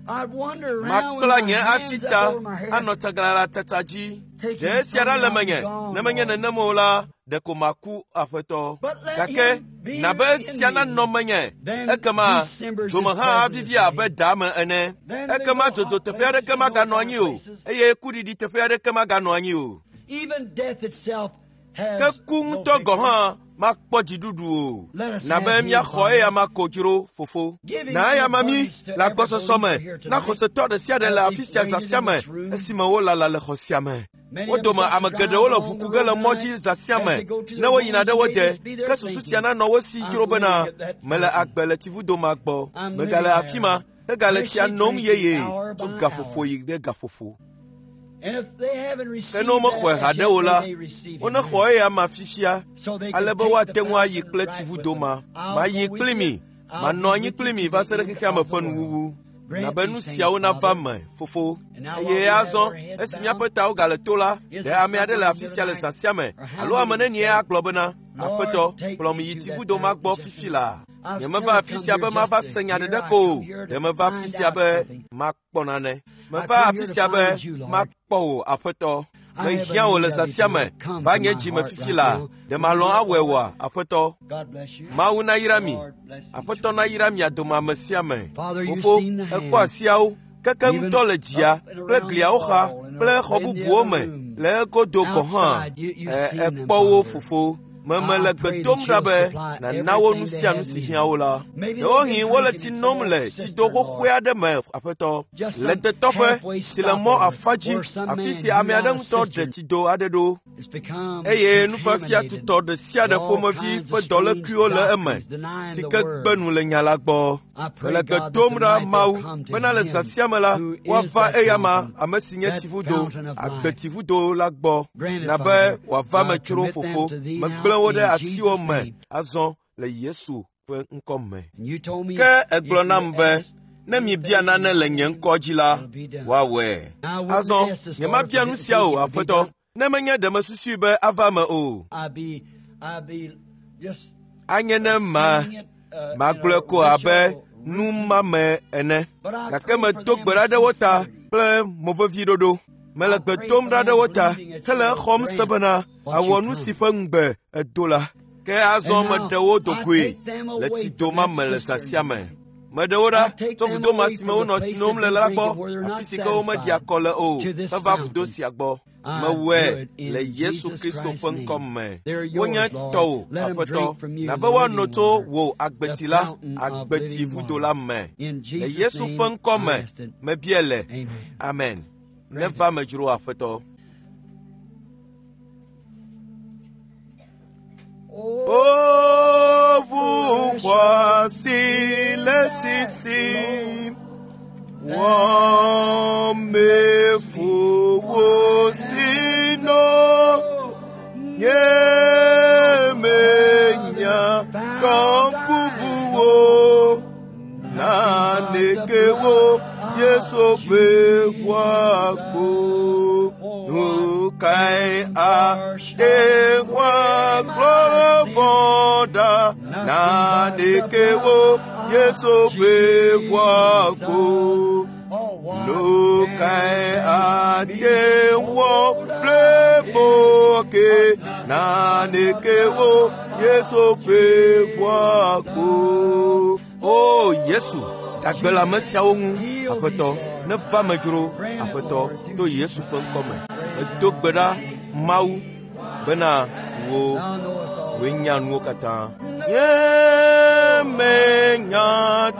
Makpla nye asi ta anɔ tsaglalãtsatsa dzi. Ɖe esia ɖa le menye, ne menye nenem o la, ɖeko maku Aƒetɔ. Gake na be esia nanɔ menye, ekema dzome hã avivi abe ɖa me ene. Ekema dzodzo teƒe aɖeke maganɔ anyi o, eye kuɖiɖi teƒe aɖeke maganɔ anyi o. Ke ku ŋutɔ gɔ̃ hã makpɔ dziɖuɖu o. Na be míaxɔ eyama ko dzro, fofo. Na eyama mí le agbɔsɔsɔ me, na xɔsetɔ ɖe sia ɖe le afi sia zã sia me, esime wolala le xɔ sia me. Wo dome ame geɖewo le ʋu ku ge le mɔ dzi zã sia me, ne woyina ɖe wo de, ke susu sia nanɔ wo si dzro bena mele agbe le tsivudo ma gbɔ. Megale afi ma, hegale tsia nom yeye tso gaƒoƒo yi ɖe gaƒoƒo. Ke ne womexɔe haɖe o la, wonexɔ eyama fifia, ale be woate ŋu ayi kple tsivudo ma. Mayi kpli mi, manɔ anyi kpli mi va se ɖe xexeame ƒe nuwuwu. Na be nu siawo nava me, fofo. Eye azɔ, esi míaƒe tawo gale to la, ɖe ame aɖe le afi sia le zã sia me, alo ame nenie agblɔ bena, Aƒetɔ, kplɔm yi tsivudo ma gbɔ fifi laa. Nyemeva afi sia be mava se nya ɖeɖe ko o, ɖe meva afi sia be makpɔ nane. Meva afi sia be makpɔ wò, Aƒetɔ. Mehiã wò le zã sia me, va nye dzi me fifi laa. Ɖe malɔ̃ awɔe oa, Aƒetɔ? Mawu nayra mi. Aƒetɔ nayra mia dome ame sia ame. Fofo, ekpɔ asiawo, keke ŋutɔ le dzia kple gliawo xa kple xɔ bubuwo me le egodo gɔ̃ hã. Ekpɔ wo, fofo. Meme le gbe dom ɖa be nàna wo nu sia nu si hiã wo la. Ɖewohĩ wole tsi nom le tsido xoxoe aɖe me, Aƒetɔ, le detɔƒe si le mɔ afa dzi, afi si ame aɖe ŋutɔ ɖe tsido aɖe ɖo. Eye nufiafia tutɔ ɖe sia ɖe ƒomevi ƒe dɔlékuiwo le eme, si ke gbe nu le nya la gbɔ. Mele gbe dom ɖa Mawu bena le zã sia me la, woava eyama ame si nye tsivudo, agbetsivudo la gbɔ, na be wòava me tsro, fofo. Megblẽ wo ɖe asiwò me azɔ le Yesu ƒe ŋkɔ me. Ke egblɔ nam be, Ne miebia nane le nye ŋkɔ dzi la, woawɔe. Azɔ, nyemabia nu sia o, Aƒetɔ, ne menye ɖe mesusui be ava eme o. Anye ne ma magblɔe ko abe numame ene. Gake medo gbe ɖa ɖe wo ta kple moveviɖoɖo. Mele gbe dom ɖa ɖe wo ta hele exɔm se bena awɔ nu si ƒe ŋugbe edo la. Ke azɔ meɖe wo do goe le tsido ma me le zã sia me. Meɖe wo ɖa tso vudo ma si me wonɔ tsi nom le la gbɔ, afi si ke womeɖi akɔ le o, heva vudo sia gbɔ. Mewɔe le Yesu Kristo ƒe ŋkɔ me. Wonye tɔwò, Aƒetɔ, na be woano tso wò agbetsi la, agbetsi vudo la me. Le Yesu ƒe ŋkɔ me, mebia le. Amen. Neva me dzro, Aƒetɔ. O ʋu xɔasi le sisim, wɔme ƒo si no, nye menya tɔ bubuwo, naneke wo Yesu ƒe ʋua ko. Nu kae ate ŋu agblɔ vɔ̃ ɖa? Naneke wo Yesu ƒe ʋua ko. Nu kae ate ŋu able boke? Naneke wo Yesu ƒe ʋua ko. O Yesu, dagbe le ame siawo ŋu, Aƒetɔ, neva me dzro, Aƒetɔ, to Yesu ƒe ŋkɔ me. Medo gbe ɖa Mawu bena wò wòe nya nuwo katã. Nye menya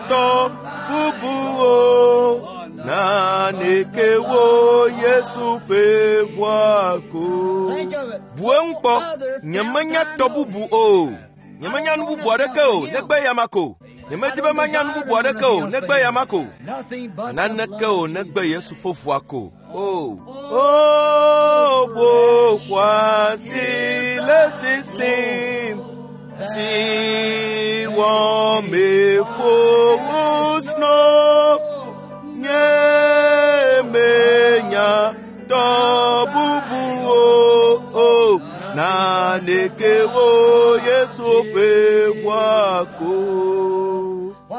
tɔ bubuwo, naneke wo Yesu ƒe ʋua ko. Bu eŋu kpɔ, nyemenya tɔ bubu o. Nyemenya nu bubu aɖeke o, negbe eyama ko. Nyemedi be manya nu bubu aɖeke o, negbe eyama ko. Naneke o, negbe Yesu ƒe ʋua ko. O, o, ʋu xɔasi le sisim, si wɔme ƒo wosno, nye menya tɔ bubuwo o, naneke wo Yesu ƒe ʋua ko.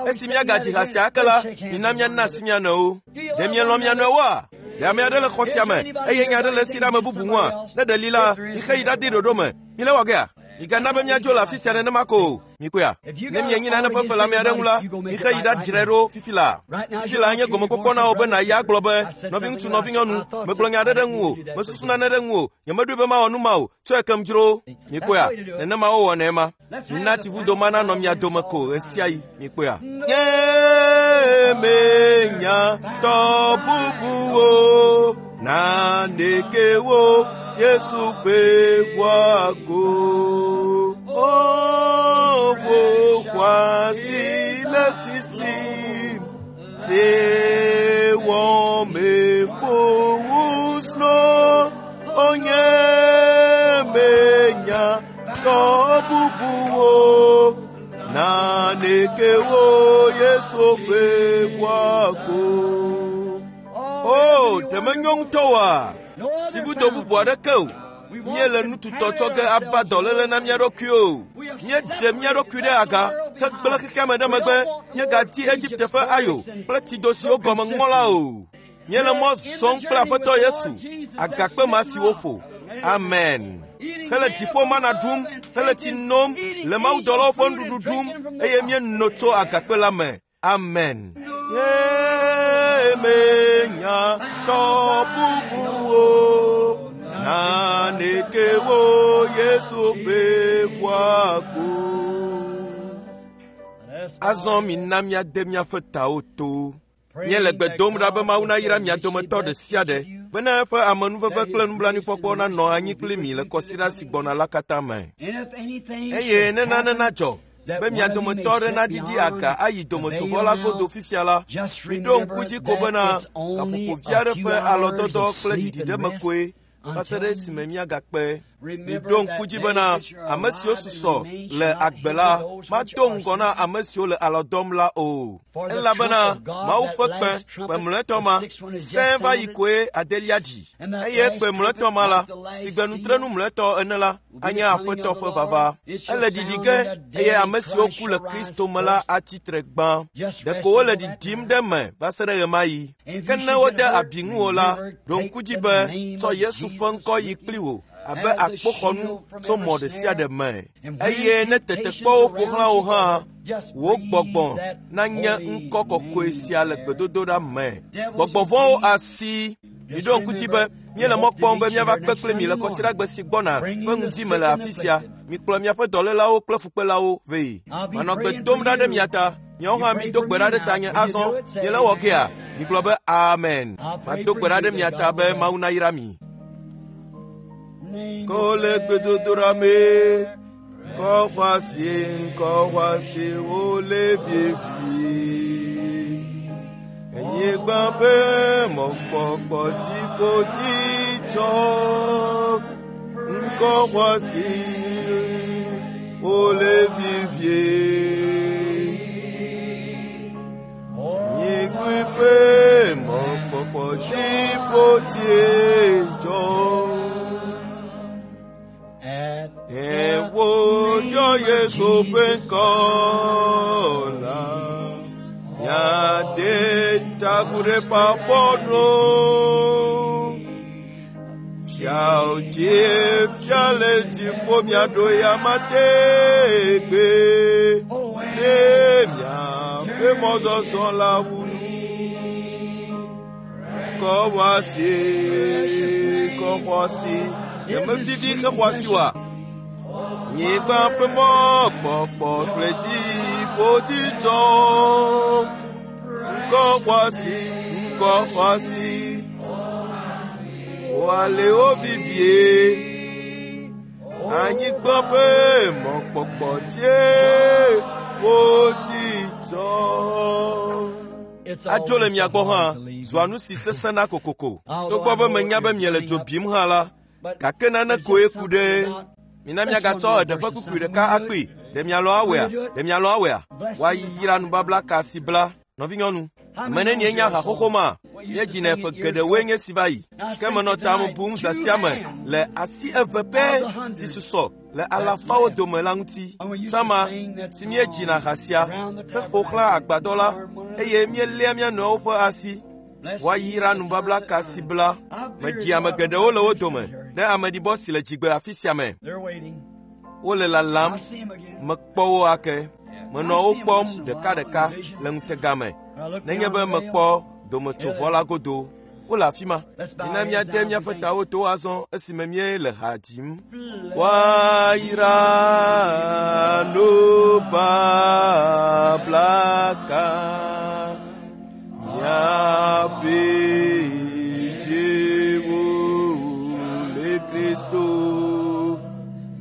Esi míagadzi ha sia ake la, mina míana asi mía nɔewo. Ɖe mielɔ̃ mia nɔewoa? Ɖe ame aɖe le xɔ sia me eye nya aɖe le esi ɖe ame bubu ŋua? Ne ɖe li la, mixe yi ɖade ɖoɖo me. Mile wɔ gea? Migana be míadzo le afi sia nenema ko o. Mikpɔea? Ne mienyi nane ƒe fe le ame aɖe ŋu la, mixe yi ɖadzrae ɖo fifi laa. Fifi laa nye gɔmekpɔkpɔ na wò be nàyi agblɔ be, nɔviŋutsu, nɔvinyɔnu, megblɔ nya aɖe ɖe ŋuwò, mesusu nane ɖe ŋuwò, nyemeɖoe be mawɔ nu ma o, tsɔe kem dzro. Mikpɔea? Nenema wowɔnɛ ma. Mina tsivudo ma nanɔ mia dome ko ɣe sia ɣi. Mikpɔea? Nye menya tɔ bubuwo, naneke wo Yesu ƒe ʋua ko. O ʋu xɔasi le sisim, si wɔme ƒo wosno, o nye menya tɔ bubuwo, naneke wo Yesu ƒe ʋua ko. O, ɖe menyo ŋutɔ oa? Tsivudo bubu aɖeke o. Míele nututɔ tsɔ ge ava dɔléle na mía ɖokui o. Míeɖe mía ɖokui ɖe aga hegblẽ xexea me ɖe megbe. Míegadi Egipte ƒe ayo kple tsido siwo gɔme ŋɔ la o. Míele mɔ zɔm kple Aƒetɔ Yesu, agakpe ma si woƒo. Amen. Hele dziƒo mana ɖum, hele tsi nom, le mawudɔlawo ƒe nuɖuɖu ɖum, eye míeno tso agakpe la me. Amen. Nye menya tɔ bubuwo, naneke wo Yesu ƒe ʋua ko. Azɔ mina míade míaƒe tawo to. Míele gbe dom ɖa be Mawu nayra mia dometɔ ɖe sia ɖe bena eƒe amenuveve kple nublanuikpɔkpɔ nanɔ anyi kpli mi le kɔsiɖa si gbɔna la katã me. Eye ne nane nadzɔ be mia dometɔ aɖe naɖiɖi aga ayi dometsovɔ la godo fifia la, miɖo ŋku dzi ko bena gaƒoƒo vi aɖe ƒe alɔdɔdɔ kple ɖiɖiɖeme koe va se ɖe esime míagakpe. Miɖo ŋku dzi bena ame siwo susɔ le agbe la mado ŋgɔ na ame siwo le alɔ dɔm la o. Elabena Mawu ƒe kpẽ, kpẽ mlɔetɔ ma, sẽ va yi koe adelia dzi. Eye kpẽ mlɔetɔ ma la, si gbe nutrenu mlɔetɔ ene la, anye Aƒetɔ ƒe vava. Ele ɖiɖi ge eye ame siwo ku le Kristo me la atsi tre gbã. Ɖeko wole ɖiɖim ɖe me va se ɖe ɣemaɣi. Ke ne wode abi ŋuwò la, ɖo ŋku dzi be tsɔ Yesu ƒe ŋkɔ yi kpli wò abe akpoxɔnu tso mɔ ɖe sia ɖe me. Eye ne tetekpɔwo ƒo xlã wò hã, wò gbɔgbɔ nanye ŋkɔ kɔkɔe sia le gbedodoɖa me. Gbɔgbɔ vɔ̃wo asi. Miɖo ŋku dzi be míele mɔ kpɔm be míava kpe kpli mi le kɔsiɖagbe si gbɔna ƒe ŋdi me le afi sia. Mikplɔ miaƒe dɔlélawo kple fukpelawo vɛ. Manɔ gbe dom ɖa ɖe mia ta. Miawo hã mido gbe ɖa ɖe tanye azɔ. Miele wɔ gea? Migblɔ be amen. Mado gbe ɖa ɖe mia ta be Mawu nayra mi. Kole gbedodoɖa me, kɔxɔasi ŋkɔxɔasi wole vevie. Anyigba ƒe mɔkpɔkpɔ dziƒo tsɔ, ŋkɔxɔasi wole vevie. Anyigba ƒe mɔkpɔkpɔ dziƒo tsɔ. Ewo yɔ Yesu ƒe ŋkɔ la, míade ta agu ɖe eƒe afɔnu. Fiawo dzi fia le dziƒo miaɖo ya tegbe, ne miaƒe mɔzɔzɔ la wu nu. Kɔxɔasi, kɔxɔasi, nyemevivi hexɔasi oa? Anyigba ƒe mɔkpɔkpɔ kple dziƒo dzidzɔ. Ŋkɔxɔasi, ŋkɔxɔasi, woale wo vivie. Anyigba ƒe mɔkpɔkpɔ dziƒo dzidzɔ. Adzo le mia gbɔ hã zua nu si sesẽna kokoko. Togbɔ be menya be miele dzo bim hã la, gake nane koe ku ɖe. Mina miagatsɔ eɖe ƒe kpukpui ɖeka akpee. Ɖe mialɔ awɔea? Ɖe mialɔ awɔea? Woayra nubabla ka si bla. Nɔvinyɔnu, ame nenie nya ha xoxo ma? Míedzinɛ ƒe geɖewoe nye si va yi. Ke menɔ ta bum zã sia me le asi eve pɛ si susɔ le alafawo dome la ŋuti. Sama si míedzina ha sia heƒo xlã agbadɔ la eye míeléa mía nɔewo ƒe asi. Woayra nubabla ka si bla. Meɖi ame geɖewo le wo dome ɖe ameɖibɔ si le dzigbe afi sia me. Wole lalam, mekpɔ wo ake. Menɔ wo kpɔm ɖekaɖeka le ŋutega me. Nenye be mekpɔ dometsovɔ la godo, wole afi ma. Mina míade míaƒe tawo to azɔ esime míele ha dzim. Woayra nubabla ka miaƒe dziwo le Kristo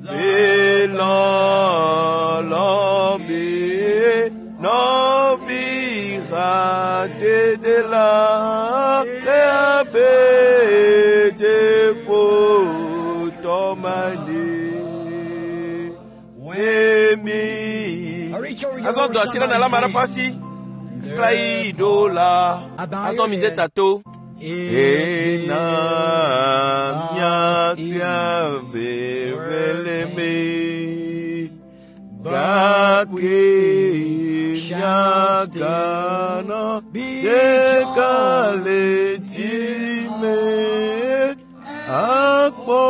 le lɔlɔ̃ me. Nɔvi hadede la le abe dziƒo tɔmani. Ne mi. Azɔ do asi ɖe nala ame aɖe ƒe asi. Keklã yi ɖo la. Azɔ mi de ta to. Ena miasia veve le me. Gake miaganɔ ɖeka le dzime. Akpɔ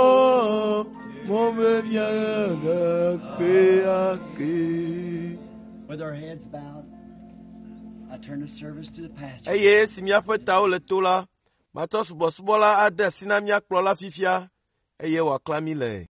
mɔ be miagakpe ake. With our heads bowed, I turn the service to the pastor. Eye esi míaƒe tawo le to la, matsɔ subɔsubɔ la ade asi na mía kplɔla fifia eye wòaklã mí le.